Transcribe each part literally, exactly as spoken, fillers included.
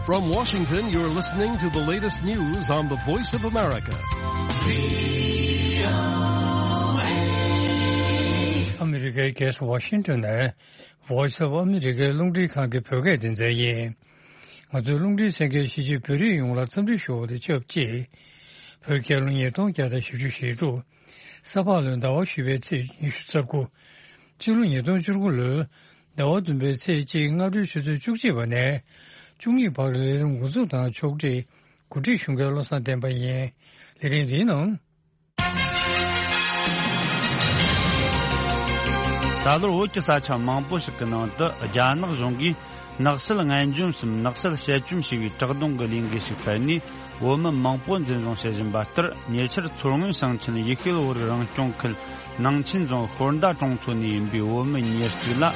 From Washington, you're listening to the latest news on the Voice of America. ཨ་མི་རི་ཀའི་རྒྱལ་ས་ཝ་ཤིང་ཏོན་ནས་Voice of America རླུང་འཕྲིན་ཁང་གི་བོད་སྐད་སྡེ་ཚན་ཡིན། ང་ཚོའི་རླུང་འཕྲིན་གསན་མཁན་གཞིས་བྱེས་བོད་རིགས་ཡོངས་ལ་འཚམས་འདྲི་ཞུ་བ་དང་ཆབས་ཅིག་བོད་རྒྱལ་ལོ་ཉིས་སྟོང་བརྒྱ་དང་བཞི་བཅུ་ཞེ་དྲུག་ས་ཕག་ལོའི་ཟླ་བ་བཞི་པའི་ཚེས་ཉི་ཤུ་རྩ་དགུ། སྤྱི་ལོ་ཉིས་སྟོང་བཅུ་དགུ་ལོའི་ཟླ་བ་བདུན་པའི་ཚེས་གཅིག་སྔ་དྲོའི་ཆུ་ཚོད་བཅུ་གཅིག་པ་ནས་བཅུ་གཉིས་བར་ལས་རིམ་འགོ་འཛུགས་དང་ཕྱོགས་སྒྲིག་གོ་སྒྲིག་ཞུ་མཁན་བློ་བཟང་བསྟན་པ་ཡིན། ལས་རིམ་འདིའི་ནང་། ད་ལོར་བོད་ཀྱི་ས་ཆ་མང་པོ་ཞིག་གི་ནང་དུ་རྒྱ་ནག་གཞུང་གིས་ནག་སེལ་ངན་འཇོམས་སམ་ནག་སེལ་དཔྱད་བཅོམ་ཞེས་པའི་བྲག་རྡུང་གི་ལས་འགུལ་ཞིག་སྤེལ་ནས། བོད་མི་མང་པོ་འཛིན་བཟུང་བྱེད་བཞིན་པ་ལྟར། ཉེ་ཆར་མཚོ་སྔོན་ཞིང་ཆེན་ཡེ་ཤེས་བོད་རིགས་རང་སྐྱོང་ཁུལ་ནང་ཆེན་རྫོང་ཤོར་མདའ་གྲོང་ཚོ་ནས་ཡིན་པའི་བོད་མི་ཉེར་གཅིག་ལ།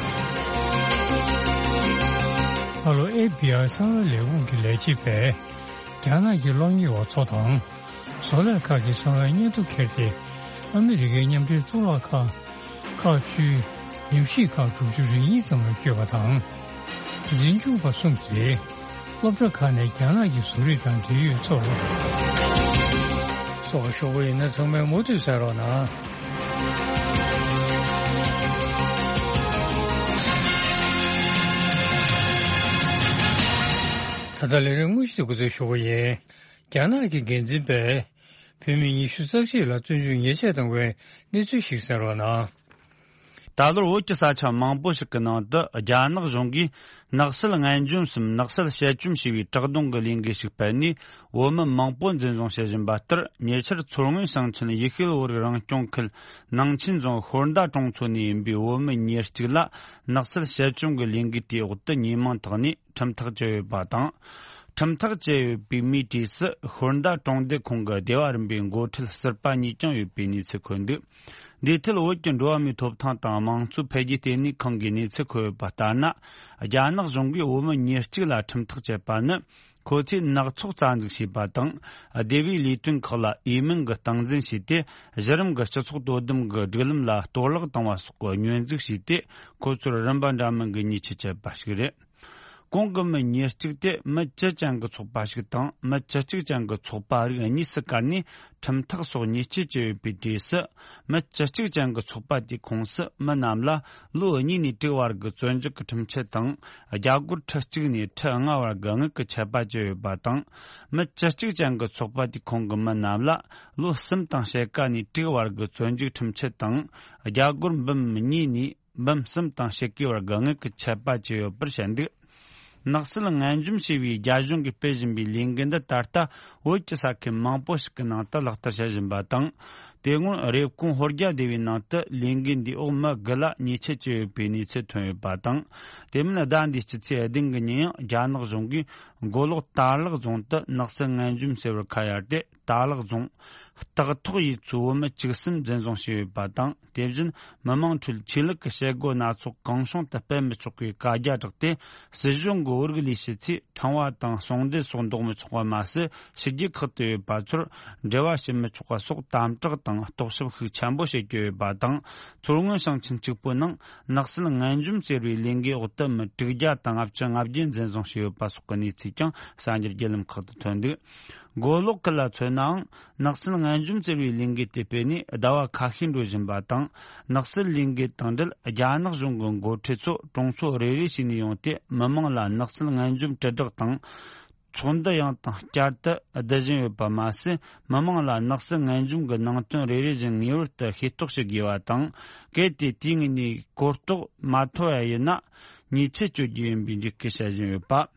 ད་ལོ་ཨེཕ་བི་ཨའི་གསང་བའི་ལས་ཁུངས་ཀྱི་ལས་བྱེད་པས་རྒྱ་ནག་གི་གློག་བརྙན་པ་ཚོ་དང་། བཟོ་ལས་ཁག་གི་གསང་བའི་སྙན་ཐོ་ཁྱེར་ཏེ། ཨ་མི་རི་ཀའི་མཉམ་འབྲེལ་གཙུག་ལག་ཁང་། ཁག་བཅུའི་ཉམས་ཞིབ་ཁང་དྲུག་ཅུ་རེ་གཉིས་ཙམ་ལ་བསྐྱོད་པ་དང་། འཛིན་སྐྱོང་པ་གསུམ་གྱིས་སློབ་གྲྭ་ཁག་ནས་རྒྱ་ནག་གི་བཟོ་རིག་དང་འབྲེལ་ཡོད་ཚོར་སོགས་ཞུ་གི་ཡིན་ན། ཚང་མས་མུ་མཐུད་གསན་རོགས་གནང་། ད་ལྟ་ལས་རིམ་དངོས་གཞི་དེ་འགོ་འཛུགས་ཞུ་གི་ཡིན། རྒྱ་ནག་གི་འགན་འཛིན་པས་བོད་མི་ཉི་ཤུ་རྩ་གཅིག་ལ་བཙོན་འཇུག་ཉེས་ཆད་བཏང་བའི་གནས་ཚུལ་ཞིག་གསན་རོགས་གནང་། ད་ལོར་བོད་ཀྱི་ས་ཆ་མང་པོ་ཞིག་གི་ནང་དུ་རྒྱ་ནག་གཞུང་གིས་ནག་སེལ་ངན་འཇོམས་སམ་ནག་སེལ་དཔྱད་བཅོམ་ཞེས་པའི་བྲག་རྡུང་གི་ལས་འགུལ་ཞིག་སྤེལ་ནས། བོད་མི་མང་པོ་འཛིན་བཟུང་བྱེད་བཞིན་པ་ལྟར། ཉེ་ཆར་མཚོ་སྔོན་ཞིང་ཆེན་ཡེ་ཤེས་བོད་རིགས་རང་སྐྱོང་ཁུལ་ནང་ཆེན་རྫོང་ཤོར་མདའ་གྲོང་ཚོ་ནས་ཡིན་པའི་བོད་མི་ཉེར་གཅིག་ལ་ནག་སེལ་དཔྱད་བཅོམ་གྱི་ལས་འགུལ་དེའི་འོག་ཏུ་ཉེས་མིང་བཏགས་ནས་ཁྲིམས་ཐག་བཅད་ཡོད་པ་དང་། ཁྲིམས་ཐག་བཅད་ཡོད་པའི་མིའི་གྲས་སུ་ཤོར་མདའ་གྲོང་སྡེ་ཁོངས་ཀྱི་སྡེ་བ་རིམ་པའི་འགོ་ཁྲིད་ཟུར་པ་གཉིས་ཀྱང་ཡོད་པའི་གནས་ཚུལ་འཁོད་འདུག་འདིའི་ཐད་བོད་ཀྱི་འགྲོ་བ་མིའི་ཐོབ་ཐང་དང་དམངས་གཙོའི་འཕེལ་རྒྱས་ལྟེ་གནས་ཁང་གིས་གནས་ཚུལ་འཁོད་ཡོད་པ་ལྟར་ན། རྒྱ་ནག་གཞུང་གིས་བོད་མི་ཉེར་གཅིག་ལ་ཁྲིམས་ཐག་བཅད་པ་ནི། ཁོ་ཚོས་ནག་ཚོགས་རྩ་འཛུགས་བྱས་པ་དང་། སྡེ་བའི་ལས་དོན་ཁག་ལ་འོས་མིན་གྱི་སྟངས་འཛིན་བྱས་ཏེ། གཞི་རིམ་གྱི་སྤྱི་ཚོགས་དོ་དམ་གྱི་སྒྲིག་ལམ་ལ་གཏོར་བརླག་བཏང་བ་སོགས་ཀྱི་བསྙོན་འཛུགས་བྱས་ཏེ། ཁོ་ཚོར་རིམ་པ་འདྲ་མིན་གྱི་ཉེས་ཆད་བཅད་པ་ཞིག་རེད། གོང་གི་མི་ཉེར་གཅིག་དེ་མི་བཅུ་ཅན་གྱི་ཚོགས་པ་ཞིག་དང་མི་བཅུ་གཅིག་ཅན་གྱི་ཚོགས་པ་རིགས་གཉིས་སུ་བཀར་ནས་ཁྲིམས་ཐག་སོགས་ཉེས་ཆད་བཅད་ཡོད་པའི་གྲས་སུ། མི་བཅུ་གཅིག་ཅན་གྱི་ཚོགས་པ་དེའི་ཁོངས་སུ་མི་རྣམས་ལ་ལོ་གཉིས་ནས་དྲུག་བར་གྱི་བཙོན་འཇུག་གི་ཁྲིམས་ཆད་དང་། རྒྱ་སྒོར་ཁྲི་གཅིག་ནས་ཁྲི་ལྔ་བར་གྱི་དངུལ་གྱི་ཆད་པ་བཅད་ཡོད་པ་དང་། མི་བཅུ་གཅིག་ཅན་གྱི་ཚོགས་པ་དེའི་ཁོངས་ཀྱི་མི་རྣམས་ལ་ལོ་གསུམ་དང་ཕྱེད་ཀ་ནས་དྲུག་བར་གྱི་བཙོན་འཇུག་ཁྲིམས་ཆད་དང་། རྒྱ་སྒོར་འབུམ་གཉིས་ནས་འབུམ་གསུམ་དང་ཕྱེད་ཀའི་བར་གྱི་དངུལ་གྱི་ཆད་པ་བཅད་ཡོད་པར་བཤད་འདུག་ནག་སེལ་ངན་འཇོམས་ཞེས་པའི་རྒྱ་གཞུང་གིས་སྤེལ་བཞིན་པའི་ལས་འགུལ་འདི་ད་ལྟ་བོད་ཀྱི་ས་ཁུལ་མང་པོ་ཞིག་གི་ནང་དུ་ལག་བསྟར་བྱེད་བཞིན་པ་དང་། དེ་སྔོན་རེབ་གོང་ཧོར་རྒྱ་སྡེ་བའི་ནང་དུ་ལས་འགུལ་འདིའི་འོག་མི་དགུ་ལ་ཉེས་ཆད་བཅད་ཡོད་པའི་གནས་ཚུལ་ཐོན་ཡོད་པ་དང་། དེ་མིན་ཟླ་འདིའི་སྤྱི་ཚེས་བདུན་གྱི་ཉིན་ཡང་རྒྱ་ནག་གཞུང་གིས་མགོ་ལོག་དར་ལག་རྫོང་དུ་ནག་སེལ་ངན་འཇོམས་ཟེར་བར་ཁ་གཡར་ཏེ། དར་ལག་རྫོང་། སྟག་ཐོག་ཡུལ་ཚོའི་བོད་མི་བཅུ་གསུམ་འཛིན་བཟུང་བྱས་ཡོད་པ་དང་། དེ་བཞིན་མི་མང་ཁྲོད་ཆོས་ལུགས་ཀྱི་བྱེད་སྒོ་སྣ་ཚོགས་གང་བྱུང་དུ་སྤེལ་མི་ཆོག་པའི་བཀའ་རྒྱ་བསྒྲགས་ཏེ། སྲིད་གཞུང་གི་བོད་རིགས་ལས་བྱེད་ཚོས་ཕྲེང་བ་དང་ཟུང་འབྲེལ་སོགས་འདོགས་མི་ཆོག་པ་མ་ཟད། ཕྱི་རྒྱལ་ཁག་ཏུ་ཡོད་པ་ཚོར་འབྲེལ་བ་བྱེད་མི་ཆོག་པ་སོགས་དམ་དྲག་དང་རྟོག་ཞིབ་ཤུགས་ཆེན་པོ་བྱེད་ཀྱི་ཡོད་པ་དང་། མཚོ་སྔོན་ཞིང་ཆེན་གཅིག་པུའི་ནང་ནག་སེལ་ངན་འཇོམས་ཟེར་བའི་ལས་འགུལ་འོག་ཏུ་མི་དྲུག་བརྒྱ་དང་ལྔ་བཅུ་ང་བརྒྱད་འཛིན་བཟུང་བྱས་ཡོད་པ་སོགས་ཀྱི་གནས་ཚུལ་ཀྱང་གསར་འགྱུར་བརྒྱུད་ལམ་ཁག་ཏུ་ཐོན་འདུག་མགོ་ལོག་ཁུལ་ལ་མཚོན་ནའང་། ནག་སེལ་ངན་འཇོམས་ཟེར་བའི་ལས་འགུལ་དེ་སྤེལ་ནས་ཟླ་བ་ཁ་ཤས་འགྲོ་བཞིན་པ་དང་། ནག་སེལ་ལས་འགུལ་དང་འབྲེལ་རྒྱ་ནག་གཞུང་གི་འགོ་ཁྲིད་ཚོ་གྲོང་ཚོ་རེ་རེ་བྱས་ནས་ཡོང་སྟེ། མི་མང་ལ་ནག་སེལ་ངན་འཇོམས་དྲིལ་བསྒྲགས་དང་། ཚོགས་འདུ་ཡང་དང་བསྐྱར་དུ་བསྡུ་བཞིན་ཡོད་པ་མ་ཟད། མི་མང་ལ་ནག་སེལ་ངན་འཇོམས་ཀྱི་ནང་དོན་རེ་རེ་བཞིན་ངེས་པར་དུ་ཤེས་རྟོགས་བྱེད་དགོས་པ་དང་། གལ་ཏེ་དུས་ངེས་ནས་གོ་རྟོགས་མ་ཐོབ་པ་ཡིན་ན། ཉེས་ཆད་གཅོད་རྒྱུ་ཡིན་པའི་འཇིགས་སྐུལ་བྱེད་བཞིན་ཡོད་པ།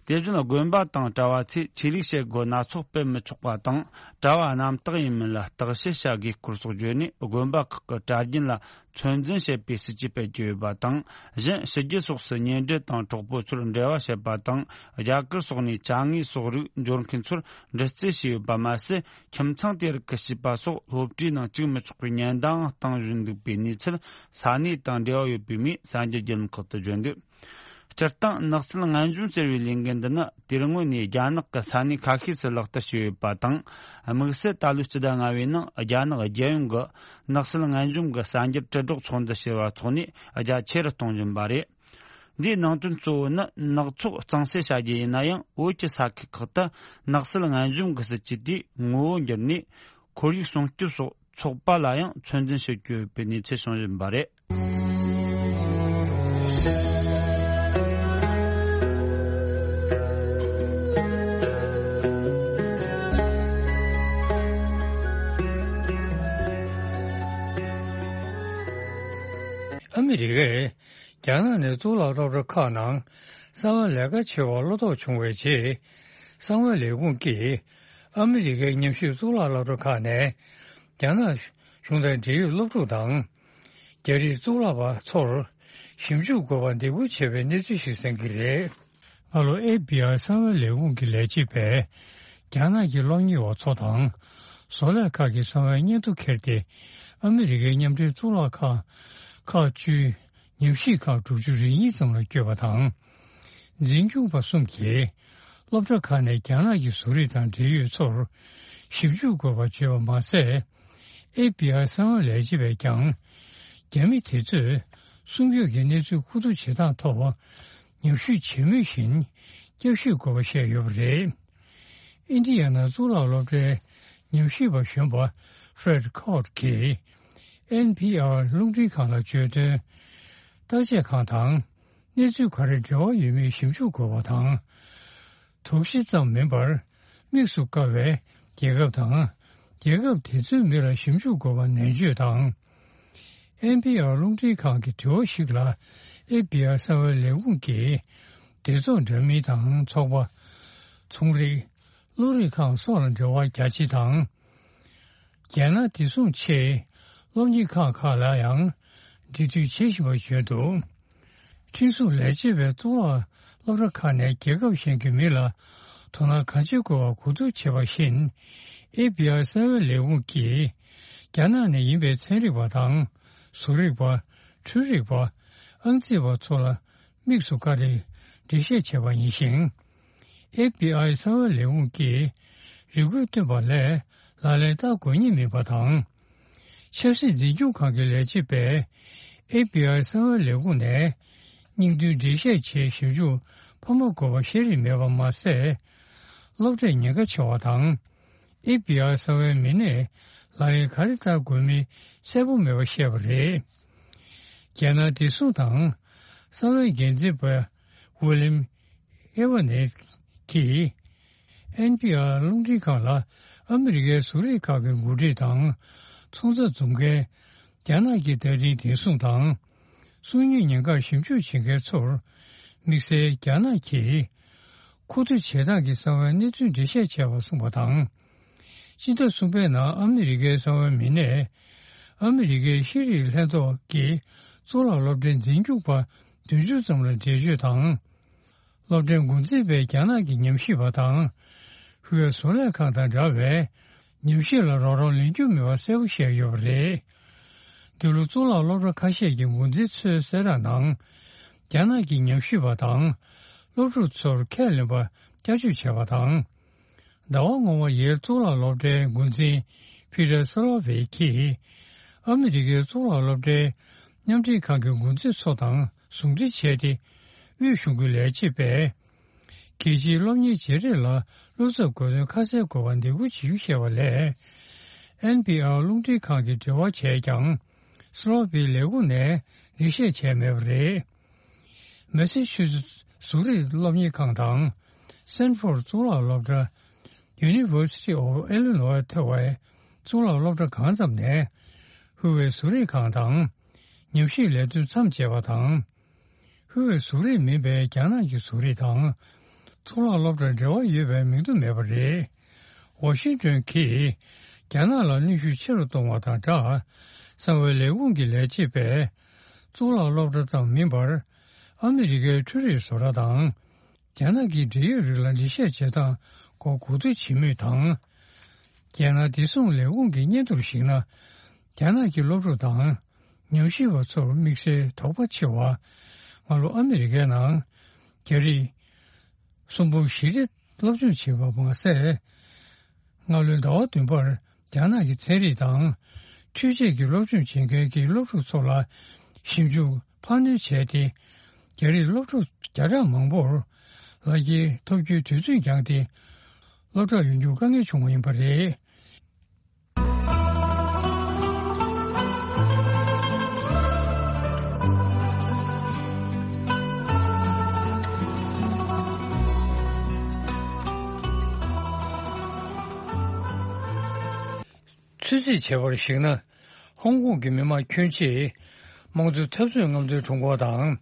དེ་བཞིན་དགོན་པ་དང་གྲྭ་བ་ཚོས་ཆོས་ལུགས་བྱེད་སྒོ་སྣ་ཚོགས་སྤེལ་མི་ཆོག་པ་དང་། གྲྭ་བ་རྣམ་དག་ཡིན་མིན་ལ་བརྟག་དཔྱད་བྱ་དགོས་སྐོར་སོགས་བརྗོད་ནས། དགོན་པ་ཁག་གི་གྲྭ་རྒྱུན་ལ་ཚོད་འཛིན་བྱེད་པའི་སྲིད་ཇུས་སྤེལ་གྱི་ཡོད་པ་དང་། གཞན་ཕྱི་རྒྱལ་སོགས་སུ་ཉེ་འབྲེལ་དང་གྲོགས་པོ་ཚོར་འབྲེལ་བ་བྱེད་པ་དང་། རྒྱ་གར་སོགས་ནས་ཅ་དངོས་སོགས་རིགས་འབྱོར་མཁན་ཚོར་འདྲི་རྩད་བྱས་ཡོད་པ་མ་ཟད། ཁྱིམ་ཚང་དེ་རིགས་ཀྱི་བྱིས་པ་སོགས་སློབ་གྲྭའི་ནང་བཅུག་མི་ཆོག་པའི་ཉེན་བརྡའང་བཏང་བཞིན་འདུག་པའི་གནས་ཚུལ་ས་གནས་དང་འབྲེལ་བ་ཡོད་པའི་མིས་གསར་འགྱུར་བརྒྱུད་ལམ་ཁག་ཏུ་བརྗོད་འདུག་སྤྱིར་བཏང་ནག་སེལ་ངན་འཇོམས་ཟེར་བའི་ལས་འགུལ་འདི་ནི་དུས་སྔོན་ནས་རྒྱ་ནག་གི་ས་གནས་ཁ་ཤས་སུ་ལག་བསྟར་བྱས་ཡོད་པ་དང་། དམིགས་བསལ་ད་ལོའི་སྤྱི་ཟླ་ལྔ་པའི་ནང་རྒྱ་ནག་རྒྱལ་ཡོངས་ཀྱི་ནག་སེལ་ངན་འཇོམས་ཀྱི་གསར་འགྱུར་དྲིལ་སྒྲོག་ཚོགས་འདུ་ཟེར་བ་འཚོགས་ནས་རྒྱ་ཆེ་རུ་གཏོང་བཞིན་པ་རེད། འདིའི་ནང་དོན་གཙོ་བོ་ནི་ནག་ཚོགས་གཙང་སེལ་བྱ་རྒྱུ་ཡིན་ན་ཡང་། བོད་ཀྱི་ས་ཁུལ་ཁག་ཏུ་ནག་སེལ་ངན་གཞུང་གི་སྲིད་ཇུས་དེའི་ངོ་བོ་འགྱུར་ནས། ཁོར་ཡུག་སྲུང་སྐྱོབ་སོགས་ཚོགས་པ་ལ་ཡང་ཚོད་འཛིན་བྱེད་ཀྱི་ཡོད་པའི་གནས་ཚུལ་བྱུང་བཞིན་པ་རེད། ཨ་མི་རི་ཀས་རྒྱ་ནག་ནས་གཙུག་ལག་སློབ་གྲྭ་ཁག་ནང་གསང་བའི་ལས་ཀ་བྱེད་པར་བློ་དོགས་བྱུང་བའི་རྗེས། གསང་བའི་ལས་ཁུངས་ཀྱིས་ཨ་མི་རི་ཀའི་ཉམས་ཞིབ་གཙུག་ལག་སློབ་གྲྭ་ཁག་ནས་རྒྱ་ནག་གཞུང་དང་འབྲེལ་ཡོད་སློབ་ཕྲུག་དང་། རྒྱ་རིགས་གཙུག་ལག་པ་ཚོར་ཞིབ་འཇུག་དགོས་པར་འདེད་སྐུལ་བྱས་པའི་གནས་ཚུལ་ཞིག་གསན་གྱི་རེད། སྔ་ལོ་ཨེཕ་བྷི་ཨའི་གསང་བའི་ལས་ཁུངས་ཀྱི་ལས་བྱེད་པས་རྒྱ་ནག་གི་སློབ་གཉེར་བ་ཚོ་དང་བཟོ་ལས་ཁག་གི་གསང་བའི་སྙན་ཐོ་འཁྱེར་ཏེ། ཨ་མི་རི་ཀའི་མཉམ་འབྲེལ་གཙུག་ལག་ཁག་ཁག་བཅུའི་ཉམས་ཞིབ་ཁག་དྲུག་ཅུ་རེ་གཉིས་ཙམ་ལ་བསྐྱོད་པ་དང་། འཛིན་སྐྱོང་པ་གསུམ་གྱིས་སློབ་གྲྭ་ཁག་ནས་རྒྱ་ནག་གི་བཟོ་རིག་དང་འབྲེལ་ཡོད་ཚོར་ཞིབ་འཇུག་དགོས་པ་བརྗོད་པ་མ་ཟད། ཨེཕ་བྷི་ཨའི་གསང་བའི་ལས་བྱེད་པས་ཀྱང་། རྒྱ་མི་དེ་ཚོས་སྲུང་སྐྱོབ་ཀྱི་གནས་ཚུལ་མཁོ་བསྡུ་བྱེད་སྟངས་ཐོག་ཉམས་ཞིབ་བྱེད་མུས་བཞིན་བསྐྱར་ཞིབ་དགོས་པ་བཤད་ཡོད་པ་རེད། ཨིན་ཌི་ཡ་ན་གཙུག་ལག་སློབ་གྲྭའི་ཉམས་ཞིབ་པ་གཞོན་པ་Fred Cort་གིས་ཨེན་པི་ཨར་རླུང་འཕྲིན་ཁང་ལ་བརྗོད་དོན། བརྟག་དཔྱད་ཁང་དང་གནས་ཚུལ་ག་རེ་འབྲེལ་བ་ཡོད་མེད་ཞིབ་འཇུག་དགོས་པ་དང་། དོགས་གཞི་ཙམ་མིན་པར་དམིགས་སུ་བཀར་བའི་རྒྱལ་ཁབ་དང་། རྒྱལ་ཁབ་དེ་ཚོའི་མི་ལ་ཞིབ་འཇུག་དགོས་པ་ནན་བརྗོད་དང་། ཨེན་པི་ཨར་རླུང་འཕྲིན་ཁང་གི་དྲི་བ་ཞིག་ལ་ཨེཕ་བྷི་ཨའི་གསང་བའི་ལས་ཁུངས་ཀྱིས་སྡེ་ཚོགས་འདྲ་མིན་དང་ཚོགས་པ། ཚོང་རིགས། བློ་རིག་ཁང་སོགས་ལ་འབྲེལ་བ་རྒྱ་ཆེ་དང་། རྒྱལ་ནང་བདེ་སྲུང་ཆེད་སློབ་གཉེར་ཁང་ཁག་ལ་ཡང་འབྲེལ་མཐུད་བྱེད་བཞིན་པ་བརྗོད་འདུག་ཁྲིམས་སྲུང་ལས་བྱེད་པས་གཙུག་ལག་སློབ་གྲྭ་ཁག་ནས་རྒྱལ་ཁབ་གཞན་གྱི་མི་ལ་དོ་སྣང་གང་ཆེ་དགོས་པར་གོ་བསྡུར་བྱས་པ་བཞིན། ཨེཕ་བྷི་ཨའི་གསང་བའི་ལས་ཁུངས་ཀྱིས་རྒྱ་ནག་ནས་ཡིན་པའི་ཚན་རིག་པ་དང་། བཟོ་རིག་པ། འཕྲུལ་རིག་པ། ཨང་རྩིས་པ་ཚོ་ལ་དམིགས་སུ་བཀར་ཏེ་འགྲེལ་བཤད་བྱས་པ་ཡིན་ཞིང་། ཨེཕ་བྷི་ཨའི་གསང་བའི་ལས་ཁུངས་ཀྱིས་རེ་སྐུལ་བཏོན་པ་ལས་ལག་ལེན་བསྟར་དགོས་ངེས་མིན་པ་དང་། ཆབ་སྲིད་འཛིན་སྐྱོང་ཁང་གི་ལས་བྱེད་པས་ཨེཕ་བྷི་ཨའི་གསང་བའི་ལས་ཁུངས་ནས་སྙིང་བསྡུས་འགྲེལ་བཤད་ཆེད་ཞིབ་འཇུག་ཕོག་མ་དགོས་པ་བཤད་རིན་མེད་པ་མ་ཟད། སློབ་གྲྭས་ཉེན་ཁ་ཆེ་བ་དང་། ཨེཕ་བྷི་ཨའི་གསང་བའི་མི་སྣས་ལག་ལེན་ག་རེ་བསྟར་དགོས་མིན་གསལ་པོ་མེད་པ་བཤད་པ་རེད། རྒྱལ་ནང་བདེ་སྲུང་དང་གསང་བའི་འགན་འཛིན་པ་ཝི་ལིམ་ཨེ་ཝ་ནེ་གིས་ཨེན་པི་ཨར་རླུང་འཕྲིན་ཁང་ལ་ཨ་མི་རི་ཀའི་བཟོ་རིག་ཁག་གི་འགོ་ཁྲིད་དང་ཚོང་རྫས་འཛོམས་མཁན། རྒྱ་ནག་གི་བརྡ་འཕྲིན་བདེ་སྲུང་དང་སྲུང་ཉེས་ཉེན་ཁར་ཞིབ་འཇུག་བྱེད་མཁན་ཚོར་དམིགས་བསལ་རྒྱ་ནག་གིས་མཁོ་བསྡུ་བྱེད་སྟངས་ཀྱི་གསང་བའི་གནས་ཚུལ་འགྲེལ་བཤད་བྱས་པ་གསུངས་པ་དང་། སྤྱི་ཟླ་གསུམ་པའི་ནང་ཨ་མི་རི་ཀའི་གསང་བའི་མི་སྣས་ཨ་མི་རི་ཀའི་ཤེས་རིག་ལྷན་ཚོགས་ཀྱི་གཙུག་ལག་སློབ་གྲྭའི་འཛིན་སྐྱོང་པ་བདུན་ཅུ་ཙམ་ལ་འགྲེལ་བརྗོད་དང་། སློབ་གྲྭའི་འགོ་འཛིན་པས་རྒྱ་ནག་གི་ཉམས་ཞིབ་པ་དང་། ཧུའེ་བཟོ་ལས་ཁང་དང་འདྲ་བའི་ཉམས་ཞིབ་ལ་རོགས་རམ་ལེན་རྒྱུ་མེད་པ་གསལ་པོ་བཤད་ཡོད་པ་རེད། འདི་ལོ་གཙུག་ལག་སློབ་གྲྭ་ཁ་ཤས་ཀྱི་འགོ་འཛིན་ཚོའི་གསལ་བསྒྲགས་ནང་། རྒྱ་ནག་གི་ཉམས་ཞིབ་པ་དང་སློབ་ཕྲུག་ཚོར་ཁས་ལེན་པ་བསྐྱར་བཅོས་བྱས་པ་དང་། ཟླ་བ་སྔོན་མ་ཡེལ་གཙུག་ལག་སློབ་གྲྭའི་འགོ་འཛིན་ཕི་ཏར་སི་ལོ་ཝི་གིས་ཨ་མི་རི་ཀའི་གཙུག་ལག་སློབ་གྲྭའི་མཉམ་འབྲེལ་ཁང་གི་འགོ་འཛིན་ཚོ་དང་ཟུང་འབྲེལ་བྱས་ཏེ། དབུས་གཞུང་གི་ལས་བྱེད་པས་རྒྱལ་སྤྱིའི་སློབ་གཉེར་བརྗེ་རེས་ལ་བློ་འཚབ་དགོས་དོན་ཁ་གསལ་དགོས་པར་འདེད་སྐུལ་བྱེད་རྒྱུ་བཤད་པ་ལས། ཨེན་པི་ཨར་རླུང་འཕྲིན་ཁང་གིས་དྲི་བ་བྱས་ཀྱང་། སི་ལོ་ཝི་ལས་ཁུངས་ནས་འགྲེལ་བཤད་བྱས་མེད་པ་རེད། མེ་སི་ཆུ་སེ་བཟོ་རིག་སློབ་གཉེར་ཁང་དང་། སེན་ཕོར་གཙུག་ལག་སློབ་གྲྭ། University of Illinois ཐོ་བའི་གཙུག་ལག་སློབ་གྲྭ་གང་ཙམ་ནས། ཧུའེ་བཟོ་རིག་ཁང་དང་། ཉམས་ཞིབ་ལས་དོན་མཚམས་བཅད་པ་དང་། ཧུའེ་བཟོ་རིག་མིན་པའི་རྒྱ་ནག་གི་བཟོ་རིག་དང་། གཙུག་ལག་སློབ་གྲྭར་འབྲེལ་བ་ཡོད་པའི་མིང་ཐོ་མེད་པ་རེད། ཝ་ཤིང་ཏོན་གྱིས་རྒྱ་ནག་ལ་གནོན་ཤུགས་ཆེ་རུ་གཏོང་བ་དང་སྦྲགས། གསང་བའི་ལས་ཁུངས་ཀྱི་ལས་བྱེད་པས་གཙུག་ལག་སློབ་གྲྭ་ཙམ་མིན་པར། ཨ་མི་རི་ཀའི་འཕྲུལ་རིག་བཟོ་གྲྭ་དང་། རྒྱ་ནག་གི་འབྲེལ་ཡོད་རིགས་ལ་འགྲེལ་བཤད་བྱེད་སྟངས་སྐོར་གོ་བསྡུར་བྱེད་མུས་དང་། རྒྱལ་ནང་བདེ་སྲུང་ལས་ཁུངས་ཀྱི་སྙན་ཐོར་གཞིགས་ན། རྒྱ་ནག་གི་སློབ་ཕྲུག་དང་ཉམས་ཞིབ་པ་ཚོར་དམིགས་བསལ་དོགས་པ་ཆེ་བ། སྔ་ལོ་ཨ་མི་རི་ཀའི་ནང་རྒྱ་རིགས་གསུམ་འབུམ་བཞི་རེ་སློབ་སྦྱོང་བྱེད་པ་མ་ཟད། སྔ་ལོའི་ཟླ་བ་བདུན་པར་རྒྱ་ནག་གི་ཚན་རིག་དང་འཕྲུལ་ཆས་ཀྱི་སློབ་སྦྱོང་བྱེད་མཁན་གྱི་སློབ་ཕྲུག་ཚོ་ལ་ཞིབ་འཇུག་འཕར་སྣོན་བྱས་ཏེ། རྒྱ་ རྒྱ་རིགས་སློབ་ཕྲུག་བརྒྱ་ཕྲག་མང་པོར་ལག་འཁྱེར་ཐོབ་རྒྱུའི་དུས་ཚོད་འགྱངས་ཏེ། སློབ་གྲྭར་ཡོང་རྒྱུ་དཀའ་ངལ་བྱུང་བ་ཡིན་པ་རེད། ཚོད་རྩིས་བྱས་པར་གཞིགས་ན། ཧོང་ཀོང་གི་མི་མང་ཁྱོན་ཆེས་དམངས་གཙོའི་འཐབ་རྩོད་རྔམ་སྟོན་དྲུང་འཁོར་དང་།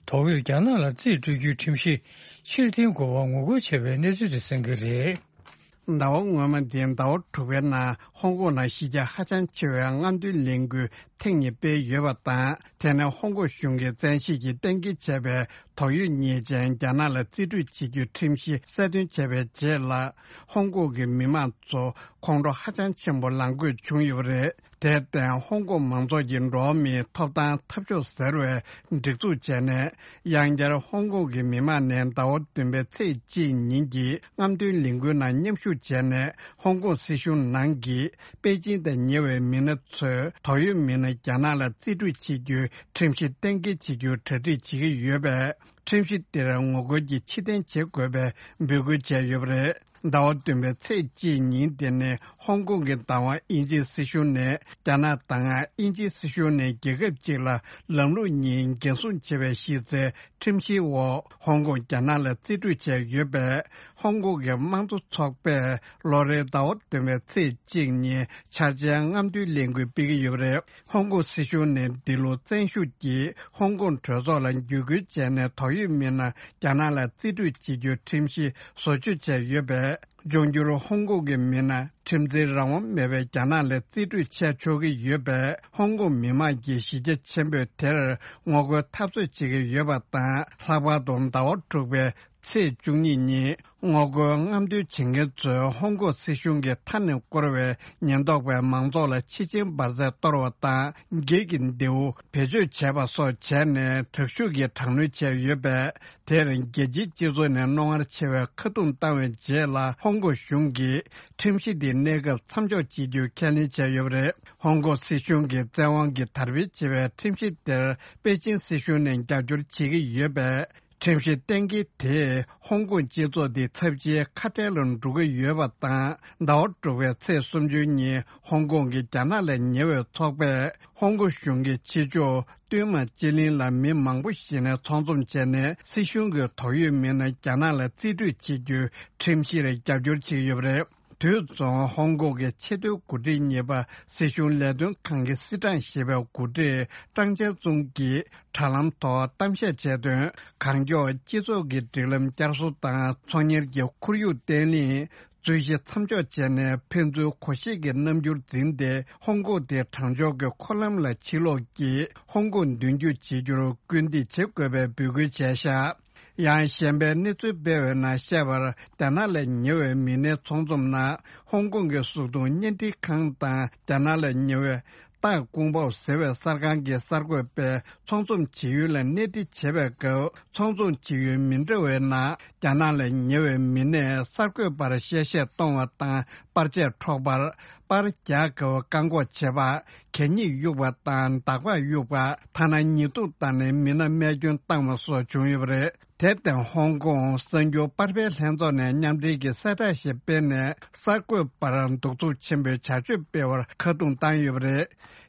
དོགས་ཡོད་རྒྱ་ནག་ལ་རྩིས་སྤྲོད་རྒྱུའི་ཁྲིམས་གཞི་ཕྱིར་འཐེན་དགོས་པར་ངོ་རྒོལ་བྱས་པའི་གནས་ཚུལ་དེ་གསན་གྱི་རེད། ཟླ་བ་སྔོན་མ་འདིའི་ཟླ་བ་དྲུག་པའི་ནང་ཧོང་ཀོང་ནང་གཞི་རྒྱ་ཧ་ཅང་ཆེ་བའི་རྔམ་སྟོན་ལས་འགུལ་ཐེངས་གཉིས་སྤེལ་ཡོད་པ་དང་། དེ་ནི་ཧོང་ཀོང་གཞུང་གིས་བཙན་ཤེད་ཀྱིས་གཏན་འཁེལ་བྱས་པའི་དོགས་ཡོད་ཉེས་ཅན་རྒྱ་ནག་ལ་རྩིས་སྤྲོད་བྱེད་རྒྱུའི་ཁྲིམས་གཞི་གསལ་སྟོན་བྱས་པའི་རྗེས་ལ། ཧོང་ཀོང་གི་མི་མང་ཚོ་ཁོང་ཁྲོ་ཧ་ཅང་ཆེན་པོ་ལངས་དགོས་བྱུང་ཡོད་པ་རེད། དེར་བརྟེན་ཧོང་ཀོང་མང་ཚོགས་ཀྱི་འགྲོ་བ་མིའི་ཐོབ་ཐང་འཐབ་ཕྱོགས་ཟེར་བས་སྒྲིག་འཛུགས་བྱས་ནས། ཡང་བསྐྱར་ཧོང་ཀོང་གི་མི་མང་ནས་ཟླ་བ་བདུན་པའི་ཚེས་གཅིག་ཉིན་གྱི་རྔམ་སྟོན་ལས་འགུལ་ནང་མཉམ་ཞུགས་བྱས་ནས། ཧོང་ཀོང་སྲིད་གཞུང་ནང་གི་པེ་ཅིང་དང་ཉེ་བའི་མི་སྣ་ཚོས་དོགས་ཡོད་མི་སྣ་རྒྱ་ནག་ལ་རྩིས་སྤྲོད་བྱེད་རྒྱུའི་ཁྲིམས་གཞི་གཏན་འཁེལ་བྱེད་རྒྱུར་གྲ་སྒྲིག་བྱེད་ཀྱི་ཡོད་པས། ཁྲིམས་གཞི་དེར་ངོ་རྒོལ་གྱིས་ཕྱིར་འཐེན་བྱེད་དགོས་པའི་འབོད་སྐུལ་བྱས་ཡོད་པ་རེད། ཟླ་བ་བདུན་པའི་ཚེས་གཅིག་ཉིན་དེ་ནི་ཧོང་ཀོང་གི་བདག་དབང་དབྱིན་ཇིའི་སྲིད་གཞུང་ནས་རྒྱ་ནག་དང་དབྱིན་ཇིའི་སྲིད་གཞུང་ནས་རྒྱལ་ཁབ་ཅིག་ལ་ལམ་ལུགས་གཉིས་འགན་སྲུང་བྱེད་པའི་གཞི་རྩའི་ཁྲིམས་གཞིའི་འོག་ཧོང་ཀོང་རྒྱ་ནག་ལ་རྩིས་སྤྲོད་བྱས་ཡོད་པས། ཧོང་ཀོང་གི་དམངས་གཙོ་ཚོགས་པས་ལོ་རེའི་ཟླ་བ་བདུན་པའི་ཚེས་གཅིག་ཉིན་འཆར་ཅན་རྔམ་སྟོན་ལས་འགུལ་སྤེལ་གྱི་ཡོད་པ་རེད། ཧོང་ཀོང་སྲིད་གཞུང་ནས་འདི་ལོ་བཙན་ཤུགས་ཀྱིས་ཧོང་ཀོང་གྲོས་ཚོགས་ལ་བརྒྱུད་སྐུལ་བྱས་ནས་དོགས་ཡོད་མི་སྣ་རྒྱ་ནག་ལ་རྩིས་སྤྲོད་བྱེད་རྒྱུའི་ཁྲིམས་གཞི་བཟོ་བཅོས་བྱས་ཡོད་པས། འབྱུང་འགྱུར་ཧོང་ཀོང་གི་མི་སྣ་ཁྲིམས་འཛིན་རང་དབང་མེད་པའི་རྒྱ་ནག་ལ་རྩིས་སྤྲོད་བྱས་ཆོག་གི་ཡོད་པས། ཧོང་ཀོང་མི་མང་གིས་གཞི་རྒྱ་ཆེན་པོས་དེར་ངོ་རྒོལ་འཐབ་རྩོད་བྱེད་ཀྱི་ཡོད་པ་དང་། ལྷག་པར་དུ་ཟླ་བ་དྲུག་པའི་ཚེས་བཅུ་གཉིས་ཉིན། ངོ་རྒོལ་རྔམ་སྟོན་བྱེད་མཁན་ཚོས་ཧོང་ཀོང་སྲིད་གཞུང་གིས་མཐའ་ནས་བསྐོར་བའི་ཉེན་རྟོག་པས་མང་ཚོགས་ལ་ཕྱི་ཆེན་འབར་རྫས་གཏོར་བ་དང་། འགྱིག་གི་མདེའུ་བེད་སྤྱོད་བྱས་པ་སོགས་བྱས་ནས་དྲག་ཤུགས་ཀྱིས་དྲག་གནོན་བྱས་ཡོད་པས། དེར་རྒྱལ་སྤྱིའི་སྤྱི་ཚོགས་ནས་རྣོ་ངར་ཆེ་བའི་ཁ་རྡུང་བཏང་བའི་རྗེས་ལ། ཧོང་ཀོང་གཞུང་གིས་ཁྲིམས་གཞི་འདི་གནས་སྐབས་མཚམས་འཇོག་བྱེད་རྒྱུའི་ཁས་ལེན་བྱས་ཡོད་པ་རེད། ཧོང་ཀོང་སྲིད་གཞུང་གིས་བཙན་དབང་གིས་དར་སྤེལ་བྱེད་པའི་ཁྲིམས་གཞི་དེར་པེ་ཅིན་སྲིད་གཞུང་ནས་རྒྱབ་སྐྱོར་བྱེད་ཀྱི་ཡོད་པས། ཁྲིམས་གཞི་གཏན་འཁེལ་དེས་ཧོང་ཀོང་སྤྱི་ཚོགས་འདི་ཚབས་ཆེའི་ཁ་བྲལ་ལ་འགྲོ་གི་ཡོད་པ་དང་། ཟླ་བ་དྲུག་པའི་ཚེས་སུམ་ཅུ་ཉིན་ཧོང་ཀོང་གི་རྒྱ་ནག་ལས་ཉེ་བའི་ཚོགས་པས་ཧོང་ཀོང་གཞུང་གི་ཕྱི་ཕྱོགས་སྟོད་མ་ཅི་ལིན་ལ་མི་མང་པོ་ཞིག་ནས་ཚོགས་འཛོམས་བྱས་ནས། སྲིད་གཞུང་གི་དོགས་ཡོད་མི་སྣ་རྒྱ་ནག་ལ་རྩིས་སྤྲོད་བྱེད་རྒྱུའི་ཁྲིམས་གཞིར་རྒྱབ་སྐྱོར་བྱེད་ཀྱི་ཡོད་པ་རེད། དུས་མཚུངས་ཧོང་ཀོང་གི་ཆེས་མཐོའི་འགོ་ཁྲིད་གཉིས་པ་སྲིད་གཞུང་ལས་དོན་ཁང་གི་སྲིད་ཀྲང་ཞེས་པའི་འགོ་ཁྲིད་ཀྲང་ཅན་ཙུང་གིས་དྲ་ལམ་ཐོག་གཏམ་བཤད་བྱས་དོན། གང་མགྱོགས་སྤྱི་ཚོགས་ཀྱི་སྒྲིག་ལམ་བསྐྱར་གསོ་དང་། ཚོང་གཉེར་གྱི་ཁོར་ཡུག་བརྟན་ལྷིང་། རྩོད་གཞི་མཚམས་འཇོག་བྱས་ནས། ཕན་ཚུན་གོ་ཤེས་ཀྱི་རྣམ་འགྱུར་འཛིན་ཏེ། ཧོང་ཀོང་དེ་དྲང་ཕྱོགས་ཀྱི་འཁོར་ལམ་ལ་ཕྱིར་ལོག་གིས་ཧོང་ཀོང་མདུན་སྐྱོད་བྱེད་རྒྱུར་སྐུལ་འདེད་བྱེད་དགོས་པའི་འབོད་སྐུལ་བྱས་བཞག་ཡང་གཞན་པའི་གནས་ཚུལ་སྤེལ་བའི་ནང་བཤད་པར། རྒྱ་ནག་ལ་ཉེ་བའི་མི་སྣའི་ཚོགས་འཛོམས་ནང་། ཧོང་ཀོང་གི་གཟུགས་མཐོང་བརྙན་འཕྲིན་ཁང་དང་། རྒྱ་ནག་ལ་ཉེ་བའི་ཏཱ་ཀུང་པའོ་ཟེར་བའི་གསར་ཁང་གི་གསར་འགོད་པས་ཚོགས་འཛོམས་བྱེད་ཡུལ་ལ་གནས་འདྲི་བྱེད་པའི་སྐབས། ཚོགས་འཛོམས་བྱེད་ཡུལ་མི་འདྲ་བའི་ནང་། རྒྱ་ནག་ལ་ཉེ་བའི་མི་སྣས་གསར་འགོད་པར་གཤེ་གཤེ་གཏོང་བ་དང་། པར་ཆས་འཕྲོག་པ། པར་རྒྱག་དགོས་པར་བཀག་འགོག་བྱེད་པ། གད་སྙིགས་གཡུག་པ་དང་། འདག་པ་གཡུག་པ། ཐ་ན་ཉེས་རྡུང་བཏང་ནས་མི་སྣ་རྨས་སྐྱོན་བཏང་བ་སོགས་བྱུང་ཡོད་པ་རེད། དེར་བརྟེན། ཧོང་ཀོང་གསར་འགྱུར་པར་སྤེལ་ལྷན་ཚོགས་ནས་མཉམ་འབྲེལ་གྱིས་གསལ་བསྒྲགས་ཤིག་སྤེལ་ནས། གསར་འགོད་པར་གདུག་རྩུབ་ཆེན་པོའི་བྱ་སྤྱོད་སྤེལ་བར་ཁ་རྡུང་བཏང་ཡོད་པ་རེད།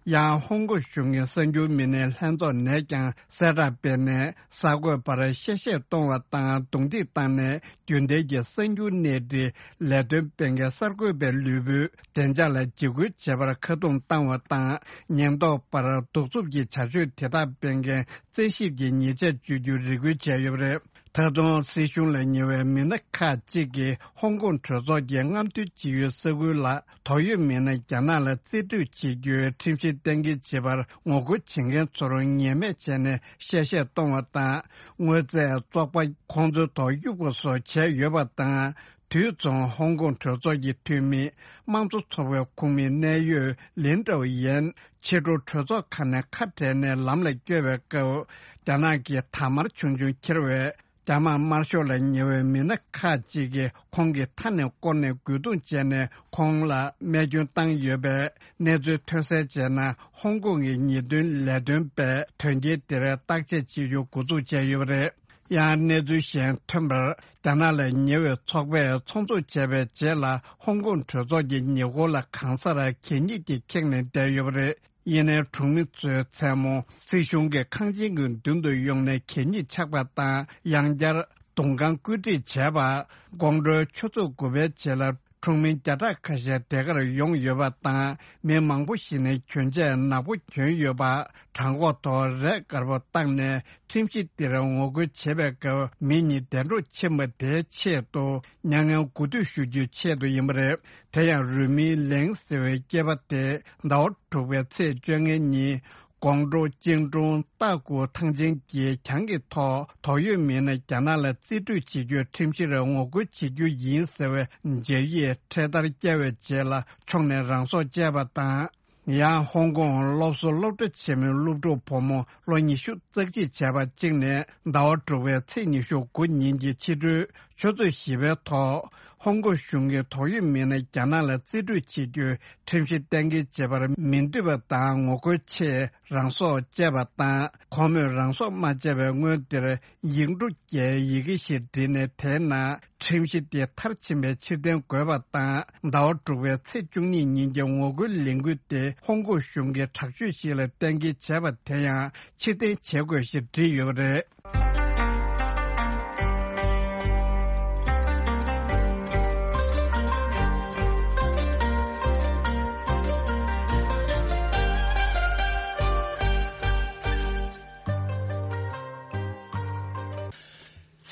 ཡང་། ཧོང་ཀོང་གཞུང་གི་གསར་འགྱུར་མི་སྣའི་ལྷན་ཚོགས་ནས་ཀྱང་གསལ་བསྒྲགས་སྤེལ་ནས། གསར་འགོད་པར་གཤེ་གཤེ་གཏོང་བ་དང་། རྡུང་རྡེག་བཏང་ནས། རྒྱུན་ལྡན་གྱི་གསར་འགྱུར་གནས་འདྲི་ལས་དོན་སྤེལ་མཁན་གསར་འགོད་པའི་ལུས་པོའི་བདེ་འཇགས་ལ་འཇིགས་སྐུལ་བྱེད་པར་ཁ་རྡུང་བཏང་བ་དང་། ཉེན་རྟོག་པར་གདུག་རྩུབ་ཀྱི་བྱ་སྤྱོད་དེ་དག་སྤེལ་མཁན་རྩད་ཞིབ་ཀྱི་ཉེས་ཆད་གཅོད་རྒྱུའི་རེ་སྐུལ་བྱས་ཡོད་པ་རེད། ད་དུང་སྲིད་གཞུང་ལ་ཉེ་བའི་མི་སྣ་ཁག་ཅིག་གིས་ཧོང་ཀོང་གྲོས་ཚོགས་ཀྱི་རྔམ་སྟོན་བྱེད་ཡུལ་ས་ཁུལ་ལ། དོགས་ཡོད་མི་སྣ་རྒྱ་ནག་ལ་རྩིས་སྤྲོད་བྱེད་རྒྱུའི་ཁྲིམས་གཞི་གཏན་འཁེལ་བྱེད་པར་ངོ་རྒོལ་བྱེད་མཁན་ཚོར་ངན་སྨྲས་བྱས་ནས་གཤེ་གཤེ་གཏོང་བ་དང་། དངོས་རྫས་བཙོག་པ་ཁོང་ཚོའི་ཐོག་གཡུག་པ་སོགས་བྱས་ཡོད་པ་དང་། དུས་མཚུངས། ཧོང་ཀོང་གྲོས་ཚོགས་ཀྱི་འཐུས་མི། དམངས་གཙོ་ཚོགས་པའི་ཁོངས་མི་གནད་ཡོད་ལིན་ཀྲའོ་ཡན། ཕྱི་དྲོ་གྲོས་ཚོགས་ཁང་ནས་ཁ་བྲལ་ནས་ལམ་ལ་བསྐྱོད་པའི་སྐབས། རྒྱ་ནག་གི་དར་དམར་ཆུང་ཆུང་འཁྱེར་བའི་ རྒྱ་དམག་དམར་ཤོག་ལ་ཉེ་བའི་མི་སྣ་ཁག་ཅིག་གིས་ཁོང་གི་མཐའ་ནས་བསྐོར་ནས་རྒོལ་རྡུང་བྱས་ནས་ཁོང་ལ་རྨས་སྐྱོན་བཏང་ཡོད་པས། གནས་ཚུལ་ཐོན་གསལ་བྱས་ན། ཧོང་ཀོང་གི་ཉེས་དོན་ལས་དོན་པས་དོན་རྐྱེན་དེར་བརྟག་དཔྱད་བྱེད་རྒྱུ་འགོ་འཛུགས་བྱས་ཡོད་པ་རེད། ཡང་གནས་ཚུལ་གཞན་ཐོན་པར། རྒྱ་ནག་ལ་ཉེ་བའི་ཚོགས་པས་ཚོགས་འཛུགས་བྱས་པའི་རྗེས་ལ། ཧོང་ཀོང་གྲོས་ཚོགས་ཀྱི་ཉེ་འཁོར་ལ་གང་སར་གད་སྙིགས་ཀྱིས་ཁེངས་ནས་བསྡད་ཡོད་པ་རེད། ཡིན་ནའི་གྲོང་མི་ཚོས་མཚན་མོ་སྲིད་གཞུང་གི་ཁང་ཆེན་གྱི་མདུན་དུ་ཡོང་ནས་གད་སྙིགས་ཆག་པ་དང་། ཡང་བསྐྱར་གདུང་ཁང་བཀོད་སྒྲིག་བྱས་པ། དགོང་དྲོའི་ཆུ་ཚོད་དགུ་པའི་རྗེས་ལ། གྲོང་མི་བརྒྱ་ཕྲག་ཁ་ཤས་དེ་གར་ཡོང་ཡོད་པ་དང་། མི་མང་པོ་ཞིག་ནས་གྱོན་ཆས་ནག་པོ་གྱོན་ཡོད་པ། བྲང་ཁོག་ཐོག་རས་དཀར་པོ་བཏགས་ནས། ཁྲིམས་གཞི་འདིར་ངོ་རྒོལ་བྱེད་པའི་སྐབས། མི་གཉིས་འདས་གྲོངས་ཕྱིན་པ་དེའི་ཆེད་དུ། མྱ་ངན་གུས་འདུད་ཞུ་རྒྱུའི་ཆེད་དུ་ཡིན་པ་རེད། དེ་ཡང་རུས་མིང་ལེང་ཟེར་བའི་སྐྱེས་པ་དེ། ཟླ་བ་དྲུག་པའི་ཚེས་བཅོ་ལྔའི་ཉིན། ཀོང་ཀྲོའུ་ཅིང་ཀྲུང་ཏཱ་ཀུའུ་ཐང་ཆེན་གྱི་གྱང་གི་ཐོག་དོགས་ཡོད་མི་སྣ་རྒྱ་ནག་ལ་རྩིས་སྤྲོད་བྱེད་རྒྱུའི་ཁྲིམས་གཞིར་ངོ་རྒོལ་བྱེད་རྒྱུ་ཡིན་ཟེར་བའི་འཇབ་ཡིག་འཕྲེད་དར་བཀལ་བའི་རྗེས་ལ། ཕྱོགས་ནས་རང་སྲོག་བཅད་པ་དང་། ཡང་ཧོང་ཀོང་སློབ་གསོ་སློབ་གྲྭ་ཆེན་མོའི་སློབ་ཕྲུག་བུ་མོ་ལོ་ཉི་ཤུ་རྩ་གཅིག་བྱས་པ་གཅིག་ནས། ཟླ་བ་དྲུག་པའི་ཚེས་ཉི་ཤུ་དགུ་ཉིན་གྱི་ཕྱི་དྲོའི་ཆུ་ཚོད་བཞི་པའི་ཐོག་ཧོང་ཀོང་གཞུང་གིས་དོགས་ཡོད་མི་སྣ་རྒྱ་ནག་ལ་རྩིས་སྤྲོད་བྱེད་རྒྱུའི་ཁྲིམས་གཞི་གཏན་འཁེལ་བྱེད་པར་མི་འདོད་པ་དང་ངོ་རྒོལ་ཆེད་རང་སྲོག་བཅད་པ་དང་། ཁོ་མོས་རང་སྲོག་མ་བཅད་པའི་སྔོན་དེར་ཡིག་འབྲུ་བརྒྱའི་ཡི་གེ་ཞིག་བྲིས་ནས། དེའི་ནང་ཁྲིམས་གཞི་དེ་མཐར་ཕྱིན་པའི་ཕྱིར་འཐེན་དགོས་པ་དང་། ཟླ་བ་དྲུག་པའི་ཚེས་བཅུ་གཉིས་ཉིན་གྱི་ངོ་རྒོལ་ལས་འགུལ་དེ་ཧོང་ཀོང་གཞུང་གི་དྲག་སྤྱོད་ཞིག་ལ་གཏན་འཁེལ་བྱས་པ་དེ་ཡང་ཕྱིར་འཐེན་བྱེད་དགོས་ཞེས་བྲིས་ཡོད་པ་རེད།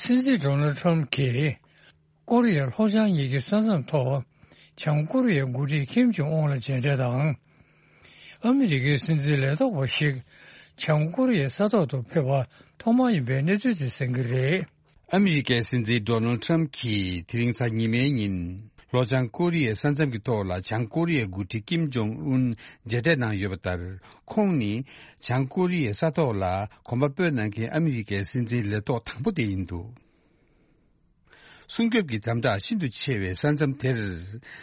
སྲིད་འཛིན་ཌོ་ནལ་ཁྲམ་གྱིས་ཀོ་རི་ཡ་ལྷོ་བྱང་གཉིས་ཀྱི་ས་མཚམས་ཐོག་བྱང་ཀོ་རི་ཡའི་འགོ་ཁྲིད་ཀིམ་ཇོང་ཨུན་ལ་མཇལ་འཕྲད་དང་། ཨ་མི་རི་ཀའི་སྲིད་འཛིན་ལས་ཐོག་པ་ཞིག་བྱང་ཀོ་རི་ཡའི་ས་ཐོག་ཏུ་ཕེབས་པ་ཐོག་མ་ཡིན་པའི་གནས་ཚུལ་དེ་གསན་གྱི་རེད། ཨ་མི་རི་ཀའི་སྲིད་འཛིན་ཌོ་ནལ་ཁྲམ་གྱིས་དེ་རིང་གཟའ་ཉི་མའི་ཉིན། ལྷོ་བྱང་ཀོ་རི་ཡའི་ས་མཚམས་ཀྱི་ཐོག་ལ་བྱང་ཀོ་རི་ཡའི་འགོ་ཁྲིད་ཀིམ་ཇོང་ཨུན་མཇལ་འཕྲད་གནང་ཡོད་པ་ལྟར། ཁོང་ནི་བྱང་ཀོ་རི་ཡའི་ས་ཐོག་ལ་གོམ་པ་སྤོས་གནང་མཁན་ཨ་མི་རི་ཀའི་སྲིད་འཛིན་ལས་ཐོག་དང་པོ་དེ་ཡིན་འདུག། སྲུང་སྐྱོབ་ཀྱི་དམ་དྲག་ཤིན་ཏུ་ཆེ་བའི་ས་མཚམས་དེར།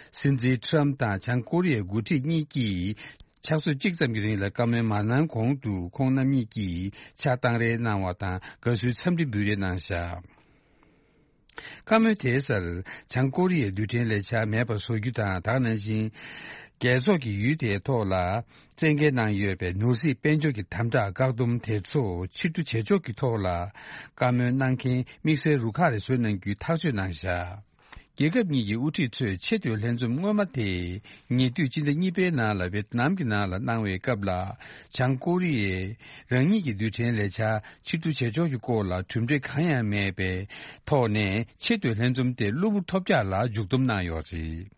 སྲིད་འཛིན་ཁྲམ་དང་བྱང་ཀོ་རི་ཡའི་འགོ་ཁྲིད་གཉིས་ཀྱིས། ཕྱག་ཚོད་གཅིག་ཙམ་གྱི་རིང་ལ་བཀའ་མོལ་མ་གནང་གོང་དུ། ཁོང་རྣམ་གཉིས་ཀྱིས་ཕྱག་བཏང་རེས་གནང་བ་དང་། དགའ་བསུའི་འཚམས་འདྲི་འབུལ་རེས་གནང་བཞག། བཀའ་མོལ་དེའི་སར། བྱང་ཀོ་རི་ཡའི་རྡུལ་ཕྲན་ལས་འཆར་མེད་པར་བཟོ་རྒྱུ་དང་། ད་ག་ནང་བཞིན། རྒྱལ་ཚོགས་ཀྱི་ཡུལ་དེའི་ཐོག་ལ། བཙན་འགེལ་གནང་ཡོད་པའི་ནོར་སྲིད་དཔལ་འབྱོར་གྱི་དམ་དྲག་བཀག་སྡོམ་དེ་ཚོ་ཕྱིར་བསྡུ་བྱེད་ཕྱོགས་ཀྱི་ཐོག་ལ། བཀའ་མོལ་གནང་མཁན་དམིགས་བསལ་རུ་ཁག་རེ་བཟོས་གནང་རྒྱུའི་ཐག་གཅོད་གནང་བཞག། རྒྱལ་ཁབ་གཉིས་ཀྱི་དབུ་ཁྲིད་ཚོས་ཆེས་མཐོའི་ལྷན་འཛོམས་སྔོན་མ་དེ། ཉེ་དུས་སྤྱི་ཟླ་གཉིས་པའི་ནང་ལ་ཝེ་ཏི་ནམ་གྱི་ནང་ལ་གནང་བའི་སྐབས་ལ། བྱང་ཀོ་རི་ཡས་རང་ཉིད་ཀྱི་རྡུལ་ཕྲན་ལས་འཆར་ཕྱིར་བསྡུ་བྱེད་ཕྱོགས་ཀྱི་སྐོར་ལ་གྲུབ་འབྲས་གང་ཡང་མེད་པའི་ཐོག་ནས། ཆེས་མཐོའི་ལྷན་འཛོམས་དེ་གློ་བུར་ཐོལ་རྒྱག་ལ་མཇུག་སྡོམ་གནང་ཡོད་རེད།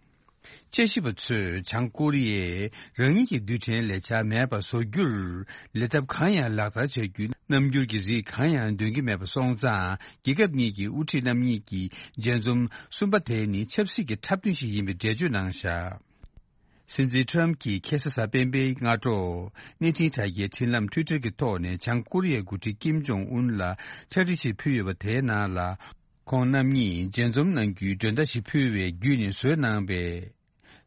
དཔྱད་ཞིབ་པ་ཚོས་བྱང་ཀོ་རི་ཡས་རང་ཉིད་ཀྱི་རྡུལ་ཕྲན་ལས་འཆར་མེད་པར་བཟོ་རྒྱུར་ལས་ཐབས་གང་ཡང་ལག་བསྟར་བྱ་རྒྱུའི་རྣམ་འགྱུར་གྱི་རིགས་གང་ཡང་འདོན་གྱི་མེད་པ་སོང་ཙང་། རྒྱལ་ཁབ་གཉིས་ཀྱི་དབུ་ཁྲིད་རྣམ་གཉིས་ཀྱི་མཇལ་འཛོམས་གསུམ་པ་དེ་ནི་ཆབ་སྲིད་ཀྱི་འཁྲབ་སྟོན་ཞིག་ཡིན་པའི་འགྲེལ་བརྗོད་གནང་བཞག། སྲིད་འཛིན་ཁྲམ་གྱིས་ཁ་སང་གཟའ་སྤེན་པའི་སྔ་དྲོ། གནས་འཕྲིན་དྲ་རྒྱའི་འཕྲིན་ལམ་ཊུའི་ཊར་གྱི་ཐོག་ནས་བྱང་ཀོ་རི་ཡའི་འགོ་ཁྲིད་ཀིམ་ཇོང་ཨུན་ལ་ཕྱག་བྲིས་ཤིག་ཕུལ་ཡོད་པ་དེའི་ནང་ལ། ཁོང་རྣམ་གཉིས་མཇལ་འཛོམས་གནང་རྒྱུའི་མགྲོན་བརྡ་ཞིག་ཕུལ་བའི་བརྒྱུད་ནས་བཟོས་གནང་པའི་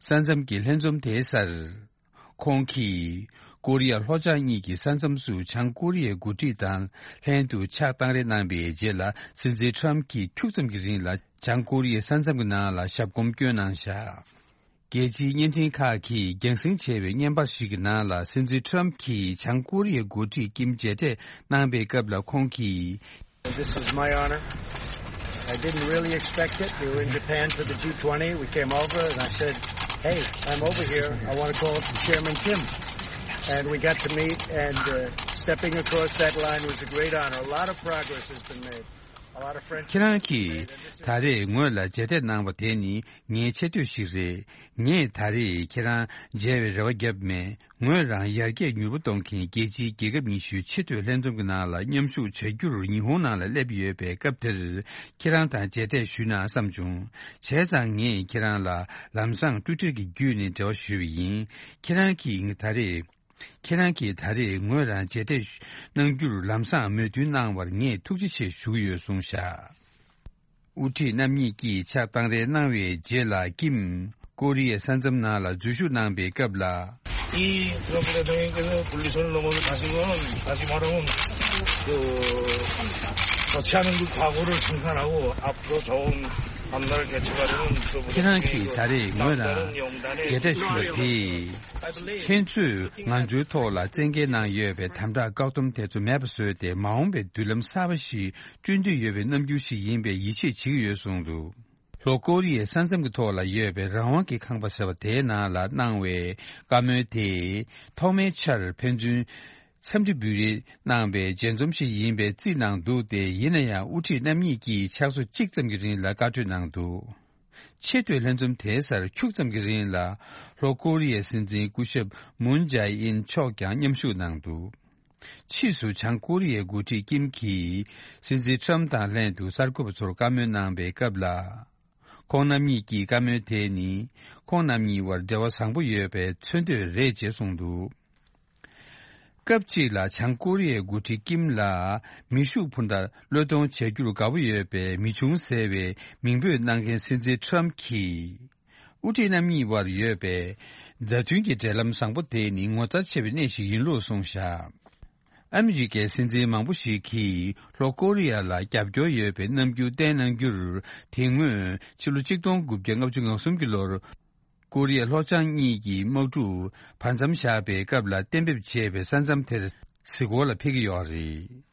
ས་མཚམས་ཀྱི་ལྷན་འཛོམས་དེའི་སར། ཁོང་གིས་ཀོ་རི་ཡ་ལྷོ་བྱང་གཉིས་ཀྱི་ས་མཚམས་སུ་བྱང་ཀོ་རི་ཡའི་འགོ་ཁྲིད་དང་ལྷན་དུ་ཕྱག་བཏང་རེས་གནང་པའི་རྗེས་ལ། སྲིད་འཛིན་ཁྲམ་གྱིས་ཁྱུག་ཙམ་གྱི་རིང་ལ་བྱང་ཀོ་རི་ཡའི་ས་མཚམས་ཀྱི་ནང་ལ་ཞབས་གོམ་བསྐྱོན་གནང་བཞག། རྒྱལ་སྤྱིའི་བརྙན་འཕྲིན་ཁག་གིས་རྒྱང་སྲིང་བྱས་པའི་བརྙན་པར་ཞིག་གི་ནང་ལ། སྲིད་འཛིན་ཁྲམ་གྱིས་བྱང་ཀོ་རི་ཡའི་འགོ་ཁྲིད་ཀིམ་མཇལ་འཕྲད་གནང་པའི་སྐབས་ལ། ཁོང་གིས། This is my honor. I didn't really expect it. We were in Japan for the G twenty. We came over and I said, "Hey, I'm over here. I want to call Chairman Kim." And we got to meet, and uh, stepping across that line was a great honor. A lot of progress has been made. A lot of friendships. ཁྱེད་རང་གིས་ད་རེས་ངོས་ལ་མཇལ་འཕྲད་གནང་བ་དེ་ནི་ངའི་ཆེ་བསྟོད་ཞིག་རེད། ངས་ད་རེས་ཁྱེད་རང་མཇལ་བའི་རེ་བ་བརྒྱབ་མེད། ངོས་རང་ཡར་རྒྱས་མྱུར་པོ་གཏོང་མཁན་རྒྱལ་སྤྱིའི་རྒྱལ་ཁབ་ཉི་ཤུའི་ཆེས་མཐོའི་ལྷན་འཛོམས་ཀྱི་ནང་ལ་མཉམ་ཞུགས་བྱ་རྒྱུར་ཉི་ཧོང་ནང་ལ་སླེབས་ཡོད་པའི་སྐབས་དེར། ཁྱེད་རང་དང་མཇལ་འཕྲད་ཞུས་ན་བསམ་བྱུང་། བྱས་ཙང་ངས་ཁྱེད་རང་ལ་ལམ་སང་ཊུའི་ཊར་གྱི་བརྒྱུད་ནས་འབྲེལ་བ་ཞུས་པ་ཡིན། ཁྱེད་རང་གིས་ད་རེས་ ཁྱེད་རང་གིས་ད་རེས་ངོས་རང་མཇལ་འཕྲད་གནང་རྒྱུར་ལམ་སང་མོས་མཐུན་གནང་བར་ངས་ཐུགས་རྗེ་ཆེ་ཞུ་གི་ཡོད་གསུངས་བཞག་དབུ་ཁྲིད་རྣམ་གཉིས་ཀྱིས་ཕྱག་བཏང་རེས་གནང་བའི་རྗེས་ལ་ཀིམ་ཀོ་རི་ཡའི་ས་མཚམས་ནང་ལ་འཛུལ་ཞུགས་གནང་པའི་སྐབས་ལ། 이 트럼프 대통령께서 분리선을 넘어서 가신 건 다시 말하면 그 거치하는 그 각오를 정산하고 앞으로 좋은 앞날을 개척하려는 ཁྱེད་རང་གིས་ད་རེས་ངོས་རང་མཇལ་འཕྲད་ཞུས་པ་དེས། ཁྱེད་ཚོས་ང་ཚོའི་ཐོག་ལ་བཙན་འགེལ་གནང་ཡོད་པའི་དམ་དྲག་བཀག་སྡོམ་དེ་ཚོ་མེད་པ་བཟོས་ཏེ་མ་འོངས་པའི་མདུན་ལམ་གསར་པ་ཞིག་བསྐྲུན་འདོད་ཡོད་པའི་རྣམ་འགྱུར་ཞིག་ཡིན་པའི་ཡིད་ཆེས་བྱེད་ཀྱི་ཡོད་གསུངས་འདུག་ལྷོ་ཀོ་རི་ཡའི་ས་མཚམས་ཀྱི་ཐོག་ལ་ཡོད་པའི་རང་དབང་གི་ཁང་པ་ཟེར་བ་དེའི་ནང་ལ་གནང་བའི་བཀའ་མོལ་དེ་ཐོག་མའི་ཆར་ཕན་ཚུན་འཚམས་འདྲི་འབུལ་རེས་གནང་བའི་མཇལ་འཛོམས་ཤིག་ཡིན་པའི་རྩིས་གནང་འདུག་སྟེ། ཡིན་ན་ཡང་དབུ་ཁྲིད་རྣམ་གཉིས་ཀྱིས་ཕྱག་ཚོད་གཅིག་ཙམ་གྱི་རིང་ལ་བཀའ་གྲོས་གནང་འདུག་ཆེས་མཐོའི་ལྷན་འཛོམས་དེའི་སར་ཁྱུག་ཙམ་གྱི་རིང་ལ་ལྷོ་ཀོ་རི་ཡའི་སྲིད་འཛིན་སྐུ་ཞབས་མུན་ཇའེ་ཨིན་མཆོག་ཀྱང་མཉམ་ཞུགས་གནང་འདུག་ཕྱིས་སུ་བྱང་ཀོ་རི་ཡའི་འགོ་ཁྲིད་ཀིམ་གྱིས་སྲིད་འཛིན་ཁྲམ་དང་ལྷན་དུ་གསར་འགོད་པ་ཚོར་བཀའ་མོལ་གནང་པའི་སྐབས་ལ། ཁོང་རྣམ་གཉིས་ཀྱིས་བཀའ་མོལ་དེ་ནི་ཁོང་རྣམ་གཉིས་དབར་འབྲེལ་བ་བཟང་པོ་ཡོད་པའི་མཚོན་དོད་རེད་ཅེས་གསུངས་འདུག་སྐབས་གཅིག་ལ་བྱང་ཀོ་རི་ཡའི་འགོ་ཁྲིད་ཀིམ་ལ་མེ་ཤུགས་འཕུར་མདའ་བློས་གཏོང་བྱ་རྒྱུར་དགའ་པོ་ཡོད་པའི་མི་ཆུང་ཟེར་བའི་མིང་འབོད་གནང་མཁན་སྲིད་འཛིན་ཁྲམ་གྱིས། དབུ་ཁྲིད་རྣམ་གཉིས་དབར་ཡོད་པའི་མཛའ་མཐུན་གྱི་འབྲེལ་ལམ་བཟང་པོ་དེ་ནི་ངོ་མཚར་ཆེ་བའི་གནས་ཤིག་ཡིན་ལུགས་གསུངས་བཞག་ཨ་མི་རི་ཀའི་སྲིད་འཛིན་མང་པོ་ཞིག་གིས་ལྷོ་ཀོ་རི་ཡ་ལ་རྒྱབ་སྐྱོར་ཡོད་པའི་རྣམ་འགྱུར་བསྟན་གནང་རྒྱུར། དེ་སྔོན་ཕྱི་ལོ་ཆིག་སྟོང་དགུ་བརྒྱ་ལྔ་བཅུ་ང་གསུམ་གྱི་ལོར། ཀོ་རི་ཡ་ལྷོ་བྱང་གཉིས་ཀྱི་དམག་འཁྲུག་བར་མཚམས་བཞག་པའི་སྐབས་ལ་གཏན་འབེབས་བྱས་པའི་ས་མཚམས་དེར་གཟིགས་སྐོར་ལ་ཕེབས་ཀྱི་ཡོད་རེད།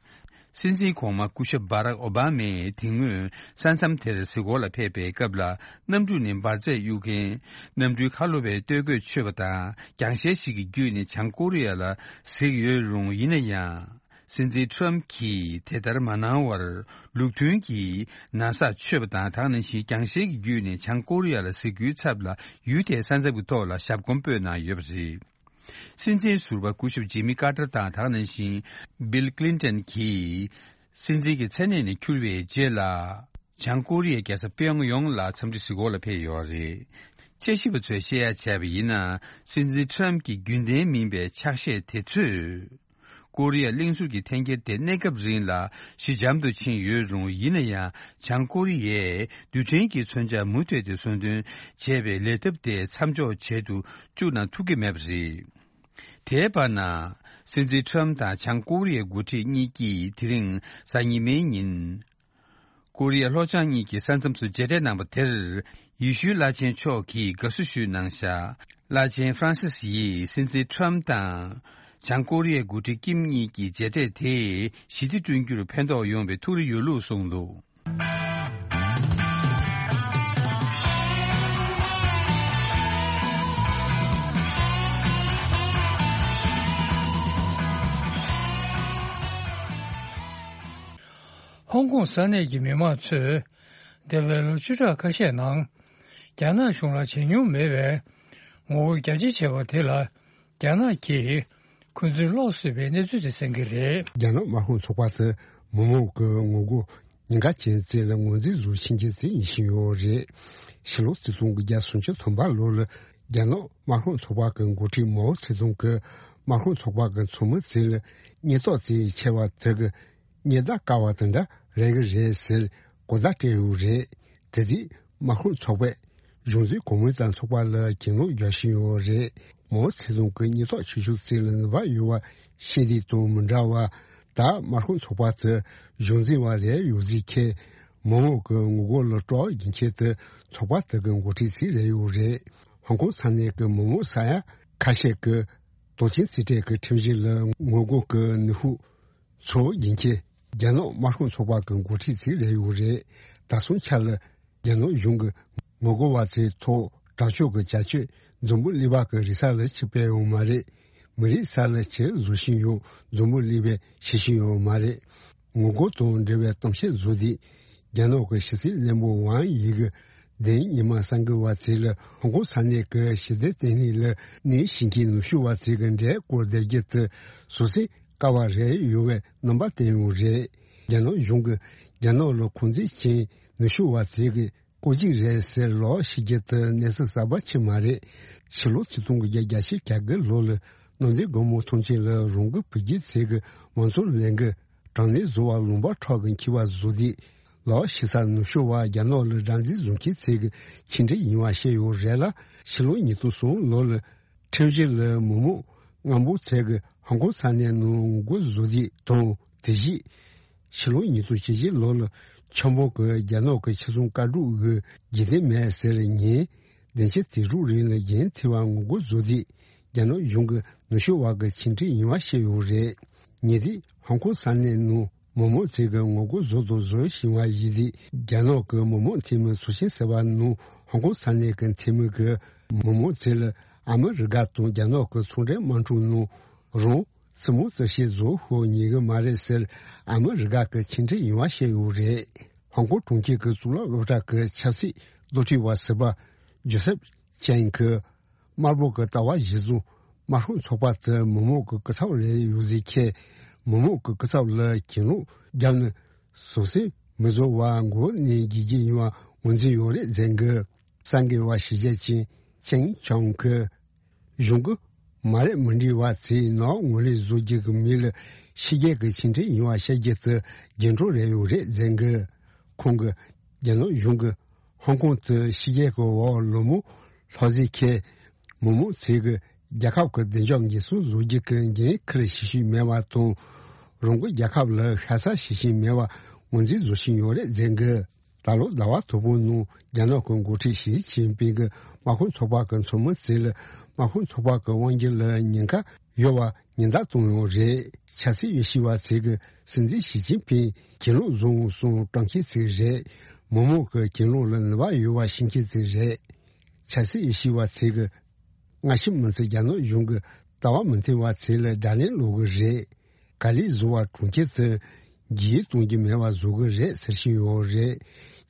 སྲིད་འཛིན་གོང་མ་སྐུ་ཞབས་བྷ་རག་ཨོ་བྷ་མས་དེ་སྔོན་ས་མཚམས་དེར་གཟིགས་སྐོར་ལ་ཕེབས་པའི་སྐབས་ལ། གནམ་གྲུ་ནས་འབར་རྫས་གཡུག་མཁན་གནམ་གྲུའི་ཁ་ལོ་བས་སྟོད་གོས་ཆོད་པ་དང་རྒྱང་ཤེལ་ཞིག་གི་བརྒྱུད་ནས་བྱང་ཀོ་རི་ཡ་ལ་གཟིགས་ཡོད་རུང་། ཡིན་ན་ཡང་། སྲིད་འཛིན་ཁྲམ་གྱིས་དེ་ལྟར་མ་གནང་བར། ལུགས་མཐུན་གྱིས་ན་བཟའ་མཆོད་པ་དང་། དེ་ནང་བཞིན་རྒྱང་ཤེལ་གྱི་བརྒྱུད་ནས་བྱང་ཀོ་རི་ཡ་ལ་གཟིགས་རྒྱུའི་ཚབ་ལ། ཡུལ་དེའི་ས་མཚམས་ཀྱི་ཐོག་ལ་ཞབས་གོམ་སྤོས་གནང་ཡོད་པ་རེད། སྲིད་འཛིན་ཟུར་པ་སྐུ་ཞབས་ཇི་མི་ཀར་ཏར་དང་། དེ་ནང་བཞིན་སྦིལ་ཀླིན་ཏན་གྱིས་སྲིད་འཛིན་གྱི་མཚན་གནས་ནས་འཁྱུར་བའི་རྗེས་ལ། བྱང་ཀོ་རི་ཡའི་རྒྱལ་ས་པིའོང་ཡོང་ལ་འཚམས་འདྲི་གཟིགས་སྐོར་ལ་ཕེབས་ཡོད་རེད། དཔྱད་ཞིབ་པ་ཚོས་བཤད་ཡ་བྱས་པ་ཡིན་ན། སྲིད་འཛིན་ཁྲམ་གྱི་རྒྱུན་ལྡན་མིན་པའི་ཕྱག་བཞེས་དེ་ཚོས། ཀོ་རི་ཡ་གླིང་ཟུར་གྱི་འཐེན་འཁྱེར་དེ་གནས་སྐབས་རིང་ལ་ཞི་འཇམ་དུ་ཕྱིན་ཡོད་རུང་། ཡིན་ན་ཡང་། བྱང་ཀོ་རི་ཡས་རྡུལ་ཕྲན་གྱི་མཚོན་ཆ་མུ་མཐུད་དེ་གསོལ་སྟོན་བྱས་པའི་ལས་ཐབས་དེ་མཚམས་འཇོག་བྱེད་དུ་བཅུག་ན་ཐུབ་ཀྱི་མེད་པ་རེད། དེའི་བར་ན། སྲིད་འཛིན་ཁྲམ་དང་བྱང་ཀོ་རི་ཡའི་འགོ་ཁྲིད་གཉིས་ཀྱིས་དེ་རིང་གཟའ་ཉི་མའི་ཉིན། ཀོ་རི་ཡ་ལྷོ་བྱང་གཉིས་ཀྱི་ས་མཚམས་སུ་མཇལ་འཕྲད་གནང་པ་དེར། ཡེ་ཤུའི་བླ་ཆེན་མཆོག་གིས་དགའ་བསུ་ཞུས་གནང་བཞག་བླ་ཆེན་ཧྥ་རན་སིས་ཡིས་སྲིད་འཛིན་ཁྲམ་དང་། བྱང་ཀོ་རི་ཡའི་འགོ་ཁྲིད་ཀིམ་གཉིས་ཀྱི་མཇལ་འཕྲད་དེས་ཞི་བདེ་བསྐྲུན་རྒྱུར་ཕན་ཐོགས་ཡོང་བའི་ཐུགས་རེ་ཡོད་ལུགས་གསུངས་འདུག་ཧོང་ཀོང་ས་གནས་ཀྱི་མི་མང་ཚོས་འདས་པའི་ལོ་བཅུ་ཕྲག་ཁ་ཤས་ནང་རྒྱ་ནག་གཞུང་ལ་བྱེད་མྱོང་མེད་པའི་ངོ་རྒོལ་རྒྱ་ཆེ་བྱས་པ་དེ་ལ། རྒྱ་ནག་གིས་ཁོ་ཚོའི་ལོག་སྲིད་པའི་གནས་ཚུལ་དེ་གསན་གྱི་རེད། རྒྱ་ནག་དམར་ཤོག་ཚོགས་པ་དེ་མི་མང་གི་ངོ་རྒོལ་ཉེན་ཁ་ཅན་ཅིག་ལ་ངོས་འཛིན་བཟོ་བཞིན་གྱི་ཅིག་ཡིན་བཞིན་ཡོད་རེད། ཕྱི་ལོ་ཆིག་སྟོང་དགུ་བརྒྱ་སུམ་ཅུ་སོ་གསུམ་པ་ལོ་ལ་རྒྱ་ནག་དམར་ཤོག་ཚོགས་པ་གི་འགོ་ཁྲིད་མའོ་ཙེ་ཏུང་གི་དམར་ཤོག་ཚོགས་པ་གི་ཚོགས་མི་ཅིག་ལ་སྙད་ཏོག་ཅིག་ཆེ་བ་དེ་གི་སྙད་བརྡ་བཀལ་བ་དེ་འདྲ་རེད་གི་རེད་ཟེར་གོ་བརྡ་སྤྲད་ཡོད་རེད། དེ་དུས་དམར་ཤོག་ཚོགས་པས་གཞུང་འཛིན་གོང་མའི་ཏང་ཚོགས་པ་ལ་གྱེན་ལོག་རྒྱག་བཞིན་ཡོད་རེད། མའོ་ཙེ་ཏུང་གི་སྙད་ཏོག་ཆུང་ཆུང་ཅིག་ལ་ནུས་པ་ཡོད་པ་ཤེས་དུས་དང་མི་འདྲ་བ། ད་དམར་ཤོག་ཚོགས་པ་དེ་གཞུང་འཛིན་པ་རེད་ཡོད་ཟིག་ཁྱེད། མི་མང་གི་ངོ་རྒོལ་ལ་སྤྲོ་བ་ཡིན་ཁྱེད་དེ་ཚོགས་པ་དེ་གི་འགོ་ཁྲིད་ཅིག་རེད་ཡོད་རེད། ཧོང་ཀོང་ས་གནས་ཀྱི་མི་མང་ས་ཡ་ཁ་ཤས་ཀྱི་དོན་རྐྱེན་རྩིས་སྤྲོད་ཀྱི་ཁྲིམས་གཞི་ལ་ངོ་རྒོལ་གྱི་ནུས་ཤུགས་ཚོ་ཡིན་གྱི། རྒྱ་ནག་དམར་ཤོག་ཚོགས་པ་གི་འགོ་ཁྲིད་ཅིག་རེད་ཡོད་རེད། ད་སོང་ཆ་ལ་རྒྱ་ནག་གཞུང་གི་ངོ་རྒོལ་བ་ཚོའི་ཐོག་དྲག་སྤྱོད་ཀྱི་བྱ་སྤྱོད་འཛམ་བུ་གླིང་པ་གི་རིག་གསར་ལ་ཆིབས་པའི་ཡོད་མ་རེད། མི་རིགས་ས་ལ་ཆེད་བཟོ་བཞིན་ཡོད། འཛམ་བུ་གླིང་པས་ཤེས་བཞིན་ཡོད་མ་རེད། ངོ་རྒོལ་དང་འབྲེལ་བའི་གཏམ་བཤད་བཟོ་དུས། རྒྱ་ནག་གི་ཕྱི་སྲིད་བློན་པོ་ཝང་དབྱི་གིས་དེ་རིང་ཉི་མ་གསར་འགོད་པ་ཚོ་ལ་ཧོང་ཀོང་ས་གནས་ཀྱི་ཞི་བདེ་ལྟེ་གནས་ལ་གནས་བཞིན་གྱི་ནུས་ཤུགས་པ་ཚོ་གི་འབྲེལ་བསྐོར་བསྡད་རྒྱུ་དེ་བཟོ་སྲིད་དཀའ་བ་རེད་ཡོད་པའི་རྣམ་པ་བསྟན་ཡོད་རེད། རྒྱ་ནག་གཞུང་གིས་རྒྱ་ནག་ལ་ཁོང་ཚོའི་ཅན་ནུས་ཤུགས་པ་ཚོ་གི་བཀོད་ཇུས་རེད་ཟེར་ལོག་ཤེས་རྒྱུ་དེ་གནས་ཚུལ་གསར་པ་ཅིག་མ་རེད། ཕྱི་ལོ་ཆིག་སྟོང་དགུ་བརྒྱ་གྱ་གྲངས་ལོ་ལ་ ནོར་འཛིན་སྒོར་མོ་ཐོངས་མཆན་ལ་རང་འགུལ་བོད་བརྒྱུད་ཚད་ཀྱི་མང་ཚོགས་ལས་འགུལ་གྲངས་ལས་བཟོ་བ་ལུང་པ་ཁྲོད་ཀྱི་འཁྱིལ་བ་བཟོ་དུས་ལ་ཞིག་ས་ནུབ་ཕྱོགས་བ་རྒྱ་ནག་ལ་སྒྲ་འཛིན་བཟོ་མཁན་ཚད་ཀྱི་ཆིག་སྒྲིལ་ཡིན་པ་བཤད་ཡོད་རེད་ལ། ཕྱི་ལོ་ཉིས་སྟོང་གསུམ་ལོ་ལ་ཁྲིམས་གཞི་ལ་མི་མང་རྔམ་པོ་ཚད་ཀྱི་ཧོང་ཀོང་ས་གནས་ནང་ངོ་རྒོལ་བཟོ་དུས་དང་དེ་བཞིན། ཕྱི་ལོ་ཉིས་སྟོང་བཅུ་བཞི་ལོ་ལ་ཆབ་འབངས་ཀྱི་རྒྱ་ནག་གི་ཆེད་སྲུང་བཀའ་སྒྲོག་གི་རྗེས་འདེད་མེད་ཟེར་ཉིན། བདུན་ཕྱི་དེ་དྲུག་རིང་ལ་འགན་འཁྱེར་བ་ངོ་རྒོལ་བཟོ་དུས་རྒྱ་ནག་གཞུང་གི་ནུབ་ཕྱོགས་བ་གི་ཆིག་སྒྲིལ་ཡིན་པ་བཤད་ཡོད་རེད། ཉེ་དུས་ཧོང་ཀོང་ས་གནས་ནང་མི་མང་ཚོས་ཀྱི་ངོ་རྒོལ་བཟོ་དང་བཟོ་བཞིན་པ་ཡིན་དུས་རྒྱ་ནག་གི་མི་མང་འཐུས་མི་ཚོགས་ཆེན་ཟེར་བ་ནང་ཧོང་ཀོང་ས་གནས་ཀྱི་འཐུས་མི་གི་མི་མང་ཚོས་ལ་ཨ་མི་རི་ཀ་དང་རྒྱ་ནག་གི་ཚོང་འབྲེལ་དམག་འཁྲུག་ནང་རང་སྲིད་དམག་རྩིས་བཤེར་བཟོ་ཤོག་ཉེ་གི་མ་རེད་ཟེར་ཨ་མི་རི་ཀ་གི་ཕྱི་འབྲེལ་ཡིན་པ་བཤད་ཡོད་རེད། ཧོང་ཀོང་གྲོང་ཁྱེར་གྱི་གཙུག་ལག་སློབ་གྲྭ་གི་ཆབ་སྲིད་མདོ་ཁྲིད་པ་ཟུར་པ་ཇོ་སེབ་ཅན་གྱིས་དམར་པོ་གི་ལྟ་བ་གཞི་བཟུང་དམར་ཤོག་ཚོགས་པ་དེ་མི་མང་གི་སྐུ་ཚབ་རེད་ཡོད་ཟེར་མཁན་མི་མང་གི་སྐུ་ཚབ་ལ་གྱེན་ལོག་བརྒྱབ་ནས་བཟང་སེམས་མི་བཟོ་བ་མགོ་ནས་དགེ་རྒན་ཡིན་པ་ངོས་འཛིན་ཡོད་རེད་ཟེར་གི། གསར་འགོད་པ་ཞི་རྒྱས་ཅན་ཅན་ཆང་གིས། གཞུང་གི་མ་རེད་མི་འགྲིག་པ་ཚོས་ནག་ངོས་ལེན་བཟོ་རྒྱུ་གི་མི་ལ་ཕྱི་རྒྱལ་གྱི་ཕྱི་འབྲེལ་ཡིན་པ་བཤད་རྒྱུ་དེ་རྒྱུ་འབྲས་རེ་ཡོད་རེད་ཟེར་གི། ཁོང་གིས་རྒྱ་ནག་གཞུང་གིས་ཧོང་ཀོང་དུ་ཕྱི་རྒྱལ་གྱི་འོག་ལུང་མོ་ལྷག་ཟིན་ཁེ་མི་མང་ཚོས་གི་རྒྱལ་ཁབ་ཀྱི་བདེ་འཇགས་འགན་སྲུང་བཟོ་རྒྱུ་གི་འགན་འཁུར་བྱེད་བཞིན་མེད་པ་དང་། རང་གི་རྒྱལ་ཁབ་ལ་ཤ་ཚ་བྱེད་བཞིན་མེད་པ་ངོས་འཛིན་བཟོ་བཞིན་ཡོད་རེད་ཟེར་གི། ད་ལོ་ཟླ་བ་དང་པོའི་ནང་རྒྱ་ནག་གི་འགོ་ཁྲིད་ཞི་ཅིན་ཕིང་གིས་དམག་དཔོན་ཚོགས་པ་གི་ཚོགས་མི་ཚོ་ལ་དམག་དཔོན་ཚོགས་པ་གི་དབང་སྒྱུར་ལ་ཉེན་ཁ་ཡོད་པ་ཉེན་བརྡ་བཏང་ཡོད་རེད། ཆབ་སྲིད་དབྱེ་ཞིབ་པ་ཚོས་གི་སྲིད་འཛིན་ཞི་ཅིན་ཕིང་གྱེན་ལོག་བཟོ་འོང་གསུང་དྲང་མཁན་ཚོ་རེད། མི་མང་གི་གྱེན་ལོག་ལ་ནུས་པ་ཡོད་པ་ཤེས་མཁན་ཚོ་རེད། ཆབ་སྲིད་དབྱེ་ཞིབ་པ་ཚོས་གི། སྔ་ཕྱི་མི་ཚེ་རྒྱ་ནག་གཞུང་གི་ལྟ་བ་མི་མཐུན་པ་ཚོ་ལ་དགྲ་ལན་སློག་གི་རེད། ག་ལེར་བཟོ་བ་གྲོང་ཁྱེར་དུ་རྒྱུས་ཡོད་གཏོང་རྒྱུ་མེད་པ་བཟོ་གི་རེད་ཟེར་བཞིན་ཡོད་རེད།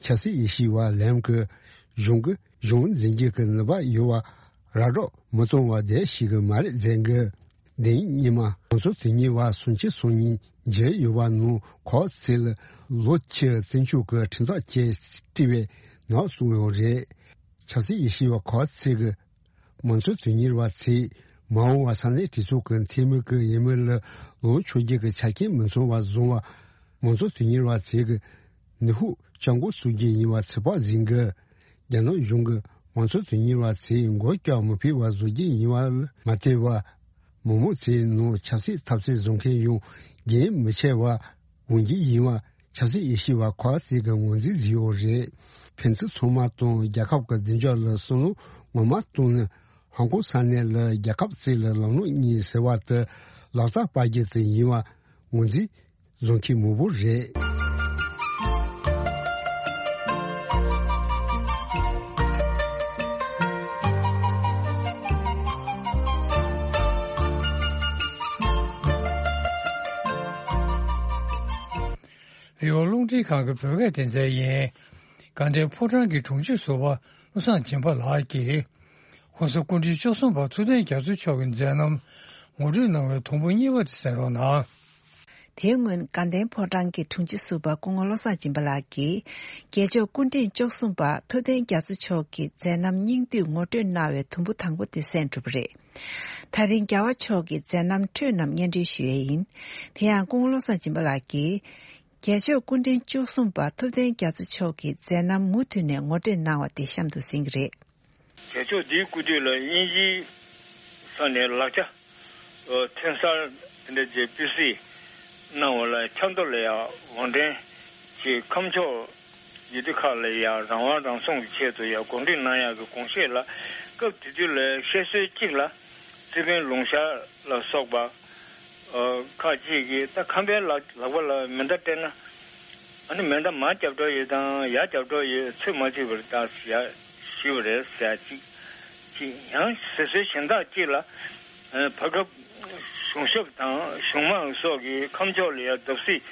ཆབ་སྲིད་དབྱེ་ཞིབ་པ་ལམ་གྱི་གཞུང་གི་གཞུང་འཛིན་རྒྱུ་གི་ནུས་པ་ཡོད་པ་ར་སྒྲོག་མི་གཏོང་བ་དེ་ཞིག་གི་མ་རེད་ཟེར་གི། འདི་ཉིན་མ་ང་ཚོ་དེ་ཉིན་བ་སུམ་ཅུ་སོ་གཉིས་མཇལ་ཡོད་པ་ནང་ཁོ་ཚོ་ལ་ལོ་ཕྱི་བཙན་བྱོལ་གྱི་ཁྲིམས་ཐག་བཅད་བྲིས་པའི་ནག་བཙུགས་ཡོད་རེད། ཆབ་སྲིད་དབྱེ་ཞིབ་པ་ཁོ་ཚོ་གི་མང་གཙོ་དོན་གཉེར་བ་ཚོས་མ་འོངས་པ་ས་གནས་གྲོས་ཚོགས་ཀྱི་འཐུས་མི་གི་འོས་མི་ལ་ལངས་ཆོག་རྒྱུ་གི་ཆ་རྐྱེན་མི་ཚང་བ་བཟུང་བ་མང་གཙོ་དོན་གཉེར་བ་ཚོས་གི་ནུས་ཤུགས་བཅག་འགོ་བཙུགས་རྒྱུ་ཡིན་པ་ཚོད་དཔག་འཛིན་གི། རྒྱ་ནག་གཞུང་གི་མང་གཙོ་དོན་གཉེར་བ་ཚོས་མགོ་སྐྱག་མི་ཕོད་པ་བཟོ་རྒྱུ་ཡིན་པ་ལ་མ་ལྟོས་པར། མི་མང་ཚོའི་ནང་ཆབ་སྲིད་འཐབ་རྩོད་བཟོ་མཁན་ཡང་རྒན་མི་ཆེ་བ་འོང་རྒྱུ་ཡིན་པ་ཆབ་སྲིད་དབྱེ་ཞིབ་པ་ཁག་ཅིག་གིས་ངོས་འཛིན་བཟོས་ཡོད་རེད། ཕན་ཚུན་ཚང་མ་དང་རྒྱལ་ཁབ་ཀྱི་བདེ་འཇགས་ལ་བསམ་བློ་ངོ་མ་བཏང་ནས་ཧོང་ཀོང་ས་གནས་ལ་རྒྱལ་ཁབ་གཅིག་ལ་ལམ་ལུགས་གཉིས་ཟེར་བ་དེ་ལག་བསྟར་སྤར་རྒྱུ་དེ་ཡིན་པ་ངོས་འཛིན་བཟོ་མཁན་མང་པོ་རེད། བི་ཨོ་རླུང་འཕྲིན་ཁང་གི་བོད་སྐད་སྡེ་ཚན་ཡིན། དགའ་ལྡན་ཕོ་བྲང་གི་དྲུང་ཆེ་ཟུར་པ་བློ་བཟང་སྦྱིན་པ་ལགས་ཀྱིས། ྋགོང་ས་སྐུ་ཕྲེང་བཅུ་གསུམ་པ་ཐུབ་བསྟན་རྒྱ་མཚོ་མཆོག་གི་མཛད་རྣམ་ངོ་སྤྲོད་གནང་བའི་དུམ་བུ་གཉིས་པ་དེ་གསན་རོགས་གནང་། དེའི་སྔོན་དགའ་ལྡན་ཕོ་བྲང་གི་དྲུང་ཆེ་ཟུར་པ་སྐུ་ངོ་བློ་བཟང་སྦྱིན་པ་ལགས་ཀྱིས། རྒྱལ་མཆོག་སྐུ་ཕྲེང་བཅུ་གསུམ་པ་ཐུབ་བསྟན་རྒྱ་མཚོ་མཆོག་གི་མཛད་རྣམ་སྙིང་བསྡུས་ངོ་སྤྲོད་གནང་བའི་དུམ་བུ་དང་པོ་དེ་གསན་གྲུབ་པ་རེད། ད་རིང་རྒྱལ་བ་མཆོག་གི་མཛད་རྣམ་འཕྲོས་རྣམས་སྙན་སྒྲོན་ཞུ་ཡས་ཡིན། དེ་ཡང་སྐུ་ངོ་བློ་བཟང་སྦྱིན་པ་ལགས་ཀྱིས། རྒྱལ་མཆོག་སྐུ་ཕྲེང་བཅུ་གསུམ་པ་ཐུབ་བསྟན་རྒྱ་མཚོ་མཆོག་གི་མཛད་རྣམ་མུ་མཐུད་ནས་ངོ་སྤྲོད་གནང་བ་དེ་གཤམ་དུ་གཟིགས་ཀྱི་རེད། རྒྱལ་མཆོག་འདིའི་སྐུ་དུས་ལ་དབྱིན་ཇིའི་ས་ནས་ལག་ཆ་ཐོན་གསར་དེ་འདྲ་བཅས་སྤུས་གཟིགས་གནང་བ་ལ་ཆབ་མདོ་ལ་ཡང་དགོངས་འགྲེལ་གྱིས་ཁམས་ཕྱོགས་ཡུལ་དུས་ཁག་ལ་ཡང་རང་དབང་རང་སྲུང་གི་ཆེད་དུ་ཡང་གོམས་འདྲིས་གནང་ཡག་གི་དགོངས་བཞེས་ལ་སྐབས་དེ་དུས་ལ་བཤད་སྲོལ་གཅིག་ལ་རྩིས་དཔོན་ལུང་ཤར་ལ་སོགས་པ། ཁག་ཅིག་གིས་ད་ཁམས་པའི་ལག་ལག་པ་ལ་མེ་མདའ་སྤྲད་ན་ཨ་ནི་མེ་མདའ་མར་རྒྱབ་འགྲོ་ཡོད་དང་ཡར་རྒྱབ་འགྲོ་ཡོད་ཚོད་མ་ཚོད་པར་ད་ཟེར་ཞུས་པ་རེད་ཟེར་ཅིག་ཅིག་ཡང་ཟེར་སྲོལ་གཞན་དག་ཅིག་ལ་བར་སྐབས་གཞུང་ཞབས་དང་གཞུང་དམངས་སོགས་ཀྱིས་ཁམས་ཕྱོགས་ལ་ཡང་བརྡབ་གསིག་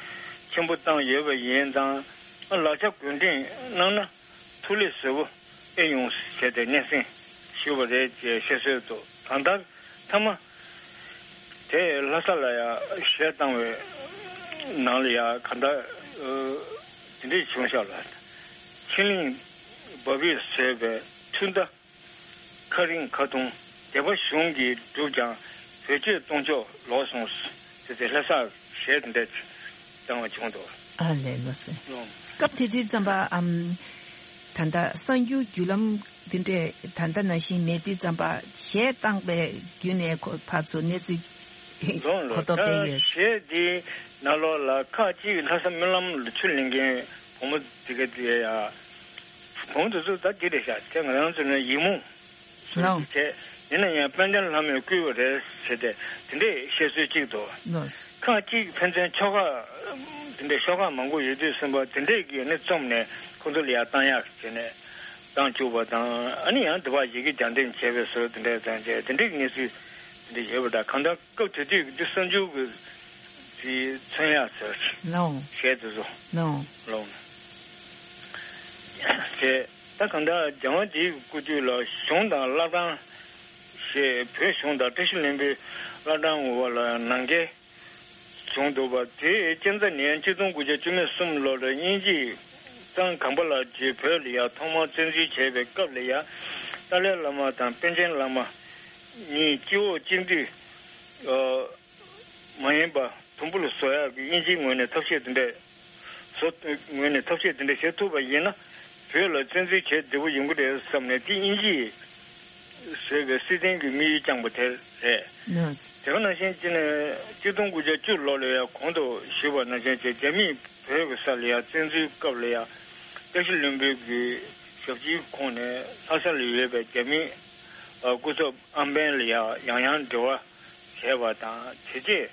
ཆེན་པོ་བཏང་ཡོད་པ་ཡིན་ཙང་ལག་ཆ་གོ་སྒྲིག་གནང་ན། ཐུགས་ལས་བཟོད་པོ་ཨེ་ཡོང་ཟེར་ཏེ་སྙན་སེང་ཞུས་པ་རེད་ཅེས་བཤད་སྲོལ་འདུག་གང་ལྟར་མཐའ་མ་དེ་ལྷ་ས་ལ་ཡང་གཞས་བཏང་བའི་ནང་ལ་ཡང་གང་ལྟར་དེ་འདྲས་བྱུང་ཤག་ལ། ཕྱི་གླིང་བ་བས་བཟོས་པའི་ཐུན་མདའ་ཁ་རིང་ཁ་ཐུང་སྡེ་པ་གཞུང་གིས་བསྒྲུབས་ཀྱང་ བོད་ཆོས་གཏོང་ཕྱོགས་ལོག་སོང་ཟེར་ཏེ་ལྷ་སར་གཞས་དེ་འདྲ་བཏང་བ་བྱུང་འདུག་ཨ་ལས་ལོ་སེ། ཨོ། སྐབས་དེ་དུས་ཙམ་པ་ཨམ། ད་ལྟ་གསར་འགྱུར་བརྒྱུད་ལམ་འདི་འདྲས་ད་ལྟ་ནང་བཞིན་མེད་དུས་ཙམ་པ་གཞས་བཏང་པའི་བརྒྱུད་ནས་ཁོ་ཕར་ཚུར་གནས་ཚུལ་ལོང་ལོ། གོ་རྟོགས་སྤེལ་ད་ཡོད། གཞས་འདི་ནང་ལོགས་ལ་ཁག་ཅིག་ལྷ་ས་སྨོན་ལམ་ལ་ཆུ་ལེན་མཁན་བུ་མོ་དེ་ག་དེ་ཡ། བུ་མོ་དེ་ཚོ་ད་འདི་རེད་ཤག་དེ་ང་རང་ཚོ་ནི་ཡིད་མུག་ལོང་། བྱས། ཡིན་ན་ཡང་དཔལ་ལྡན་ལྷ་མོས་བསྐུལ་བ་རེད་ཟེར་ཏེ་དེ་འདྲས་བཤད་སྲོལ་གཅིག་འདུག་ལོས། ཁག་ཅིག་ཕན་ཚུན་ཆོལ་ཁ་དེ་འདྲས་ཤོག་ཁག་མང་པོ་ཡོད་དུས་ཙམ་པ་དེ་འདྲས་ཀྱི་ནི་རྩོམ་ནས་ཁོ་ཚོ་ལ་ཡར་བཏང་ཡག་བྱས་ནས་བཏང་བཅུག་པ་དང་ཨ་ནི་ཡང་དེ་བ་ཡི་གེ་རྒྱ་འདེམས་བྱས་པའི་སྲོལ་དེ་འདྲས་དང་བཅས་དེ་འདྲས་ཀྱི་གནས་ཚུལ་དེ་འདྲས་ཡོད་པ་འདྲ། གང་ལྟར་སྐབས་དེ་དུས་ཀྱི་འདི་གསར་འགྱུར་གྱི་དེ་མཚོན་ཡག་ཟེར་ལོང་། བཤད་དེ་ཚོ་ལོང་། ལོང་། བྱས། ད་གང་ལྟར་རྒྱལ་དབང་འདིའི་སྐུ་དུས་ལ་གཞུང་དང་བླ་བྲང་ཞེས་བོད་གཞུང་དང་བཀྲ་ཤིས་ལྷུན་པོའི་བླ་བྲང་ངོ་བོ་ལ་ནང་འགལ་བྱུང་འདུག་པ། དེའི་རྐྱེན་རྩ་ནི་གཅིག་སྟོང་དགུ་བརྒྱ་བཅུ་མེད་གསུམ་ལོར་དབྱིན་ཇིས་གཙང་གམ་པ་ལ་རྗེས་བོད་ལ་ཡང་ཐོག་མར་བཙན་འཛུལ་བྱས་པའི་སྐབས་ལ་ཡང་ཏཱ་ལའི་བླ་མ་དང་པཎ་ཆེན་བླ་མ་གཉིས་སྤྱི་འོག་སྤྱི་འཐུས། མ་ཡིན་པ་དུམ་བུ་ལ་བཟོ་ཡག་གི་དབྱིན་ཇིའི་ངོས་ནས་ཐབས་ཤེས་དེ་འདྲས་བཟོ། ངོས་ནས་ཐབས་ཤེས་དེ་འདྲས་བྱེད་ཐུབ་པ་ཡིན་ན་བོད་ལ་བཙན་འཛུལ་བྱས་བདེ་པོ་ཡོང་གི་རེད་བསམ་ནས་དེ་དབྱིན་ཇིས་བཟོས་པའི་སྲིད་དོན་གྱི་དམིགས་ཡུལ་བཅངས་པ་དེ་རེད། ལགས། དེ་ག་ནང་བཞིན་ཅི་ནས་གཅིག་སྟོང་དགུ་བརྒྱ་བཅུ་ལོ་ལ་ཡང་གོང་དུ་ཞུས་པ་ནང་བཞིན་བྱས་རྒྱ་མིས་བོད་ཀྱི་ས་ལ་ཡང་བཙན་འཛུལ་སྐབས་ལ་ཡང་བཀྲ་ཤིས་ལྷུན་པོའི་གི་ཞབས་ཕྱིའི་ཁོངས་ནས་ལྷ་ས་ལ་ཡོད་པའི་རྒྱ་མིའི་སྐུ་ཚབ་ཨམ་བན་ལ་ཡང་ཡང་ཡང་འབྲེལ་བ་བྱས་པ་དང་། དེ་རྗེས་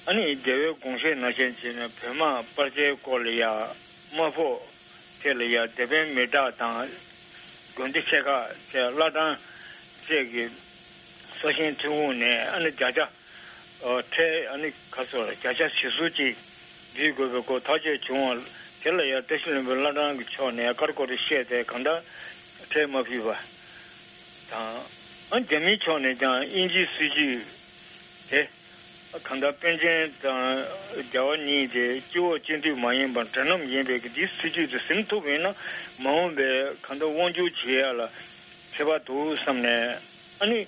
ཨ་ནི་རྒྱལ་བའི་དགོངས་བཞེད་ནང་བཞིན་བྱས་ནས་བོད་དམག་སྤར་ཆའི་སྐོར་ལ་ཡང་དམག་ཕོགས་ཐད་ལ་ཡང་དེད་དཔོན་མི་དྲག་དང་དགོན་སྡེ་ཆེ་ཁག་བཅས་བླ་བྲང་བཅས་ཀྱི་སྲོག་ཤིང་ཐོན་ཁུངས་ནས་ཨ་ནི་བརྒྱ་ཆ་ཁྲལ་ཨ་ནི་ག་ཚོད་བརྒྱ་ཆ་བཞི་བཅུ་ཅིག་འབུལ་དགོས་པའི་སྐོར་ཐག་གཅོད་བྱུང་བ་དེ་ལ་ཡང་བཀྲ་ཤིས་ལྷུན་པོའི་བླ་བྲང་གི་ཕྱོགས་ནས་ཀར་ཀོར་བཤད་དེ་གང་ལྟར་ཁྲལ་མ་ཕུལ་བ་དང་། ཨ་རྒྱ་མིའི་ཕྱོགས་ནས་ཀྱང་དབྱིན་ཇིའི་སྲིད་ཇུས་དེ་གང་ལྟར་པཎ་ཆེན་དང་རྒྱལ་བ་གཉིས་དེ་སྤྱི་འོག་སྤྱི་འཐུས་མ་ཡིན་པར་འབྲེལ་ལམ་ཡིན་པའི་གི་འདིའི་སྲིད་ཇུས་དེ་ཟིན་ཐུབ་པ་ཡིན་ན་མ་འོངས་པའི་གང་ལྟར་དབང་སྒྱུར་བྱེད་ཡ་ལ་ཁྱད་པར་འདུག་བསམ་ནས་ཨ་ནི་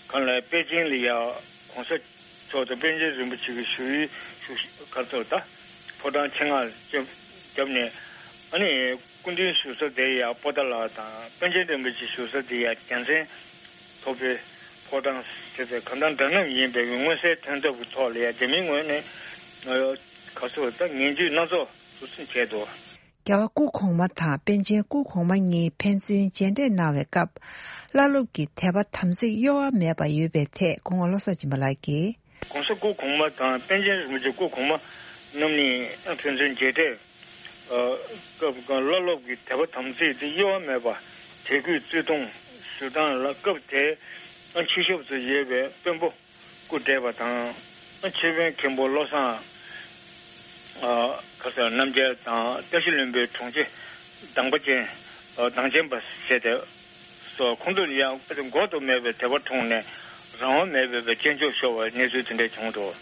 གང་ལ་པེ་ཅིང་ལ་ཡ་གོང་ས་མཆོག་དང་པཎ་ཆེན་རིན་པོ་ཆེ་གི་བཞུགས་ཡུལ་བཞུགས་གར་ཚོར་ད་ཕོ་བྲང་ཆེད་མངགས་བརྒྱབ་ནས་ཨ་ནི་སྐུ་མདུན་བཞུགས་ས་དེ་ཡ་པོ་ཏཱ་ལ་དང་པཎ་ཆེན་རིན་པོ་ཆེ་བཞུགས་ས་དེ་ཡ་རྒྱལ་མཚན་མཐོ་པོའི་ཕོ་བྲང་ཟེར་ཏེ་གང་ལྟར་འདྲ་མཉམ་ཡིན་པའི་མངོན་གསལ་དོན་ཐོབ་ཀྱི་ཐོག་ལ་ཡ་རྒྱ་མིའི་ངོས་ནས་ག་ཚོད་ད་ངན་ཇུས་སྣ་ཚོགས་སུ་ཕྱིན་བྱས་འདུག་རྒྱལ་བ་སྐུ་གོང་མ་དང་པཎ་ཆེན་སྐུ་གོང་མ་གཉིས་ཕན་ཚུན་མཇལ་འཕྲད་གནང་བའི་སྐབས། བླ་སློབ་ཀྱི་དད་པ་དམ་ཚིག་གཡོ་བ་མེད་པ་ཡོད་པའི་ཐད་སྐུ་ངོ་བློ་བཟང་སྦྱིན་པ་ལགས་ཀྱིས། གོང་ས་སྐུ་གོང་མ་དང་པཎ་ཆེན་རིན་པོ་ཆེ་སྐུ་གོང་མ་རྣམ་གཉིས་ཕན་ཚུན་མཇལ་འཕྲད་སྐབས་བླ་སློབ་ཀྱི་དད་པ་དམ་ཚིག་དེ་གཡོ་བ་མེད་པ་དད་གུས་བརྩི་མཐོང་ཞུ་སྟངས་ལ་སྐབས་དེའི་སྤྱི་ཞབས་སུ་ཡོད་པའི་དཔོན་པོ། སྐུ་བགྲེས་པ་དང་། ཆོས་དཔོན་མཁན་པོ་བློ་བཟང་། ག་ས་རྣམ་རྒྱལ་དང་བཀྲ་ཤིས་ལྷུན་པོའི་དྲུང་ཆེ་གདམས་པ་ཅན། གདམས་ཆེན་པ་ཟེར་ཏེ། སོགས་ཁོང་ཚོ་ཡང་འགོག་ཏུ་མེད་པའི་དད་པ་འཁྲུངས་ནས་རང་དབང་མེད་པའི་བའི་སྐྱོན་བརྗོད་ཤོར་བའི་གནས་ཚུལ་དེ་འདྲ་བྱུང་འདུག་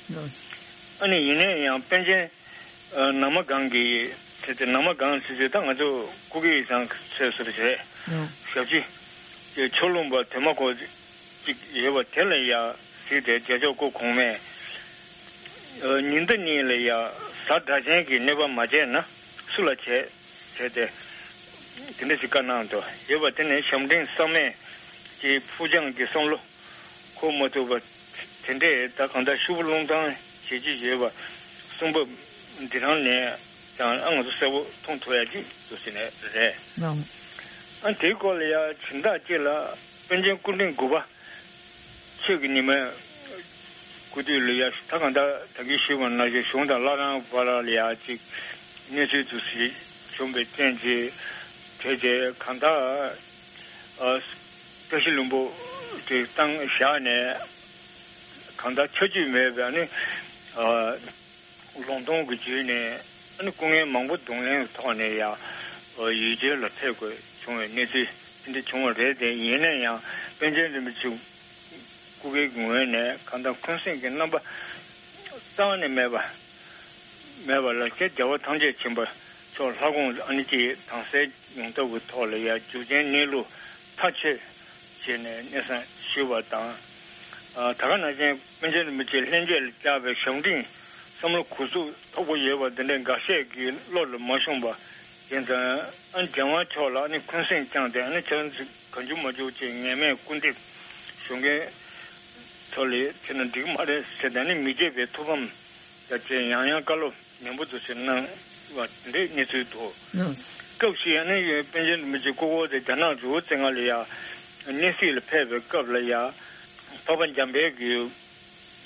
ཨ་ནི་ཡིན་ན་ཡང་པཎ་ཆེན། ནང་མ་སྒང་གི་ཟེར་ཏེ་ནང་མ་སྒང་ཟེར་ཏེ་ད་ང་ཚོ་སྐུ་སྒེར་ཡིག་ཚང་ཚོས་ཟུར་བྱས། ཞབས་ཕྱི། ཆོས་ལུང་པ་དེ་མ་གོ་ཅིག་ཡོད་པ་དེ་ལ་ཡ་གཟིགས་ཏེ་རྒྱལ་མཆོག་སྐུ་གོང་མས། ཉི་ཟླ་གཉིས་ལ་ཡ་གཟའ་སྒྲ་གཅན་གྱི་གནོད་པ་མ་བྱས་ན་སུ་ལ་བྱས་ཟེར་ཏེ། དེ་འདྲ་ཞིག་བཀའ་གནང་འདུག་ཡོད་པ་དེ་ནི་ཞབས་འདྲེན་བསམ་མེད་ཀྱི་ཕུགས་རྒྱང་གི་བསམ་བློ། འཁོར་མ་ཐུབ་པ་དེ་འདྲས་ད་གང་ལྟར་ཤུབ་བུ་རླུང་ཐང་བྱེད་ཀྱི་ཡོད་པ་གསུང་བབ་འདི་རང་ནས་ཀྱང་ཨ་ང་ཚོ་གསལ་པོ་མཐོང་ཐུབ་ཡ་ཅིག་འདུག་ཟེར་ནས་རེད། ལགས། ཨ་དེའི་སྐོར་ལ་ཡ་སྦྱིན་བདག་ཅིག་ལ་པཎ་ཆེན་སྐུ་ཕྲེང་དགུ་པ་ཆོས་ཀྱི་ཉི་མའི་སྐུ་དུས་ལ་ཡ་ད་གང་ལྟར་ད་གིན་ཞུས་པ་ནང་བཞིན་གཞུང་དང་བླ་བྲང་བར་ལ་ཡ་ཅིག་གནས་ཚུལ་དུ་ཞིག་བྱུང་བའི་རྐྱེན་གྱིས་དེ་རྗེས་གང་ལྟར། བཀྲ་ཤིས་ལྷུན་པོ་དེ་བཏང་བཞག་ནས་གང་ལྟར་ཆ་རྒྱུས་མེད་པའི་ཨ་ནི་ལུང་སྟོང་གི་བརྒྱུད་ནས་ཨ་ནི་སྐུ་ངལ་མང་པོ་གདོང་ལེན་གྱི་ཐོག་ནས་ཡང་ཡུལ་གྲལ་ལ་ཕེབས་དགོས་བྱུང་བའི་གནས་ཚུལ་དེ་འདྲ་བྱུང་བ་རེད་དེ། ཡིན་ན་ཡང་པཎ་ཆེན་རིན་པོ་ཆེ་སྐུ་སྒེར་གྱི་ངོས་ནས་གང་ལྟར་འཁོན་སེམས་ཀྱི་རྣམ་པ་རྩ་བ་ནས་མེད་པ། མེད་པ་ལ་ཁྱེད་རྒྱལ་བ་ཐམས་ཅད་མཁྱེན་པ་མཆོག་ལྷ་དགོངས་ཨ་ནི་ཅིག་དྭངས་གསལ་ཡོང་ཐབས་ཀྱི་ཐོག་ལ་ཡ་རྒྱུ་རྐྱེན་གནས་ལུགས་ཐག་ཆོད་བྱས་ནས་གནས་སྟངས་ཞུས་པ་དང་ ད་ག་ནང་བཞིན་པཎ་ཆེན་རིན་པོ་ཆེ་ལྷན་རྒྱས་ལ་བཅར་བའི་ཞབས་འདྲེན་བསམ་བློ་གུས་ཚུགས་མཐོ་པོ་ཡོད་པ་འདི་འདྲའི་འགའ་ཤས་ཀྱི་བློ་ལ་མ་ཤོང་པ་ཡིན་ཙང་། ཨ་རྒྱལ་དབང་མཆོག་ལ་ཨ་ནི་འཁོན་སེམས་བཅངས་ཏེ། ཨ་ནི་ཁྱེད་རང་ཚོ་གང་བྱུང་མ་བྱུང་བྱས་ངན་སྨྲས་སྐུར་འདེབས་ཞུ་མཁན་ཚོ་ལ་ཁྱེད་རང་འགྲིག་མ་རེད་ཟེར་ཏེ། ཨ་ནི་མི་བརྗེད་པའི་ཐུགས་ཕམ་ད་བྱས་ཡང་ཡང་བཀའ་སློབ་ནན་པོ་དུ་ཟེར་གནང་བ་འདི་གནས་ཚུལ་འདུག། ལགས། སྐབས་ཤིག་ཨ་ནི་པཎ་ཆེན་རིན་པོ་ཆེ་སྐུ་འཁོར་དེ་རྒྱ་ནག་རི་བོ་རྩེ་ལྔ་ལ་ཡ་གནས་གཟིགས་ལ་ཕེབས་པའི་སྐབས་ལ་ཡ། འཕགས་པ་འཇམ་དཔལ་གྱི་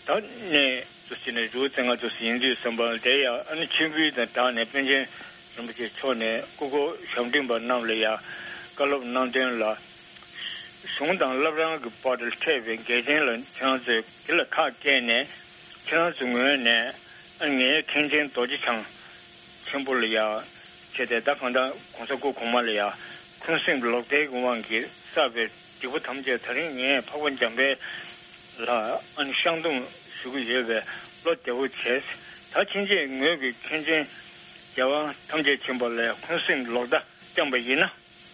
ད་གནས་དུ་ཟེར་ནས་རི་བོ་རྩེ་ལྔ་དུ་ཟེར་ཡིན་དུས་ཙམ་པ་ལ། དེ་ཡ་ཨ་ནི་མཆོད་འབུལ་དང་སྦྲགས་ནས་པཎ་ཆེན་རིན་པོ་ཆེ་མཆོག་ནས་སྐུ་འཁོར་ཞབས་འདྲེན་པ་རྣམས་ལ་ཡ་བཀའ་སློབ་གནང་དོན་ལ། གཞུང་དང་བླ་བྲང་གི་བར་དུ་འཕྲད་པའི་འགལ་རྐྱེན་ལ་ཁྱེད་རང་ཚོས་དེ་ལ་ཁག་བཀལ་ནས། ཁྱེད་རང་ཚོའི་ངོས་ནས་ཨ་ངའི་མཁན་ཆེན་རྡོ་རྗེ་འཆང་ཆེན་པོ་ལ་ཡ་བྱས་ཏེ། ད་གང་ལྟར་༸གོང་ས་སྐུ་གོང་མ་ལ་ཡ་འཁོན་སེམས་ལོག་ལྟའི་དབང་གིས་བསགས་པའི་སྡིག་པ་ཐམས་ཅད་ད་རིང་ངས་འཕགས་པ་འཇམ་དཔལ་ལ་ཨ་ནི་བཤགས་སྡོམ་ཞུ་གི་ཡོད་པས་བློ་བདེ་བོ་བྱས། ད་ཕྱིན་ཆད་ངོས་ཀྱི་མཁན་ཆེན་རྒྱལ་བ་ཐམས་ཅད་མཁྱེན་པ་ལ་འཁོན་སེམས་ལོག་ལྟ་བསྐྱངས་པ་ཡིན་ན།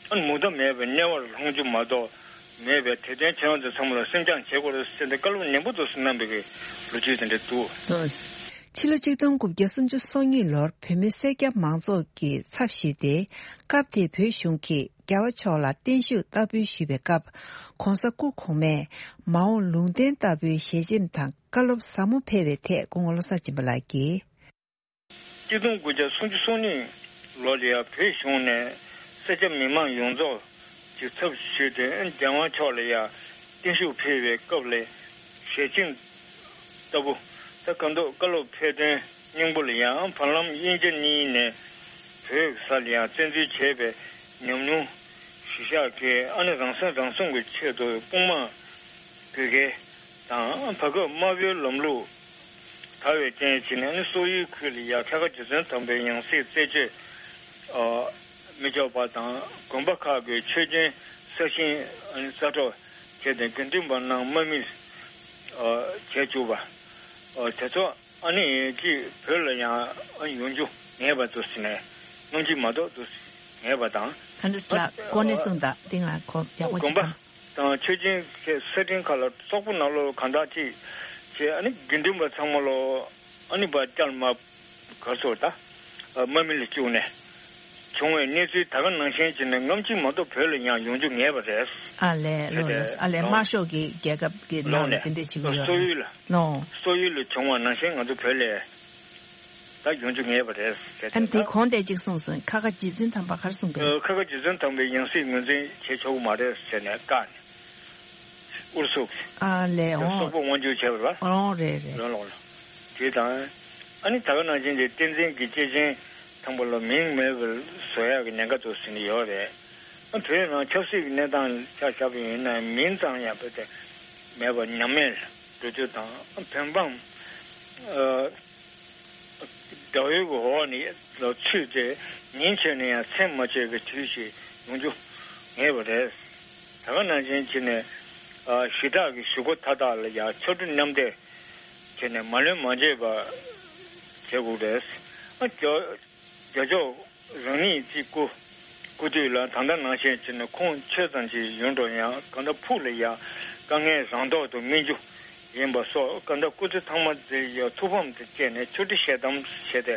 ཨ་ནི་མུ་མཐའ་མེད་པའི་དམྱལ་བར་ལྷུང་རྒྱུ་མ་གཏོགས་མེད་པས། དེ་དོན་ཁྱེད་རང་ཚོ་ཚང་མ་ལ་སེམས་བསྐྱང་བྱེད་དགོས་རེད་ཟེར་ཏེ་བཀའ་སློབ་ནན་པོ་དུ་གནང་བའི་ལོ་རྒྱུས་དེ་འདྲ་འདུག། ལགས། ཕྱི་ལོ་ཆིག་སྟོང་དགུ་བརྒྱ་སུམ་ཅུ་སོ་གཉིས་ལོར་བོད་མི་སེར་སྐྱ་མང་ཚོགས་ཀྱི་ཚབ་ཞུས་ཏེ། སྐབས་དེའི་བོད་གཞུང་གིས་རྒྱལ་བ་མཆོག་ལ་བརྟན་བཞུགས་བསྟར་འབུལ་ཞུས་པའི་སྐབས། ༸གོང་ས་སྐུ་གོང་མས་མ་འོངས་ལུང་བསྟན་ལྟ་བུའི་ཞལ་ཆེམས་དང་བཀའ་སློབ་ཟབ་མོ་ཕེབས་པའི་ཐད་སྐུ་ངོ་བློ་བཟང་སྦྱིན་པ་ལགས་ཀྱིས། ཆིག་སྟོང་དགུ་བརྒྱ་སུམ་ཅུ་སོ་གཉིས་ལོ་ལ་ཡ་བོད་གཞུང་ནས་སེར་སྐྱ་མི་མང་ཡོངས་རྫོགས་ཀྱི་ཚབ་ཞུས་ཏེ། རྒྱལ་དབང་མཆོག་ལ་ཡ་བརྟན་བཞུགས་ཕུལ་བའི་སྐབས་ལ་ཞལ་ཆེམས་ལྟ་བུ། ད་གང་ལྟར་བཀའ་སློབ་ཕེབས་ཐོན་སྙིང་པོ་ལ་ཡང་། བར་ལམ་དབྱིན་ཇི་གཉིས་ནས་བོད་ས་ལ་ཡང་བཙན་འཛུལ་བྱས་པའི་ཉམས་མྱོང་གཞིར་བཞག་གིས། ཨ་ནི་རང་སྲུང་རང་སྲུང་གི་ཆེད་དུ་དཔུང་དམག་དགོས་གལ་དང་། བར་སྐབས་དམར་པོའི་ལམ་ལུགས་དར་བའི་རྐྱེན་བྱས་ནས། ཨ་ནི་སོག་ཡུལ་ཁུལ་ལ་ཡ་ཁ་དགའ་རྗེ་བཙུན་དམ་པའི་ཡང་སྲིད་རྩད་གཅོད་མི་ཆོག་པ་དང་། དགོན་པ་ཁག་གི་ཆོས་རྒྱུན་གསར་བཞེངས་རྩ་གཏོར་བྱས་ཏེ། དགེ་འདུན་པ་རྣམས་དམག་མི་བྱས་བཅུག་པ་དེ་ཚོ། ཨ་ནི་ཅིག་བོད་ལ་ཡང་ཡོང་རྒྱུ་མེད་པ་དུ་ཟེར་ནས། སྔོན་གྱི་མ་གཏོགས་དུ་མེད་པ་དང་། ག་འདྲ་ལ་གོ་གནས་སོང་ད་དེ་ང་ཁོ་ཡག་པོ་ཅིག་དགོན་པ་དང་ཆོས་རྒྱུན་གྱི་ས་ཁྲིམས་ཁག་ལ་སོག་པོ་ནང་ལོགས་གང་དག་ཅིག་བྱས། ཨ་ནི་དགེ་འདུན་པ་ཚང་མ་ལོ་ཨ་ནི་བར་བསྐྱལ་མ་གར་སོ་ད་དམག་མི་ལ་བཅུག་ནས་བྱུང་བའི་གནས་ཚུལ་ད་ག་ནང་བཞིན་བྱས་ནས། སྔ་ཕྱི་མ་གཏོགས་བོད་ལ་ཡང་ཡོང་རྒྱུ་ངེས་པ་རེད། ཨ་ལས་ལོ་ལོ། ཨ་ལས་དམར་ཤོག་གི་རྒྱལ་ཁབ་ཀྱི་ནང་ལ་དེ་འདྲས་བྱེད་ཀྱི་ཡོད་སོག་ཡུལ་ལ། ལོ། སོག་ཡུལ་ལ་བྱུང་བ་ནང་བཞིན་ང་ཚོ་བོད་ལ་ད་ཡོང་རྒྱུ་ངེས་པ་རེད་ཟེར་ཨ་ནི་དེ་ད་གོང་དེ་གཅིག་གསུངས་སོང་། ཁ་ཁ་རྗེ་བཙུན་དམ་པ་ག་རེ་གསུངས་པས། ཁ་ཁ་རྗེ་བཙུན་དམ་པའི་ཡང་སྲིད་ངོས་འཛིན་བྱེད་ཆོག་གི་མ་རེད་ཟེར་ནས་བཀག་ནས། ཨུ་རུ་སུ། ཨ་ལས་འོང་། སོག་པོ་དབང་སྒྱུར་བྱས་པ་རེད་པ། འོང་རེད་རེད། རང་ལོག་ལ། དེ་དང་། ཨ་ནི་ད་ག་ནང་བཞིན་གྱི་བསྟན་འཛིན་གྱི་སྐྱེས་ཆེན་དང་པོ་ལ་མིང་མེད་པར་བཟོ་ཡག་གི་ཉེན་ཁ་དུ་ཟིན་ཡོད་རེད། ཨ་བོད་ནང་ཆབ་སྲིད་ཀྱི་གནས་སྟངས་ཆ་བཞག་པ་ཡིན་ན། མིང་ཙམ་ཡང་བོད་དེ་མེད་པར་ཉམས་མེད་འགྲོ་རྒྱུ་དང་། ཨ་བོད་འབངས་ཨ་དགྲ་བོའི་འོག་ནས་ཚུད་དེ་ཉིན་བྱས་ནས་ཡང་མཚན་མ་ཆད་པའི་དུས་ཤིག་ཡོང་རྒྱུ་ངེས་པ་རེད། ད་ག་ནང་བཞིན་བྱས་ནས་ཨ་ཞི་དྲག་གི་གཞུག་གུ་མཐའ་དག་ལ་ཡང་ཕྱར་གྲུ་མཉམ་འདེགས་བྱས་ནས་མ་ལོན་མ་འཇལ་བ་བྱེད་དགོས་རེད། ཨ་རྒྱ་རྒྱ་ཕྱོགས་རང་ཉིད་ཀྱི་སྐུ་སྐུ་དུས་ལ་ད་ལྟ་ནང་བཞིན་བྱས་ནས་ཁོང་ཆོས་ཙམ་ཅིག་ཡོད་འགྲོ་ཡང་། གང་ལྟར་ཕུགས་ལ་ཡང་དཀའ་ངལ་རང་ཐོག་ཏུ་སྨིན་རྒྱུ་ཡིན་པ་སོགས། གང་ལྟར་སྐུ་ཚེ་ཚང་མ་དེ་ཡང་ཐུགས་ཕམ་དུ་བསྐྱེད་ནས་ཆོས་ཁྲི་ཞལ་གདམས་བྱས་ཏེ་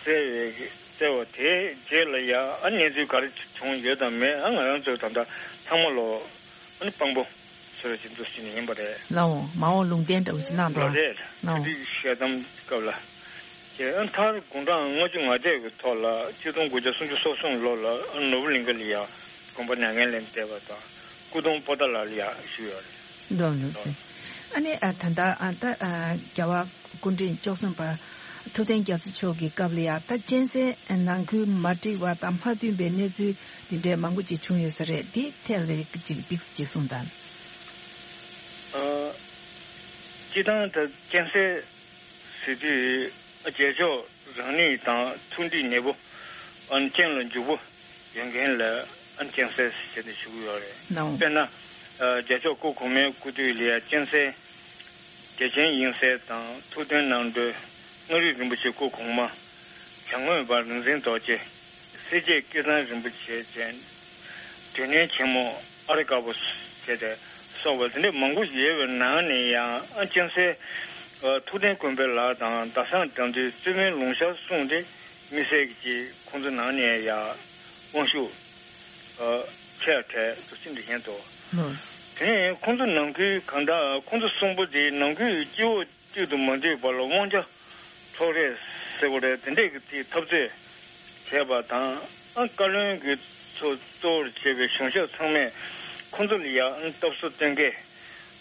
བསྩལ་བའི་བསྩལ་བ་དེའི་རྗེས་ལ་ཡང་ཨ་གནས་ཚུལ་ག་རེ་བྱུང་ཡོད་དམ་མེད། ཨ་ང་རང་ཚོས་ད་ལྟ་ཚང་མ་ལོ་ཨ་ནི་དཔང་པོ་ཟེར་བ་ཅིག་འདུག་ཟེར་ནས་ཡིན་པ་རེད། ལའོ། མ་འོངས་ལུང་བསྟན་འདྲ་བོ་ཅིག་གནང་འདུག་ལ་རེད། ལའོ། དེ་དུས་ཞལ་གདམས་སྐབས་ལ། དེ་ཨ་མཐར་དགུང་གྲངས་ལྔ་བཅུ་ང་བརྒྱད་ཀྱི་ཐོག་ལ་ཆིག་སྟོང་དགུ་བརྒྱ་སུམ་ཅུ་སོ་གསུམ་ལོ་ལ་ཨ་ནོར་བུ་གླིང་ག་ལ་ཡང་དགོན་པ་མྱ་ངན་ལས་འདས་པ་དང་། སྐུ་གདུང་པོ་ཏཱ་ལ་ལ་ཡང་བཞུགས་ཡོད་རེད། འདུག་ལགས་སེ། ཨ་ནི་ཨ་ད་ལྟ་ཨ་ད་ཨ་རྒྱལ་བ་སྐུ་ཕྲེང་བཅུ་གསུམ་པ་ཐུབ་བསྟན་རྒྱ་མཚོ་མཆོག་གི་སྐབས་ལ་ཡང་ད་གཅན་གཟན་ནང་ཁུལ་མ་འགྲིག་པ་དང་མ་མཐུན་པའི་གནས་ཚུལ་འདི་འདྲའི་མང་པོ་ཅིག་བྱུང་ཡོད་ས་རེད། འདི་ཐད་ལ་ཅིག་དམིགས་སུ་ཅིག་གསུངས་དང་། ཨ་སྤྱིར་བཏང་ད་གཅན་གཟན་ཟེར་དུས་རྒྱལ་མཆོག་རང་ཉིད་དང་མཐུན་སྒྲིལ་ནུས་པོ་ཨ་ཅན་ལ་འཇུག་པོ་ཡོད་མཁན་ལ་ཨ་གཅན་གཟན་ཟེར་ནས་ཞུ་གི་ཡོད་རེད། ནའོ། དཔེར་ན་ཨ་རྒྱལ་མཆོག་སྐུ་གོང་མའི་སྐུ་དུས་ལ་ཡ་གཅན་གཟན་རྒྱལ་ཆེན་དབྱིངས་གསལ་དང་ཐུབ་བསྟན་རྣམ་གྲོལ། མངའ་རིས་རིན་པོ་ཆེ་སྐུ་གོང་མ། བྱམས་མགོན་པ་རིག་འཛིན་རྡོ་རྗེ། སེར་བྱེས་སྐལ་བཟང་རིན་པོ་ཆེ་བཅས། འབྲེལ་གནས་ཆེན་མོ་ཨ་རི་དཀར་པོ་བཅས་ཏེ་ སོགས་པ་དེ་འདྲ་མང་པོ་ཡོད་པའི་ནང་ནས་ཡང་ཨ་སྤྱན་སྲས་ཨ་ཐུབ་བསྟན་དཀོན་པའི་ལགས་དང་ཟླ་བཟང་དགྲ་འདུལ་རྩེ་དཔོན་ལུང་ཤར་གསུམ་དེ་དམིགས་བསལ་གྱི་ཁོང་ཚོ་ནང་ནས་ཡང་དབང་ཤུགས་ཨ་ཆེ་བ་གྲས་སུ་ཅི་འདྲ་ཡིན་འདུག་ལགས། དེ་ནས་ཁོང་ཚོ་ནང་ཁུལ་གང་ལྟར་ཁོང་ཚོ་གསུམ་པོ་དེ་ནང་ཁུལ་སྐྱེ་བོ་གཅིག་ཏུ་མ་འདུས་པ་ལ་དབང་ཆ་འཕྲོག་རེས་ཟེར་བ་རེད། དེ་འདྲས་ཀྱི་དེའི་འཐབ་རྩོད་བྱས་པ་དང་ཨ་བཀའ་བློན་གྱི་ཚོ་གཙོ་བོར་བྱས་པའི་གཞུང་ཞབས་ཚང་མས་ཁོང་ཚོ་ལ་ཡང་སྟབས་གསོ་གཏོང་གས་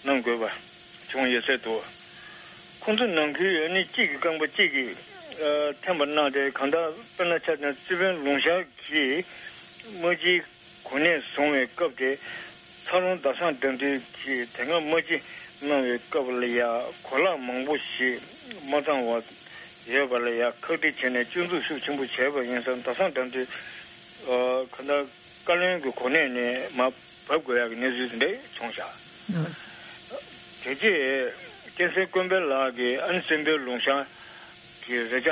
གནང་དགོས་པ་བྱུང་ཡོད་ཚོད་འདུག་ཁོང་ཚོ་ནང་ཁུལ་ཨ་ནི་གཅིག་གི་རྐང་པ་གཅིག་གིས་ཨ་འཐེན་པ་གནང་སྟེ་གང་ལྟར་དཔེར་ན་ཆ་བཞག་ན་རྩེ་དཔོན་ལུང་ཤར་གྱིས་དམག་སྤྱིའི་གོ་གནས་བཟུང་བའི་སྐབས་དེ་ཚ་རོང་ཟླ་བཟང་དགྲ་འདུལ་གྱིས་དེ་སྔ་དམག་སྤྱི་གནང་བའི་སྐབས་ལ་ཡང་གོ་ལག་མང་པོ་ཞིག་མ་ཚང་བ་ཡོད་པ་ལ་ཡང་ཁག་དཀྲི་བྱས་ནས་སྐྱོན་འཛུགས་ཤུགས་ཆེན་པོ་བྱས་པ་ཡིན་ཙང་ཟླ་བཟང་དགྲ་འདུལ་ཨ་གང་ལྟར་བཀའ་བློན་གྱི་གོ་གནས་ནས་མར་བབས་དགོས་ཡག་གི་གནས་ཚུལ་དེ་འདྲ་བྱུང་བཞག་ལགས། དེ་རྗེས་སྐལ་སེང་དཀོན་པའི་ལགས་ཀྱིས་ཨ་ནི་བཙན་པོའི་ལུང་ཤར་གྱི་རེ་ཆ་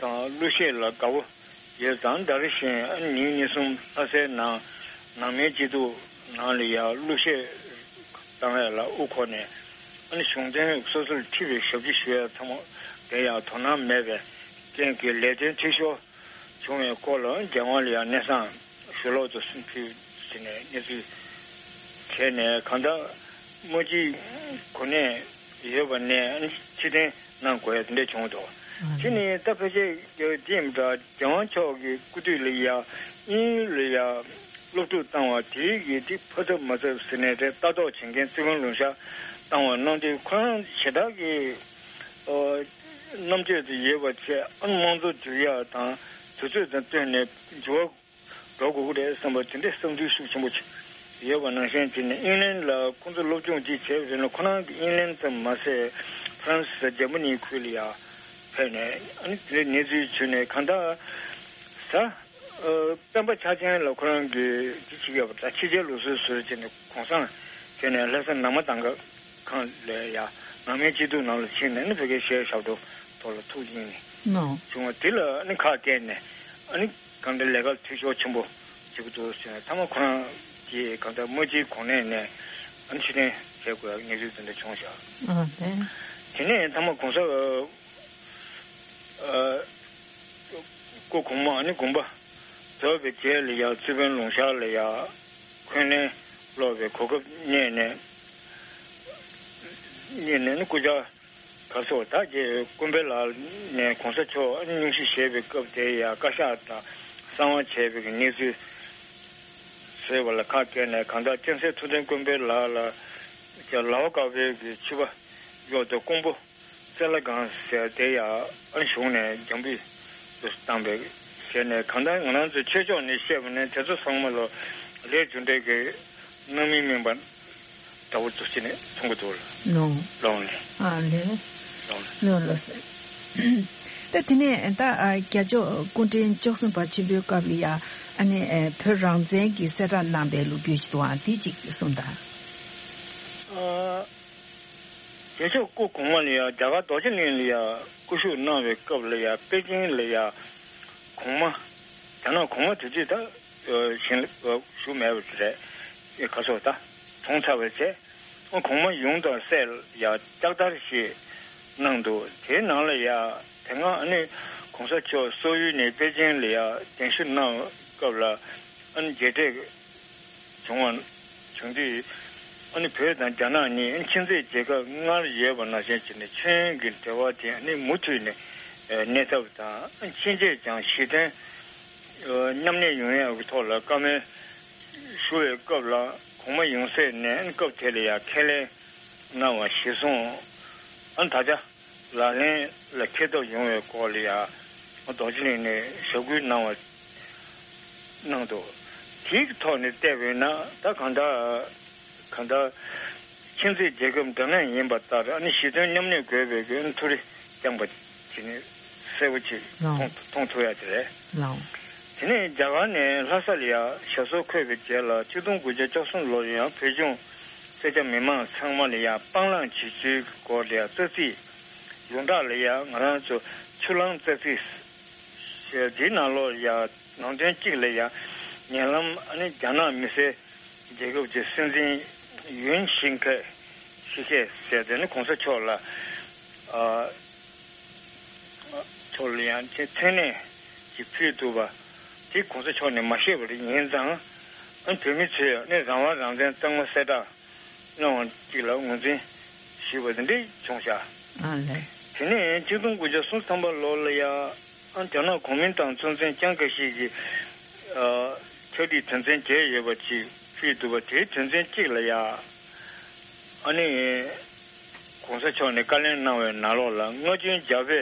དང་གླུ་གཞས་ལ་དགའ་བོ་ཡོད་ཙང་། ད་རེས་གཞན་ཨ་ནི་ཉིན་གཉིས་གསུམ་ལྷ་སའི་ནང་ནང་མིའི་སྐྱིད་སྡུག་ནང་ལ་ཡང་གླུ་གཞས་བཏང་ཡ་ལ་དབུ་འཁོར་ནས་ཨ་ནི་གཞུང་དོན་སོ་སོར་འཁྲིད་པའི་ཞབས་ཕྱི་ཞུ་ཡ་ཚང་མ་དེ་ཡང་དོ་སྣང་མེད་པའི་རྐྱེན་གྱིས་ལས་དོན་འཐུས་ཤོར་བྱུང་བའི་སྐོར་ལ་རྒྱལ་དབང་ལ་ཡང་གནས་ཚང་ཞུ་ལོག་ཏུ་སུན་ཕུལ་ཟིན་ནས་གནས་ཚུལ་བྱས་ནས་གང་ལྟར་དམག་སྤྱིའི་གོ་གནས་ཡོད་པ་ནས་ཕྱིར་འཐེན་གནང་དགོས་ཡ་དེ་འདྲ་བྱུང་འདུག་དེ་ནི་ད་ཕལ་ཆེར་འདི་ཡིན་པ་འདྲ། རྒྱལ་དབང་མཆོག་གི་སྐུ་དུས་ལ་ཡ་དབྱིན་ཡུལ་ལ་ཡ་སློབ་ཕྲུག་བཏང་བ་དེའི་གི་དེ་ཕ་ཚབ་མ་ཚབ་ཟེར་ནས་དེ་ལྟ་རྟོག་བྱེད་མཁན་རྩེ་དཔོན་ལུང་ཤར་བཏང་བ་གནང་དུས་ཁོ་རང་ཞེ་དྲག་གི་ཨོ་རྣམ་དཔྱོད་དུ་ཡོད་པ་བྱས་ཨ་དམངས་གཙོ་འགྱུར་ཡག་དང་དུས་ཚོད་དང་བསྟུན་ནས་འགྱུར་བ་འགྲོ་དགོས་ཀྱི་རེད་བསམ་པ་དེ་འདྲའི་བསམ་ཚུལ་ཤུགས་ཆེན་པོ་ཡོད་པ་ནང་བཞིན་བྱས་ནས་དབྱིན་ལན་ལ་ཁོང་ཚོ་སློབ་སྦྱོང་ཅིག་བྱས་པ་རེད་ན་ཁོ་རང་གི་དབྱིན་ལན་ཙམ་མ་ཟད་ཧྥ་རན་སི་འཇར་མ་ནི་ཁུལ་ལ་ཡང་ཕེབས་ནས་ཨ་ནི་དེ་འདྲའི་གནས་ཚུལ་བྱུང་ནས་གང་ལྟར་ཟ། སྤེན་པ་ཆ་ཅན་ལ་ཁོ་རང་གིས་ཅི་བྱེད་ཀྱི་ཡོད་པ་ད་ཕྱི་རྒྱལ་ལུགས་སྲོལ་བཟོས་བྱས་ནས་གུང་སེང་བྱས་ནས་ལྷ་ས་ནང་མ་དང་ག་ཁང་ལ་ཡ་ནང་མའི་སྐྱིད་སྡུག་ནང་ལ་ཕྱིན་ནས་ནི་བོད་སྐད་བཤད་ཞབས་བྲོ་ཐོག་ལ་ཐུགས་ཡེངས་ནས་ནོ། བྱུང་བ་དེ་ལ་ནི་ཁག་བཀལ་ནས་ཨ་ནི་གང་ལྟར་ལས་ཀ་འཐུས་ཤོར་ཆེན་པོ་བྱེད་ཀྱི་འདུག་ཟེར་ནས་ཐ་མ་ཁོ་རང་གིས་གང་ལྟར་དམག་སྤྱིའི་གོ་གནས་ནས་ཨ་ནི་ཕྱིར་འཐེན་བྱེད་དགོས་ཡ་གནས་ཚུལ་དེ་འདྲ་བྱུང་བཞག་ཨ་ལས། དེ་ནས་ཐ་མ་གོང་ས་ཨ་སྐུ་གོང་མ་ཨ་ནི་དགོངས་པ་རྫོགས་པའི་རྗེས་ལ་ཡང་རྩེ་དཔོན་ལུང་ཤར་ལ་ཡང་འཁོན་ལན་སློག་པའི་གོ་སྐབས་རྙེད་ནས་རྙེད་ནས་ནི་སྐུ་ཕྱྭ་ག་སོགས་ད་རྗེ་དཀོན་པའི་ལག་ནས་གོང་ས་མཆོག་སྙུང་གཞི་བཞེས་པའི་སྐབས་དེ་ཡང་བཀའ་ཤག་དང་གསང་བ་བྱས་པའི་གནས་ཚུལ་བཟོས་པ་ལ་ཁག་བཀལ་ནས་གང་ལྟར་སྤྱན་སྲས་ཐུབ་བསྟན་དཀོན་པའི་ལག་ལ་ལའོ་དཀར་པོའི་གི་ཕྱུ་པ་གཡོག་ཏུ་ཀོང་པོ་རྩེ་ལྷ་སྒང་ཟེར་དེ་ཡང་ཨ་གཞུང་ནས་རྒྱང་འབུད་དུ་བཏང་བའི་ཞལ་ནས་གང་ལྟར་ང་རང་ཚོའི་ཆོས་ཕྱོགས་ནས་བཤད་པ་ནི་དེ་ཚོ་ཚང་མ་ལོ་ལས་རྒྱུ་འབྲས་ཀྱི་སྣང་མིན་སྨིན་པ་འདྲ་བོ་ཚོ་ཅི་ནས་མཐོང་གི་འདུག་ལ། ནོ། ལོང་ལས། ཨ་ལས། ལོང་ལས། ལོ་ལོ་ཟེར། ད་དེ་ནས་ད་ཨ་རྒྱལ་མཆོག་སྐུ་ཕྲེང་བཅུ་གསུམ་པ་ཆེན་པོའི་སྐབས་ལ་ཡ་ཨ་ནི་ཨ་བོད་རང་བཙན་གྱི་གསལ་བསྒྲགས་གནང་པའི་ལོ་རྒྱུས་ཅིག་འདུག་ཨང་དེ་ཅིག་གསུངས་དང་། ཨ། རྒྱལ་མཆོག་སྐུ་གོང་མ་ལ་ཡ་རྒྱ་གར་རྡོ་རྗེ་གླིང་ལ་ཡ་སྐུ་བཞུགས་གནང་བའི་སྐབས་ལ་ཡ་པེ་ཅིང་ལ་ཡ་གོང་མ་རྒྱ་ནག་གོང་མ་དེ་དུས་ད་ཞིང་ལ་བཞུགས་མེད་པ་རེད། ག་སོགས་ད་གྲོངས་ཚར་བའི་ཚེ་གོང་མ་ཡོངས་དང་སྲས་ལ་ཡ་ལྕགས་དར་ཞིག་གནང་འདུག་དེའི་ནང་ལ་ཡ་དེ་སྔ་ཨ་ནི་གོང་ས་མཆོག་སོག་ཡུལ་ནས་པེ་ཅིང་ལ་ཡ་གདན་ཞུ་གནང་སྐབས་ལ་ཨ་ནི་མཇལ་འཕྲད་བྱུང་བ་བྱུང་དུས་ཨ་ནི་བོད་དང་རྒྱ་ནག་གཉིས་ཨ་ནི་ཁྱིམ་མཚེས་རྒྱལ་ཁབ་སྔར་ཡོད་པ་ནང་བཞིན་བྱས་ནས་མཆོད་ཡོན་གྱི་འབྲེལ་བ་དེ་ཨ་ནི་མུ་མཐུད་ནས་གནས་ཐབས་དང་ཨ་ནི་ཕྱིན་ཆད་ཀྱང་ཞི་མཐུན་མཉམ་གནས་ཡོང་ཡག་གི་ཐོག་ལ་བཀའ་མོལ་ཞུ་བའི་སྐབས་ལ་གོང་མ་ཡོངས་གསན་ནས་ཨ་ནི་སྐབས་དེ་ལ་ཡང་ཁས་ལེན་གནང་བ་གཞིར་བཟུང་ཨ་ནི་ད་ཆ། ལག་ལེན་ལ་འཁེལ་ཐབས་ཡོང་བའི་སྐོར་ལ་ཡང་རྡོ་རྗེ་གླིང་ནས་ཞབས་སྐུལ་གནང་བ་གནང་འདུག་དེའི་ཐོག་ནས་བལྟས་པས་ན་ད་གང་ལྟར་གང་ལྟར་ཁྱིམ་མཚེས་རྒྱལ་ཁབ་འདྲ་མཉམ་ཡིན་པ་ལྟར་ཨ་ནི་ཞི་མཐུན་མཉམ་གནས་དགོས་པའི་གི་ཐུགས་རེ་བསྐྱངས་པ་དེ་ནི་གསལ་པོ་ཅིག་ལགས། མཐོང་མཐོང་ཐུབ་ཡ་དེ་རེད། ལགས། དེ་ནས་རྒྱ་གར་ནས་ལྷ་ས་ལ་ཡང་ཞབས་སོར་འཁོད་པའི་རྗེས་ལ་ཆིག་སྟོང་དགུ་བརྒྱ་བཅུ་གསུམ་ལོར་ཡང་བོད་གཞུང་སེར་སྐྱ་མི་མང་ཚང་མ་ལ་ཡང་སྤང་བླང་བྱེད་རྒྱུའི་སྐོར་ལ་ཡང་རྩ་ཚིག་ཡོངས་གྲགས་ལ་ཡང་ང་རང་ཚོ་ཆུ་གླང་རྩ་ཚིག་ཞེས་འདིའི་ནང་ལོགས་ཡང་ནང་དོན་གཅིག་ལ་ཡང་ཉེ་ལམ་ཨ་ནི་རྒྱ་ནག་མི་སེར་རྒྱལ་ཁབ་ཀྱི་སྲིད་འཛིན་ ཡུན་ཤིང་ཁེ་ཤི་ཁེ་ཟེར་དེ་ནི་གོང་ས་མཆོག་ལ་ཨ་མཆོག་ལ་ཡང་ཅིག་མཚན་གནས་ཅིག་ཕུལ་ཐུབ་པ་དེ་གོང་ས་མཆོག་ནས་མ་ཤེས་པ་རེད། ཡིན་ཙང་ཨ་བོད་མི་ཚོས་ནི་རང་དབང་རང་བཙན་གཙང་མ་གསལ་བསྒྲགས་གནང་བ་ཅིག་ལ་ངོས་འཛིན་ཞུས་པ་དེ་འདྲ་བྱུང་ཤག་ཨ་ལས། དེ་ནས་ཆིག་སྟོང་དགུ་བརྒྱ་སུམ་ཅུ་ཐམ་པ་ལོ་ལ་ཡ་ཨ་རྒྱ་ནག་གོང་མིན་ཏང་གཙོ་འཛིན་ལྕམ་སྐུ་ཞིག་གིས་ཨ་ཕྱག་བྲིས་དོན་ཚན་བརྒྱད་ཡོད་པ་ཅིག་ཕུལ་འདུག་པ། དེའི་དོན་ཚན་གཅིག་ལ་ཡ་ཨ་ནི་གོང་ས་མཆོག་ནས་བཀའ་ལན་གནང་བའི་ནང་ལོགས་ལ་སྔ་རྗེས་རྒྱ་བོད་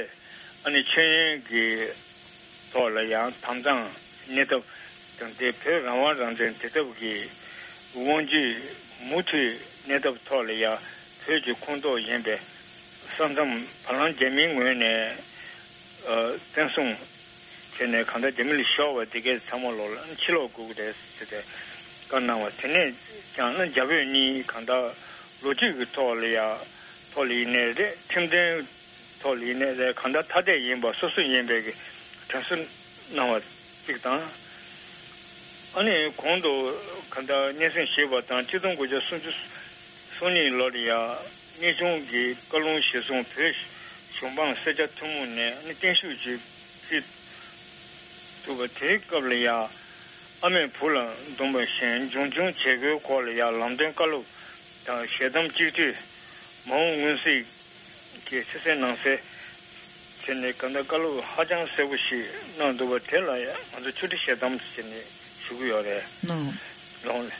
ཨ་ནི་མཆོད་ཡོན་གྱི་ཐོག་ལ་ཡང་དམ་གཙང་གནས་ཐབས་དང་དེ་བོད་རང་དབང་རང་བཙན་དེ་ཐབས་ཀྱི་དབང་སྒྱུར་མུ་མཐུད་གནས་ཐབས་ཐོག་ལ་ཡང་བོད་ཀྱི་ཁོངས་གཏོགས་ཡིན་པའི་ས་མཚམས་བར་ལམ་རྒྱ་མིའི་ངོས་ནས་ཨ་བཙན་བཟུང་བྱས་ནས་གང་ལྟར་རྒྱ་མི་ལ་ཤོར་བ་དེ་གའི་ཚང་མ་ལོག་ལ་ཕྱིར་ལོག་དགོས་ཀྱི་རེད་ཟེར་ཏེ་བཀའ་གནང་བ། དེ་ནས་ཀྱང་ཨ་རྒྱ་བོད་གཉིས་གང་ལྟར་ལོ་རྒྱུས་ཀྱི་ཐོག་ལ་ཡང་ཐོག་ལ་ཡིན་ནའི་རེད། ཁྲིམས་དོན་ཐོག་ལ་ཡིན་ནའི་རེད། གང་ལྟར་ཐ་དད་ཡིན་པ་སོ་སོ་ཡིན་པའི་གི་དྲན་གསོ་གནང་བ་གཅིག་དང་། ཨ་ནི་གོང་དུ་གང་ལྟར་སྙན་སེང་ཞུས་པ་དང་ཆིག་སྟོང་དགུ་བརྒྱ་སུམ་ཅུ་སོ་གཉིས་ལོར་ཡང་གནས་ཆུང་གི་བཀའ་ལུང་གཞིར་བཟུང་བོད་གཞུང་འབངས་སེར་སྐྱ་ཐུན་མོང་ནས་ཨ་ནི་བརྟན་བཞུགས་ཀྱི་ཕུལ་འདུག་པ། དེའི་སྐབས་ལ་ཡང་ཨ་མས་བུ་ལ་འདོམས་པ་བཞིན་འབྱུང་ཆུང་བྱེད་སྒོའི་སྐོར་ལ་ཡང་ལམ་སྟོན་བཀའ་སློབ་དང་ཞལ་གདམས་གཅིག་སྡུད་མ་འོངས་མངོན་གསལ་གྱི་ཕྱི་གསལ་ནང་གསལ་བྱས་ནས་གང་ལྟར་བཀའ་སློབ་ཧ་ཅང་གསལ་པོ་ཞིག་གནང་འདུག་པ། དེ་ལ་ཡང་ང་ཚོ་ཆུ་ཁྲི་ཞལ་གདམས་ཟེར་ནས་ཞུ་གི་ཡོད་རེད། ནོ། ལོང་ལེ།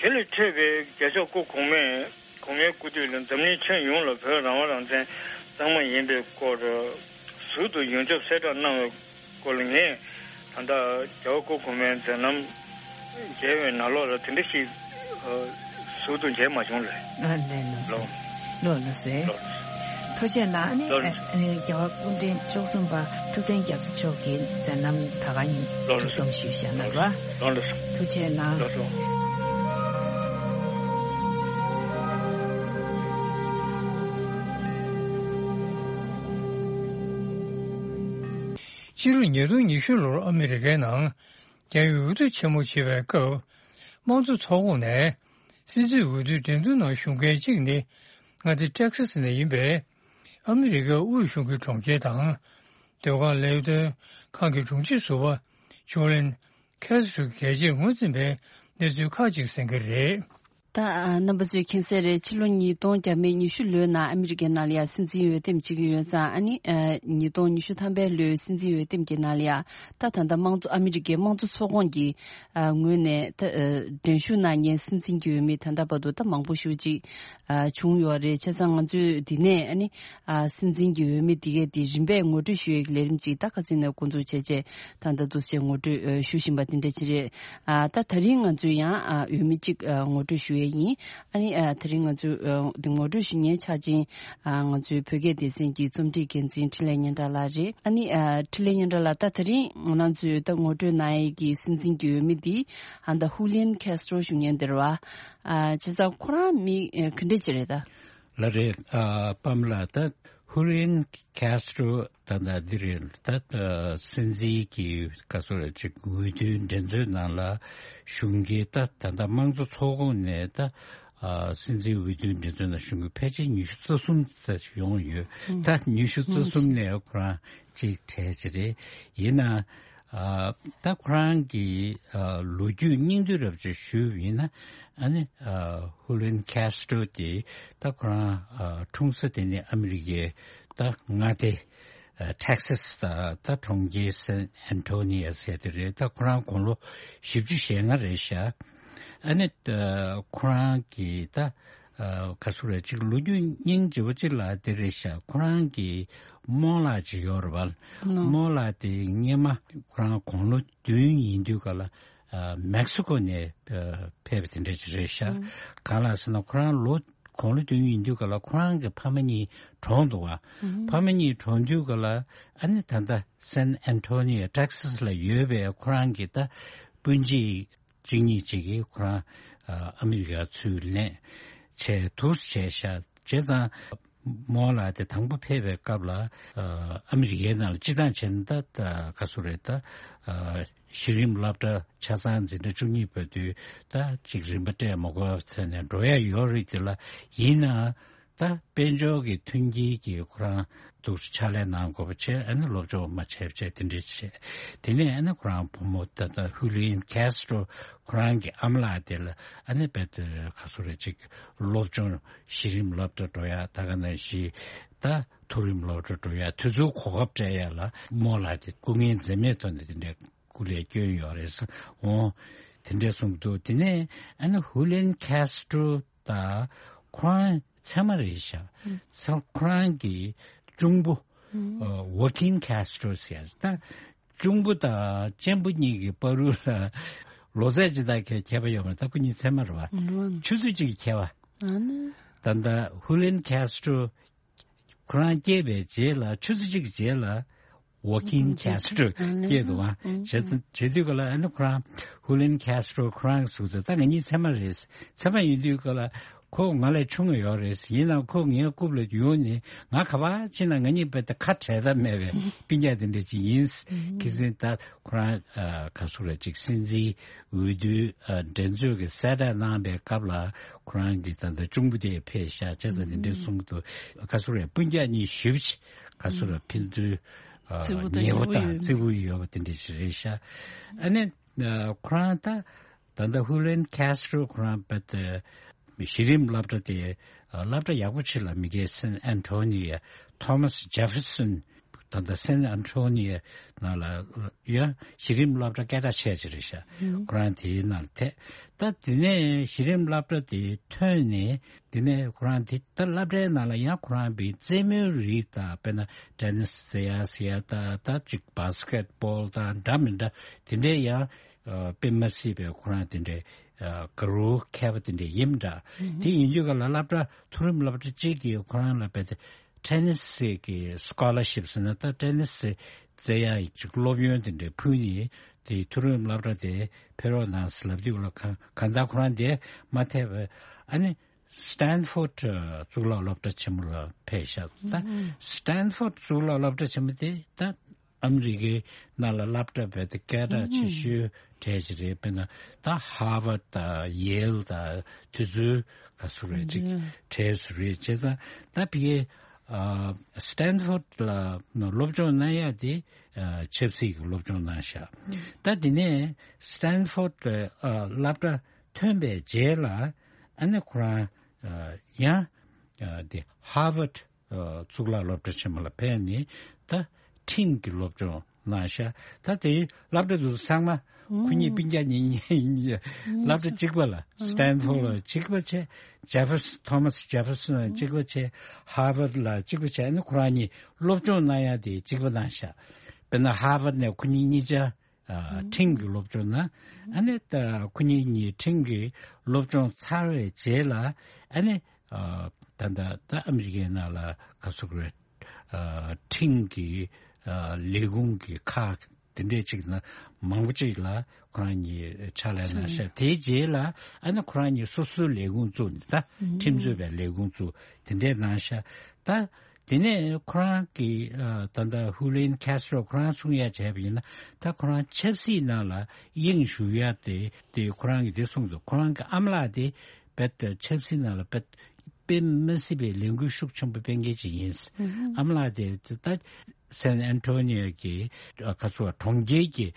དེ་ལས་འཕྲོས་པའི་རྒྱལ་མཆོག་སྐུ་གོང་མས་གོང་མའི་སྐུ་དུས་ལ་འཛམ་གླིང་ཁྱོན་ཡོངས་ལ་བོད་རང་དབང་རང་བཙན་གཙང་མ་ཡིན་པའི་སྐོར་ཟུར་དུ་ཡོངས་ཁྱབ་གསལ་བསྒྲགས་གནང་བའི་སྐོར་ལ་ངས་ད་ལྟ་རྒྱལ་བ་སྐུ་གོང་མའི་མཛད་རྣམ་མཇལ་བའི་ནང་ལོགས་ལ་དེ་འདྲ་ཞིག་ཨ་ཟུར་དུ་མཇལ་མ་བྱུང་ལེ། ཨ་ལེ་ལོ་ལོ། ཟེར། ལོ་ལོ་ཟེར། ལོ་ལོ། ཐུགས་རྗེ་གནང་། ཨ་ནི་ལོ་ལོ། ཨ་ཨ་རྒྱལ་བ་སྐུ་ཕྲེང་བཅུ་གསུམ་པ་ཐུབ་བསྟན་རྒྱ་མཚོ་མཆོག་གི་མཛད་རྣམ་ད་ག་ཉིད་ལོ་ལོ། གྲུབ་སྟོན་ཞུས་བཞག་གནང་རོགས། ལོ་ལོ། ཐུགས་རྗེ་གནང་། ལོ་ལོ། ཕྱི་ལོ་ཉིས་སྟོང་ཉི་ཤུ་ལོར་ཨ་མི་རི་ཀའི་ནང་རྒྱ་ཡུལ་འོས་བསྡུ་ཆེན་མོ་བྱེད་པའི་སྐབས། དམངས་གཙོ་ཚོགས་ཁོངས་ནས་སྲིད་འཛིན་འོས་བསྡུའི་འགྲན་བསྡུར་ནང་ཞུགས་མཁན་གཅིག་ནི་མངའ་སྡེ་ཊེག་སཱ་ནས་ཡིན་པའི་ཨ་མི་རི་ཀའི་དབུས་གཞུང་གི་གྲོང་ཁྱེར་དང་། ཟློས་གར་ལས་དོན་ཁང་གི་དྲུང་ཆེ་ཟུར་པ་ཇོ་ལིན་ཁེ་སི་ཊོ་གིས་རྒྱལ་སྤྱིར་ངོས་འཛིན་པའི་གནས་ཚུལ་ཁག་ཅིག་གསན་གྱི་རེད། ད་ཨ་རྣམ་པ་ཚོས་མཁྱེན་གསལ་རེད། ཕྱི་ལོ་ཉིས་སྟོང་བརྒྱ་མེད་ཉི་ཤུ་ལོའི་ནང་ཨ་མི་རི་ཀའི་ནང་ལ་ཡང་སྲིད་འཛིན་འོས་འདེམས་བྱེད་ཀྱི་ཡོད་ཙང་། ཨ་ནི་ཨ་ཉིས་སྟོང་ཉི་ཤུ་ཐམ་པའི་ལོའི་སྲིད་འཛིན་འོས་འདེམས་ཀྱི་ནང་ལ་ཡང་ད་ད་ལྟ་དམངས་གཙོ་ཨ་མི་རི་ཀའི་དམངས་གཙོ་ཚོགས་ཁོངས་ཀྱི་ཨ་ངོས་ནས་ད་ཨ་འགྲན་ཞུགས་གནང་མཁན་སྲིད་འཛིན་གྱི་འོས་མི་ད་ལྟ་བར་དུ་ད་མང་པོ་ཞེ་ཅིག་ཨ་བྱུང་ཡོད་རེད། བྱས་ཙང་ང་ཚོས་འདི་ནས་ཨ་ནི་ཨ་སྲིད་འཛིན་གྱི་འོས་མི་འདི་གས་འདི་རིམ་པས་ངོ་སྤྲོད་ཞུ་ཡས་ཀྱི་ལས་རིམ་ཅིག་ད་ཁ་སང་ནས་འགོ་འཛུགས་བྱས་རྗེས་ད་ལྟ་འདུག་སེ་ངོ་སྤྲོད་ཨ་ཞུ་བཞིན་པ་འདི་འདྲ་ཅིག་རེད། ཨ་ད་ད་རིང་ང་ཚོས་ཡང་ཨ་འོས་མི་གཅིག་ཨ་ངོ་སྤྲོད་ཞུ་ཡས་ཡིན། ཨ་ནི་ཨ་ད་རིང་ང་ཚོས་ཨ་འདི་ངོ་སྤྲོད་ཞུ་མཁན་ཆ་ཅན་ཨ་ང་ཚོའི་བོད་སྐད་སྡེ་ཚན་གྱི་རྩོམ་སྒྲིག་འགན་འཛིན་འཕྲིན་ལས་སྙན་གྲགས་ལགས་རེད། ཨ་ནི་ཨ་འཕྲིན་ལས་སྙན་གྲགས་ལགས། ད་ད་རིང་ང་རང་ཚོས་ད་ངོ་སྤྲོད་གནང་ཡས་ཀྱི་སྲིད་འཛིན་གྱི་འོས་མི་འདི་ཨ་ད་ཧུ་ལིན་ཁེ་སི་ཊོ་ཞུ་མཁན་འདི་རེད་བ། ཨ་བྱས་ཙང་ཁོ་རང་མི་ཨ་ག་འདྲ་ཅིག་རེད་ད། ལགས་རེད། ཨ་པ་མ་ལགས། ད་ཧུ་ལིན་ཁེ་སི་ཊོ་ད་ད་འདི་རེད། ད་ད་སྲིད་འཛིན་གྱི་ག་ཚོད་རེད་ཅིག་འོས་བསྡུའི་འགྲན་རྩོད་ནང་ལ་ཞུགས་མཁན། ད་ད་ད་དམངས་གཙོ་ཚོགས་ཁོངས་ནས་ད་ཨ་སྲིད་འཛིན་འོས་བསྡུའི་འགྲན་རྩོད་ནང་ཞུགས་མཁན་ཕལ་ཆེར་ཉི་ཤུ་རྩ་གསུམ་ཙམ་ཡོང་ཡོད། ཨང་། ད་ཉི་ཤུ་རྩ་གསུམ་ནས་ཁོ་རང་ཅིག་གྲས་ཅིག་རེད། ཡིན་ན། ཨ་ད་ཁོ་རང་གི་ཨ་ལོ་རྒྱུས་སྙིང་བསྡུས་རབ་ཅིག་ཞུས་པ་ཡིན་ན། ཨ་ནི་ཨ་ཧུ་ལིན་ཁེ་སི་ཊོ་དེ་ད་ཁོ་རང་ཨ་འཁྲུངས་ས་དེ་ནི་ཨ་མི་རི་ཀའི་ད་མངའ་སྡེ་ཨ་ཊེག་སཱ་ད་གྲོང་ཁྱེར་སན་ཨན་ཐོ་ནི་ཡ་ཟེར་དེ་རེད། ད་ཁོ་རང་དགུང་ལོ་བཞི་བཅུ་ཞེ་ལྔ་རེད་ཤག་ཨ་ནི་ཨ་ཁོ་རང་གི་ད་ཨ་ག་ཚོད་རེད་ཅིག་ལོ་རྒྱུས་སྙིང་རྗེ་པོ་ཅིག་ལ་དེ་རེད་ཤག་ཁོ་རང་གི་རྨོ་ལགས་ཅིག་ཡོད་རེད་བ། ནོ། རྨོ་ལགས་དེ་སྔས་མ་ཁོ་རང་དགུང་ལོ་བདུན་ཡིན་དུས་ག་ལ་ཨ་མེག་སི་ཀོ་ནས་ཨ་ཕེབས་པ་དེ་འདྲ་ཅིག་རེད་ཤག་ཨང་། གང་ལགས་ཟེར་ན་ཁོ་རང་ལོ་དགུང་ལོ་བདུན་ཡིན་དུས་ག་ལ་ཁོ་རང་གི་ཕ་མ་གཉིས་གྲོངས་འདུག་བ། ཨང་། ཕ་མ་གཉིས་གྲོངས་དུས་ག་ལ་ཨ་ནི་ད་ལྟ་སན་ཨན་ཐོ་ནི་ཡ་ཊེག་སཱ་ལ་ཡོད་པའི་ཁོ་རང་གི་ད་སྤུན་མཆེད་གཅིག་གཉིས་ཅིག་གིས་ཁོ་རང་ཨ་ཨ་མི་རི་ཀར་ཚུར་ལེན་བྱས་འདུག་བྱས་ཤག་བྱས་ཙང་རྨོ་ལགས་དེ་དང་པོ་ཕེབས་པའི་སྐབས་ལ་ཨ་ཨ་མི་རི་ཀའི་ནང་ལ་སྤྱི་བཏང་བྱས་ན་ད་ད་ག་ཚོད་རེད། ད་ཨ་ གཞི་རིམ་སློབ་གྲྭ་ཆ་ཚང་འཛིན་གྲྭ་བཅུ་གཉིས་བར་དུ་ད་ཅིག་རིམ་པ་སྤྲད་མ་དགོས་པའི་ཚད་ནས་འགྲོ་ཡ་ཡོད་རེད། དེ་ལ་ཡིན་ན་ད་དཔལ་འབྱོར་གྱི་མཐུན་རྐྱེན་གྱིས་ཁོ་རང་འདུག་ཕྱག་ལས་གནང་དགོས་པ་བྱས། ཨ་ནི་སློབ་སྦྱོང་མ་བྱས་བྱས་དེ་འདྲས་བྱས། དེ་ནས་ཨ་ནི་ཁོ་རང་བུ་མོ་ད་ལྟ་ཧུ་ལིན་ཁེ་སི་ཏྲོ་ཁོ་རང་གི་ཨ་མ་ལགས་དེ་ལ་ཨ་ནི་རྦད་དེ་ག་སོ་རེ་ཅིག་སློབ་སྦྱོང་གཞི་རིམ་སློབ་གྲྭ་འགྲོ་ཡ། ད་ག་ནང་བཞིན་ད་མཐོ་རིམ་སློབ་གྲྭ་འགྲོ་ཡ་དུས་ཚོད་གོ་སྐབས་སྤྲད་ཡ་ལ་རྨོ་ལགས་དེ་སྐུ་ངལ་འཛེམས་མེད་ཐོག་ནས་དེ་འདྲའི་སྐུ་ལས་བསྐྱོན་ཡོད་རེད་ཟེར། འོ་དེ་འདྲས་གསུངས་འདུག་དེ་ནས་ཨ་ནི་ཧུ་ལེན་ཁེ་སི་ཏྲོ་ད་ཁོ་རང་ཚད་མ་རེད་ཤག་ཚ་ཁོ་རང་གི་གཅུང་པོ་ཝོ་ཀིན་ཁེ་སི་ཏྲོ་ཟེར་ཡ་ད། གཅུང་པོ་དང་གཅེན་པོ་གཉིས་ཀྱི་བར་དུ་ལ་ལོ་ཚད་ཅི་ལྟར་ཁྱད་ཁྱད་པར་ཡོད་མ་རེད། ད་ཁོ་གཉིས་ཚད་མ་རེད་བ། ཆུ་ཚོད་གཅིག་གི་ཁྱད་པར། ད་ལྟ་ཧུ་ལེན་ཁེ་སི་ཏྲོ་ཁོ་རང་སྐྱེས་པའི་རྗེས་ལ་ཆུ་ཚོད་གཅིག་གི་རྗེས་ལ་ཝོ་ཀིན་ཁེ་སི་ཏྲོ་སྐྱེས་འདུག་བ། བྱས་ཙང་བྱེད་དུས་ག་ལ་ཨ་ནི་ཁོ་རང་ཧུ་ལེན་ཁེ་སི་ཏྲོ་ཁོ་རང་གི་གཟུགས་དེ་ད་ང་གཉིས་ཚད་མ་རེད། ཚད་མ་ཡིན་དུས་ག་ལ་ཁོ་ང་ལས་ཆུང་བ་ཡོད་རེད། ཡིན་ནའང་ཁོ་ངའི་རྐུབ་ལ་ཡོང་ནས་ང་ག་པར་ཕྱིན་ན་ང་གཉིས་རྦད་དེ་ཁ་བྲལ་ཐབས་མེད་པའི་སྤུན་ཀྱག་དེ་འདྲ་ཅིག་ཡིན། ཁྱེད་ཚོས་ད་ཁོ་རང་ག་ཟེར་རེད་ཅིག་སྲིད་འཛིན་འོས་བསྡུའི་འགྲན་རྩོད་ཀྱི་གསལ་བསྒྲགས་གནང་པའི་སྐབས་ལ་ཁོ་རང་གི་ད་ལྟ་གཅུང་པོ་དེ་ཕེབས་ཤག་བྱས་ཙང་དེ་འདྲ་གསུངས་འདུག་ག་ཟེར་རེད། སྤུན་ཀྱག་གཉིས་ཞེ་པོ་ཅིག་ག་ཟེར་རེད། ཕན་ཚུན་ཉེ་པོ་དང་བརྩེ་པོ་ཡོད་པ་དེ་འདྲ་ཞིག་རེད་ཤག་ཨ་ནི་ཁོ་རང་ད་ད་ལྟ་ཧུ་ལེན་ཁེ་སི་ཏྲོ་ཁོ་རང་རྦད་དེ་གཞི་རིམ་སློབ་གྲྭ་དེ་སློབ་གྲྭ་ཡག་པོ་ཆེ་ལ་མི་སྐྱེལ། སན་ཨན་ཐོ་ནི་ཡ་ཐོ་མཱས་ཇེ་ཕེར་སོན་ད་ལྟ་སན་ཨན་ཐོ་ནི་ཡ་ནང་ལ་ཡ་གཞི་རིམ་སློབ་གྲྭ་སྐད་གྲགས་ཆེ་ཆེ་རེད་ཤག་ཁོ་རང་དེའི་ནང་ལ་ཐད། ད་དེ་ནས་གཞི་རིམ་སློབ་གྲྭ་དེ་ཐོན་ནས་དེ་ནས་ཁོ་རང་དེ་ད་སློབ་གྲྭའི་ནང་ལ་ཡང་ཁོ་རང་པའི་རྩེད་མོའི་རིགས་དང་དཔེར་ན་ཏེ་ནིས་རྩེ་ཡ་ཟེར་ཡ་ད་ད་ཅིག་བྷ་སི་ཀེ་ཊི་བྷོལ་དང་འདྲ་མི་འདྲ་དེ་འདྲའི་ཡང་དཔེ་མ་སྲིད་པའི་ཁོ་རང་དེ་འདྲའི་དགའ་རབ་མཁས་པ་དེ་འདྲ་ཡིན་འདྲ། དེ་ཡིན་དུས་ག་ལ་སློབ་གྲྭ་མཐོ་རིམ་སློབ་གྲྭ་གཅིག་གིས་ཁོ་རང་ལ་དཔེ་ཏེ་ཏེ་ནིས་ཀྱི་སི་ཀོ་ལར་ཤིབ་ཟེར་ན་ད་ཏེ་ནིས་རྩེ་ཡ་ཅིག་སློབ་ཡོན་དེ་འདྲ་ཕུལ་ནས་དེ་མཐོ་རིམ་སློབ་གྲྭ་དེ་ཕེབས་རོགས་གནང་ཟེར་ལབ་དུས་ག་ལ་གང་གང་ལྟར་ཁོ་རང་དེ་མ་ཐད་པའི་ཨ་ནི་སི་ཏན་ཕོར་ཌི་གཙུག་ལག་སློབ་གྲྭ་ཆེན་མོ་ལ་ཕེབས་ཤག་ད་སི་ཏན་ཕོར་ཌི་གཙུག་ལག་སློབ་གྲྭ་ཆེན་མོ་དེ་ད་ཨ་མི་རི་ཀའི་ནང་ལ་སློབ་གྲྭ་རྦད་དེ་སྐད་གྲགས་ཆེ་ཤོས་གྲས་ཅིག་རེད། དཔེར་ན་ད་ཧར་ཝར་ཌི་དང་ཡེལ་དང་དེ་ཚོའི་ག་ཚོད་རེད་ཅིག་གྲས་སུ་རེད། བྱས་ཙང་ད་ཕ་གིའི་སི་ཏན་ཕོར་ཌི་ལ་སློབ་སྦྱོང་གནང་ཡ་དེ་ཆབ་སྲིད་ཀྱི་སློབ་སྦྱོང་གནང་ཤག་ད་དེ་ནས་སི་ཏན་ཕོར་ཌི་སློབ་གྲྭ་ཐོན་པའི་རྗེས་ལ་ཨ་ནི་ཁོ་རང་ཡང་དེ་ཧར་ཝར་ཌི་གཙུག་ལག་སློབ་གྲྭ་ཆེན་མོ་ལ་ཕེབས་ནས་ད་ཁྲིམས་ཀྱི་སློབ་སྦྱོང་གནང་ཤག་ད་དེ་སློབ་གྲྭ་དེ་ཚོ་ཚང་མ་ཁོ་གཉིས་སྤུན་ཀྱག་གཉིས་གཉིས་སློབ་གྲྭ་གཅིག་པ་ལ་སི་ཏན་ཕོར་ཌི་ལ་གཅིག་པ་བྱས། ཇེ་ཕེར་སོན་ཐོ་མཱས་ཇེ་ཕེར་སོན་ལ་གཅིག་པ་བྱས། ཧར་ཝར་ཌི་ལ་གཅིག་པ་བྱས། ཨ་ནི་ཁོ་རང་གཉིས་སློབ་སྦྱོང་གནང་ཡ་དེ་གཅིག་པ་གནང་ཤག་དཔེར་ན་ཧར་ཝར་ཌི་ནས་ཁོ་གཉིས་གཉིས་ཆ་ཁྲིམས་ཀྱི་སློབ་སྦྱོང་གནང་། ཨ་ནི་ད་ཁོ་གཉིས་གཉིས་ཁྲིམས་ཀྱི་སློབ་སྦྱོང་ཚར་བའི་རྗེས་ལ་ཨ་ནི་ད་ད་ད་ཨ་མི་རི་ཀའི་ནང་ལ་ག་ཚོད་རེད། ཁྲིམས་ཀྱི་ལས་ཁུངས་ཀྱི་ཁག་དེ་འདྲས་ཅིག་ན་མང་པོ་ཅིག་ལ་ཁོ་རང་གཉིས་ཕྱག་ལས་གནང་ཤག་དེའི་རྗེས་ལ་ཨ་ནི་ཁོ་རང་གཉིས་སོ་སོའི་ལས་ཁུངས་བཙུགས་ནས་ད་ཁྲིམས་རྩོད་པའི་ལས་ཁུངས་བཙུགས་དེ་འདྲས་གནང་ཤག་ད་དེ་ནས་ཁོ་རང་གི་ད་ལྟ་ཧུ་ལེན་ཁེ་སི་ཏྲོ་ཁོ་རང་གསུང་ཡ་བྱས་པ་ཡིན་ན་ད་ཁོ་རང་ཆབ་སྲིད་ནང་ལ་དབྱིངས་ཞུགས་ཡ་དེ་དེ་ཁོ་རང་གིས་དེ་གསུངས་འདུག་ཁོ་རང་གི་ཨ་མ་ལགས་དེ་རྦད་དེ་ཆབ་སྲིད་ནང་ལ་རྦད་དཔེ་མ་སྲིད་པའི་ལས་འགུལ་ཤུགས་ཆེན་པོ་སྤེལ་མཁན་ཅིག་ཡིན། ཨ་མ་ལགས་དེ་ད་སན་ཨན་ཐོ་ནི་ཡ་གི་ཁ་སོ་གྲོང་ཁྱེར་གྱི་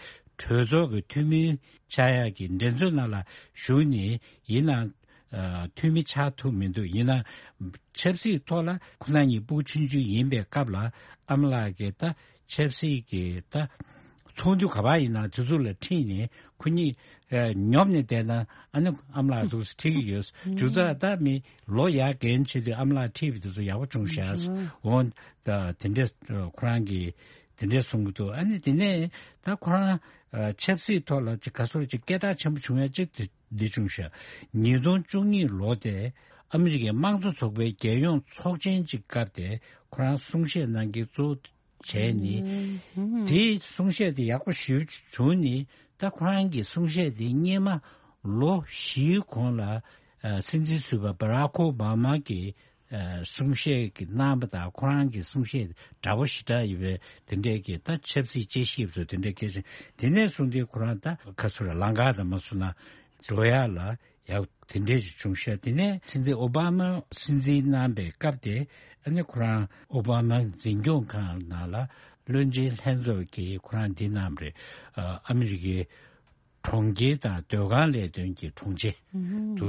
གྲོས་ཚོགས་ཀྱི་འཐུས་མི་ཆགས་ཡག་གི་འགྲན་རྩོད་ནང་ལ་ཞུགས་ནས་ཡིན་ནའང་འཐུས་མི་ཆགས་ཐུབ་མི་འདུག་ཡིན་ནའང་ཆབ་སྲིད་ཐོག་ལ་ཁོ་རང་གཉིས་ཕྲུ་གུ་ཆུང་ཆུང་ཡིན་པའི་སྐབས་ལ་ཨ་མ་ལགས་ཀྱིས་ད་ཆབ་སྲིད་ཀྱི་ད་ཚོགས་འདུ་ག་པར་ཡིན་ན་དེ་ཚོ་ལ་ཁྲིད་ནས་ཁོ་གཉིས་ཉོབ་ནས་བསྡད་ན་ཨ་ནི་ཨ་མ་ལགས་འདུག་སེ་ཁྲིད་ཀྱི་ཡོད། མཇུག་རྩ་ད་མི་ལོ་ཡར་རྒན་ཆེ་དུས་ཨ་མ་ལགས་ཁྲིད་པའི་དུས་ཚོད་ཡག་པོ་བྱུང་ཤག་འོང་ད་དེ་འདྲས་ཁོ་རང་གིས་དེ་འདྲས་གསུང་གི་འདུག་ཨ་ནི་དེ་ནས་ད་ཁོ་རང་ཆབ་སྲིད་ཐོག་ལ་ཅིག་ག་ཚོད་ཅིག་སྐད་གྲགས་ཆེན་པོ་བྱུང་ཡ་གཅིག་དེ་འདི་བྱུང་ཤག་ཉིས་སྟོང་བཅུ་གཉིས་ལོ་དེ་ཨ་མི་རི་ཀའི་དམངས་གཙོ་ཚོགས་པའི་རྒྱལ་ཡོངས་ཚོགས་ཆེན་གཅིག་སྐབས་དེ་ཁོ་རང་གསུང་བཤད་གནང་གི་གཙོ་བྱས་ནས་དེའི་གསུང་བཤད་དེ་ཡག་པོ་ཞེ་པོ་བྱུང་ནས་ད་ཁོ་རང་གི་གསུང་བཤད་དེ་སྔོན་མ་ལོ་བཞིའི་གོང་ལ་སྲིད་འཛིན་ཟུར་པ་བྷ་རག་ཨོ་བྷ་མ་གི་ ཨ་གསུང་བཤད་ཀྱི་གནང་བ་དང་ཁོ་རང་གི་གསུང་བཤད་འདྲ་པོ་ཞེ་དྲག་ཡོད་པའི་དེ་འདྲའི་གི་ད་ཆབ་སྲིད་དཔྱད་ཞིབ་ཚོ་དེ་འདྲའི་སྐད་ཆ་དེ་ནས་བཟུང་སྟེ་ཁོ་རང་ད་ག་ཚོད་རེད་ལམ་ཁ་དང་མ་སོང་ན་འགྲོ་ཡག་ལ་ཡག་དེ་འདྲས་ཞིག་བྱུང་ཤག་དེ་ནས་སྲིད་འཛིན་ཨོ་བྷ་མ་སྲིད་འཛིན་གནང་པའི་སྐབས་དེ་ཨ་ནི་ཁོ་རང་ཨོ་བྷ་མ་འཛིན་སྐྱོང་ཁང་ནང་ལ་བློན་ཆེན་ལྷན་ཚོགས་ཀྱིས་ཁོ་རང་འདི་གནང་བ་རེད། ཨ་ཨ་མི་རི་ཀའི་གྲོང་ཁྱེར་དང་སྡོད་ཁང་ལས་དོན་གྱི་དྲུང་ཆེ་ཨུ་ཧུམ། དུ་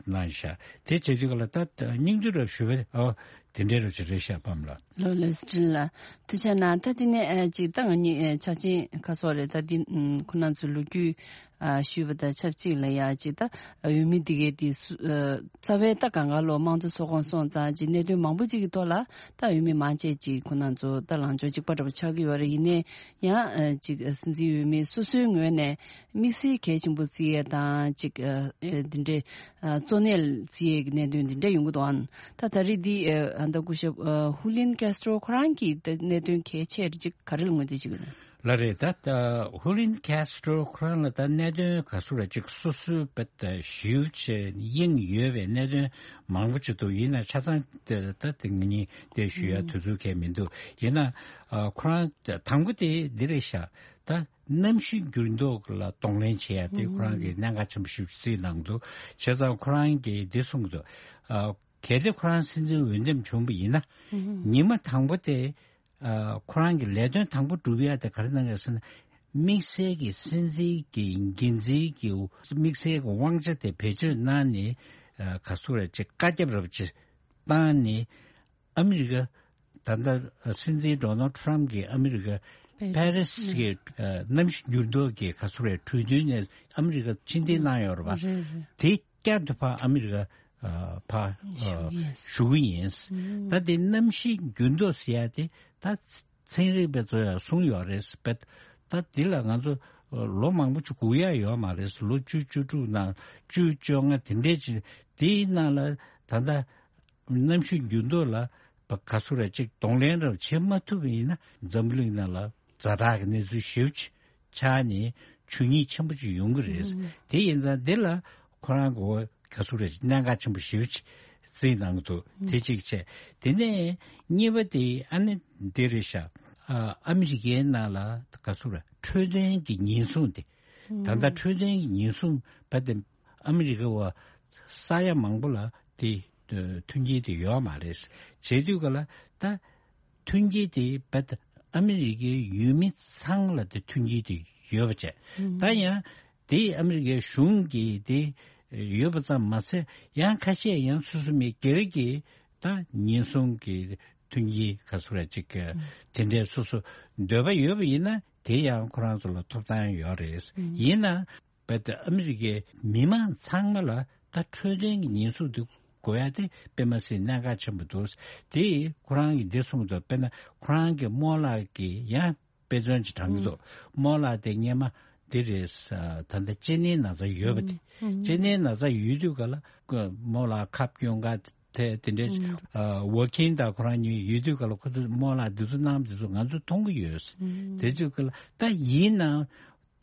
གནང་ཤག་དེ་བྱེད་དུས་ག་ལ་ད་སྙིང་བསྡུས་རབ་ཞུ་བ་ཨོ་དེ་འདྲའི་རབ་ཅིག་རེད་ཤག་པམ་ལགས། ལོ་ལེ་སི་ཀྲིན་ལགས་ཐུགས་རྗེ་གནང་། ད་དེ་ནས་ཨ་ཅིག་ད་ང་གཉིས་ཨ་ཆ་ཆེན་ཁ་སོགས་རེད། ད་འདི་ཨུམ་ཁོ་རང་ཚོའི་ལོ་རྒྱུས་ཨ་ཞུས་པ་དང་ཆབས་ཅིག་ལ་ཡ་ཅིག་ད་ཨ་འོས་མི་འདི་གའི་དེ་སུ་ཨ་རྩ་བའི་ད་གང་ག་ལོ་དམངས་གཙོ་ཚོགས་ཁོངས་སོང་ཙང་ཅིག་གནད་དོན་མང་པོ་ཅིག་གི་ཐོག་ལ་ད་འོས་མི་མང་ཆེ་ཅིག་ཁོ་རང་ཚོ་ད་ལངས་ཕྱོགས་གཅིག་པ་འདྲ་པོ་ཆགས་ཀྱི་ཡོད་རེད། ཡིན་ནའི་ཡང་ཨ་ཅིག་ཨ་སྲིད་འཛིན་འོས་མི་སོ་སོའི་ངོས་ནས་དམིགས་བསལ་གལ་ཆེན་པོ་བརྩི་ཡས་དང་ཅིག་ཨ་ཨ་འདི་འདྲའི་ཨ་གཙོ་གནད་བརྩི་ཡས་ཀྱི་གནད་དོན་འདི་འདྲ་ཡོང་གི་འདུག་ཨང་། ད་ད་རེས་འདི་ཨ་ད་སྐུ་ཞབས་ཨ་ཧུ་ལིན་ཀེ་སི་ཏྲོ་ཁོ་རང་གིས་ད་གནད་དོན་གལ་ཆེ་རེ་ཅིག་ག་རེ་ལ་ངོས་འཛིན་བྱེད་ཀྱི་ཡོད་ན། ལགས་རེད། ད་ད་ཧུ་ལིན་ཀེ་སི་ཏྲོ་ཁོ་རང་ལ་ད་གནད་དོན་ག་ཚོད་རེ་ཅིག་སོ་སོའི་བེད་ད་ཞིབ་བྱས་དབྱིངས་ཡོད་པའི་གནད་དོན་མང་པོ་ཅིག་འདུག་ཡིན་ན་ཆ་ཚང་ད་ད་དེ་ང་གཉིས་དེ་ཞུ་ཡ་དུས་ཚོད་གང་མི་འདུག་ཡིན་ན་ཨ་ཁོ་རང་དང་པོ་དེ་འདི་རེད་ཤག་ད་གནམ་གཤིས་འགྱུར་ལྡོག་ལ་གདོང་ལེན་བྱེད་ཡ་དེ་ཁོ་རང་གིས་གནད་འགག་ཆེན་པོ་ཞིག་བརྩིས་གནང་འདུག་བྱས་ཙང་ཁོ་རང་གིས་འདི་གསུངས་འདུག་ཨ་གལ་ཏེ་ཁོ་རང་སྲིད་འཛིན་འོས་འདེམས་བྱུང་བ་ཡིན་ན་ཉི་མ་དང་པོ་དེ་ཨ་ཁོ་རང་གི་ལས་དོན་དང་པོ་སྒྲུབ་ཡ་དེ་ག་རེ་གནང་ཡོད་ཟེར་ན། དམིགས་བསལ་གྱི་སྲིད་འཛིན་གྱི་འགན་འཛིན་གྱི་དམིགས་བསལ་གྱི་དབང་ཆ་དེ་བེད་སྤྱོད་གནང་ནས་ཨ་ག་ཚོད་རེ་ཅིག་བཀའ་ཁྱབ་རབ་ཅིག་བཏང་ནས། ཨ་མི་རི་ཀ་ད་ལྟ་སྲིད་འཛིན་ཌོ་ནལ་ཊམ་གྱིས་ཨ་མི་རི་ཀ་པེ་རི་སི་གི་ཨ་གནམ་གཤིས་འགྱུར་ལྡོག་གི་ག་ཚོད་རེད་གྲོས་མཐུན་ནས་ཨ་མི་རི་ཀ་ཕྱིར་འཐེན་གནང་ཡོད་རེད་པ། རེད་རེད། དེ་བསྐྱར་དུ་ཕར་ཨ་མི་རི་ཀ་ཨ་ཕར་ཨ་ཞུ་གི་ཡིན། ཞུ་གི་ཡིན། ཨུམ། ད་དེ་གནམ་གཤིས་འགྱུར་ལྡོག་ཟེར་ཡ་དེ་ད་ཚན་རིག་པ་ཚོས་ཡང་གསུངས་ཡོད་རེད་པས། ད་དེ་ལ་ང་ཚོ་ལོ་མང་པོ་ཅིག་སྒུག་ཡ་ཡོད་མ་རེད། ལོ་བཅུ་བཅུ་དྲུག་ནང་བཅུ་བཅོ་ལྔ་དེ་འདྲས་ཅིག་དེའི་ནང་ལ་ད་ལྟ་གནམ་གཤིས་འགྱུར་ལྡོག་ལ་ག་ཚོད་རེ་ཅིག་གདོང་ལེན་རེ་བྱེད་མ་ཐུབ་པ་ཡིན་ན་འཛམ་བུ་གླིང་ནང་ལ་ཛ་དྲག་གི་གནས་ཚུལ་ཞེ་པོ་ཅིག་ཆགས་ནས་ཆོས་ཉིད་ཆེན་པོ་ཅིག་ཡོང་གི་རེད། ཨུམ། དེ་ཡིན་ཙང་འདི་ལ་ཁོ་རང་གི་ག་ཚོད་རེ་ཅིག་གནད་འགག་ཆེན་པོ་ཞེ་པོ་ཅིག་བརྩིས་གནང་གི་འདུག་ཨུམ། དེ་གཅིག་བྱས། དེ་ནས་གཉིས་པ་དེ་ཨ་ནི་འདི་རེད་ཤག་ཨ་ཨ་མི་རི་ཀའི་ནང་ལ་ག་ཚོད་རེ་འཕྲོད་བསྟེན་གྱི་ཉེན་སྲུང་དེ། ད་ལྟ་འཕྲོད་བསྟེན་གྱི་ཉེན་སྲུང་བ་དེ་ཨ་མི་རི་ཀ་བ་ས་ཡ་མང་པོ་ལ་དེ་མཐུན་རྐྱེན་དེ་ཡོད་མ་རེད། བྱེད་དུས་ག་ལ་ད་མཐུན་རྐྱེན་དེ་བ་ཨ་མི་རི་ཀའི་ཡུལ་མི་ཚང་ལ་དེ་མཐུན་རྐྱེན་དེ་ཡོད་པ་བྱས། ད་ཡང་དེ་ཨ་མི་རི་ཀའི་གཞུང་གིས་དེ་ཡོད་པ་ཙམ་མ་ཟད་ཡང་ཁ་ཤས་ཡང་སོ་སོ་མི་སྒེར་གྱི་ད་ཉེན་སྲུང་གི་མཐུན་རྐྱེན་ག་ཚོད་རེ་ཅིག་དེ་འདྲའི་སོ་སོ་འདོད་པ་ཡོད་པ་ཡིན་ན་དེ་ཡང་ཁོ་རང་ཚོ་ལ་ཐོབ་ཐང་ཡོད་རེད། ཡིན་ན། བས་ཏེ་ཨ་མི་རི་ཀའི་མི་མང་ཚང་མ་ལ་ད་འཕྲོད་བསྟེན་གྱི་ཉེན་སྲུང་དེ་དགོས་ཡ་དེ་དཔེ་མ་སྲིད་གནད་འགག་ཆེན་པོ་འདུག་དེ་ཁོ་རང་གིས་འདི་གསུངས་འདུག་དཔེར་ན་ཁོ་རང་གི་རྨོ་ལགས་ཀྱི་ཡང་དཔེ་མཚོན་ཅིག་དྲངས་ཀྱི་འདུག་རྨོ་ལགས་དེ་སྔས་མ་འདི་རེད། ད་ལྟ་གཅིན་སྙིའི་ན་ཚ་ཡོད་པ་དེ། གཅིན་སྙིའི་ན་ཚ་ཡོད་དུས་ག་ལ་རྨོ་ལགས་ཁབ་སྐྱོན་ག་དེ་དེ་འདྲའི་ཝོ་ཁིན་དང་ཁོ་རང་གཉིས་ཡོད་དུས་ག་ལ་ཁོ་ཚོས་རྨོ་ལགས་འདི་ཚོ་གནང་འདི་ཚོ་ང་ཚོས་མཐོང་གི་ཡོད། དེ་དུས་ག་ལ་ད་ཡིན་ནའང་།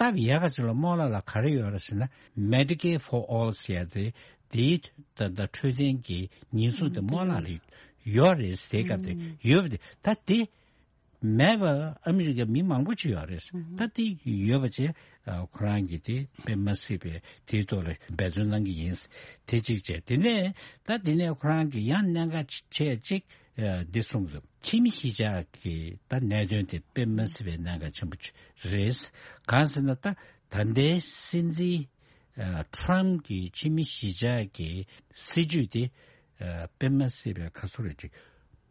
སྟབས་ཡག་ག་ཅིག་ལ་རྨོ་ལགས་ལ་ག་རེ་ཡོད་རེད་ཟེར་ན་Medicaid for All ཟེར་ཡ་དེ་དེའི་ད་ལྟ་འཕྲོད་བསྟེན་གྱི་ཉེན་སྲུང་དེ་རྨོ་ལགས་ལ་ཡོད་རེད་ཟེར་སྐབས་དེ་ཡོད་པ་དེ་ད་དེ་མེད་པ་ཨ་མི་རི་ཀའི་མི་མང་པོ་ཅིག་ཡོད་རེད། ད་དེ་ཡོད་པ་བྱས་ཁོ་རང་གིས་དེ་དཔེ་མ་སྲིད་པའི་དེའི་ཐོག་ལ་འབད་བརྩོན་གནང་གི་ཡིན། དེ་གཅིག་བྱས་དེ་ནས་ད་དེ་ནས་ཁོ་རང་གིས་ཡང་གནད་འགག་ཆེ་གཅིག་འདི་གསུངས་འདུག་ཕྱི་མི་གཞིས་ཆགས་ཀྱི་ད་གནད་དོན་དེ་དཔེ་མ་སྲིད་པའི་གནད་འགག་ཆེན་པོ་ཅིག་རེད། གང་ཟེར་ན་ད་ད་ལྟའི་སྲིད་འཛིན་ཨ་ཊམ་གྱི་ཕྱི་མི་གཞིས་ཆགས་ཀྱི་སྲིད་ཇུས་དེ་ཨ་དཔེ་མ་སྲིད་པའི་ག་ཚོད་རེད་ཅིག་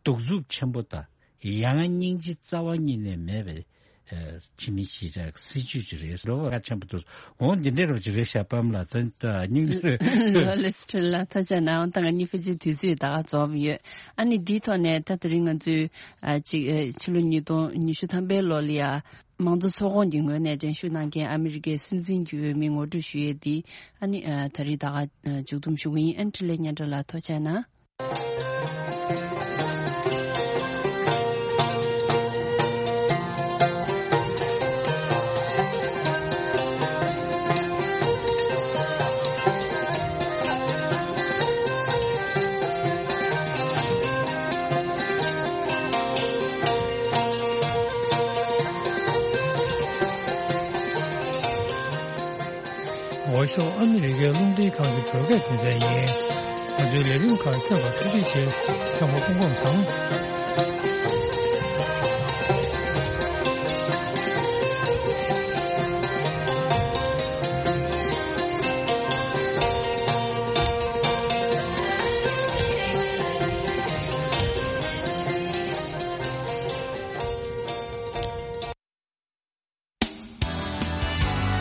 གདུག་རྩུབ་ཆེན་པོ་དང་ཡང་སྙིང་རྗེ་རྩ་བ་ཉིད་ནས་མེད་པའི་ཨ་ཕྱི་མི་གཞིས་ཆགས་ཀྱི་སྲིད་ཇུས་ཅིག་རེད། འགྲོ་བ་ཁ་ཆེན་པོ་འདུག་འོང་འདི་འདྲའི་རོགས་ཅིག་རེད་ཤག་པམ་ལ་ད་སྙིང་རྗེ་རེད། ལོ་ལེ་སི་ཊི་ལ་ཐུགས་རྗེ་གནང་། ད་ང་གཉིས་ཕལ་ཆེར་དུས་ཚོད་ད་ག་རྫོགས་ཡོད། ཨ་ནི་འདིའི་ཐོག་ནས་ད་དེ་རིང་ང་ཚོའི་ཨ་ཅིག་ཨ་ཕྱི་ལོ་ཉིས་སྟོང་ཉི་ཤུ་ཐམ་པའི་ལོ་ལ་ཡ། དམངས་གཙོ་ཚོགས་ཁོངས་ཀྱི་ངོས་ནས་འགྲན་ཞུགས་གནང་མཁན་ཨ་མི་རི་ཀའི་སྲིད་འཛིན་གྱི་འོས་མི་ངོ་སྤྲོད་ཞུ་ཡས་འདི་ཨ་ནི་ཨ་ད་རེས་ད་ག་ཨ་མཇུག་བསྡོམས་ཞུ་གི་ཡིན། ཨ་ནི་འཕྲིན་ལས་སྙན་གྲགས་ལགས་ཐུགས་རྗེ་གནང་། ཝོ་ཤོ་ཨ་མི་རི་ཀའི་རླུང་འཕྲིན་ཁང་གི་བོད་སྐད་སྡེ་ཚན་ཡིན། ང་ཚོའི་ལས་རིམ་ཁག་གསན་པར་ཐུགས་རྗེ་ཆེ། ཚང་མ་སྐུ་ཁམས་བཟང་།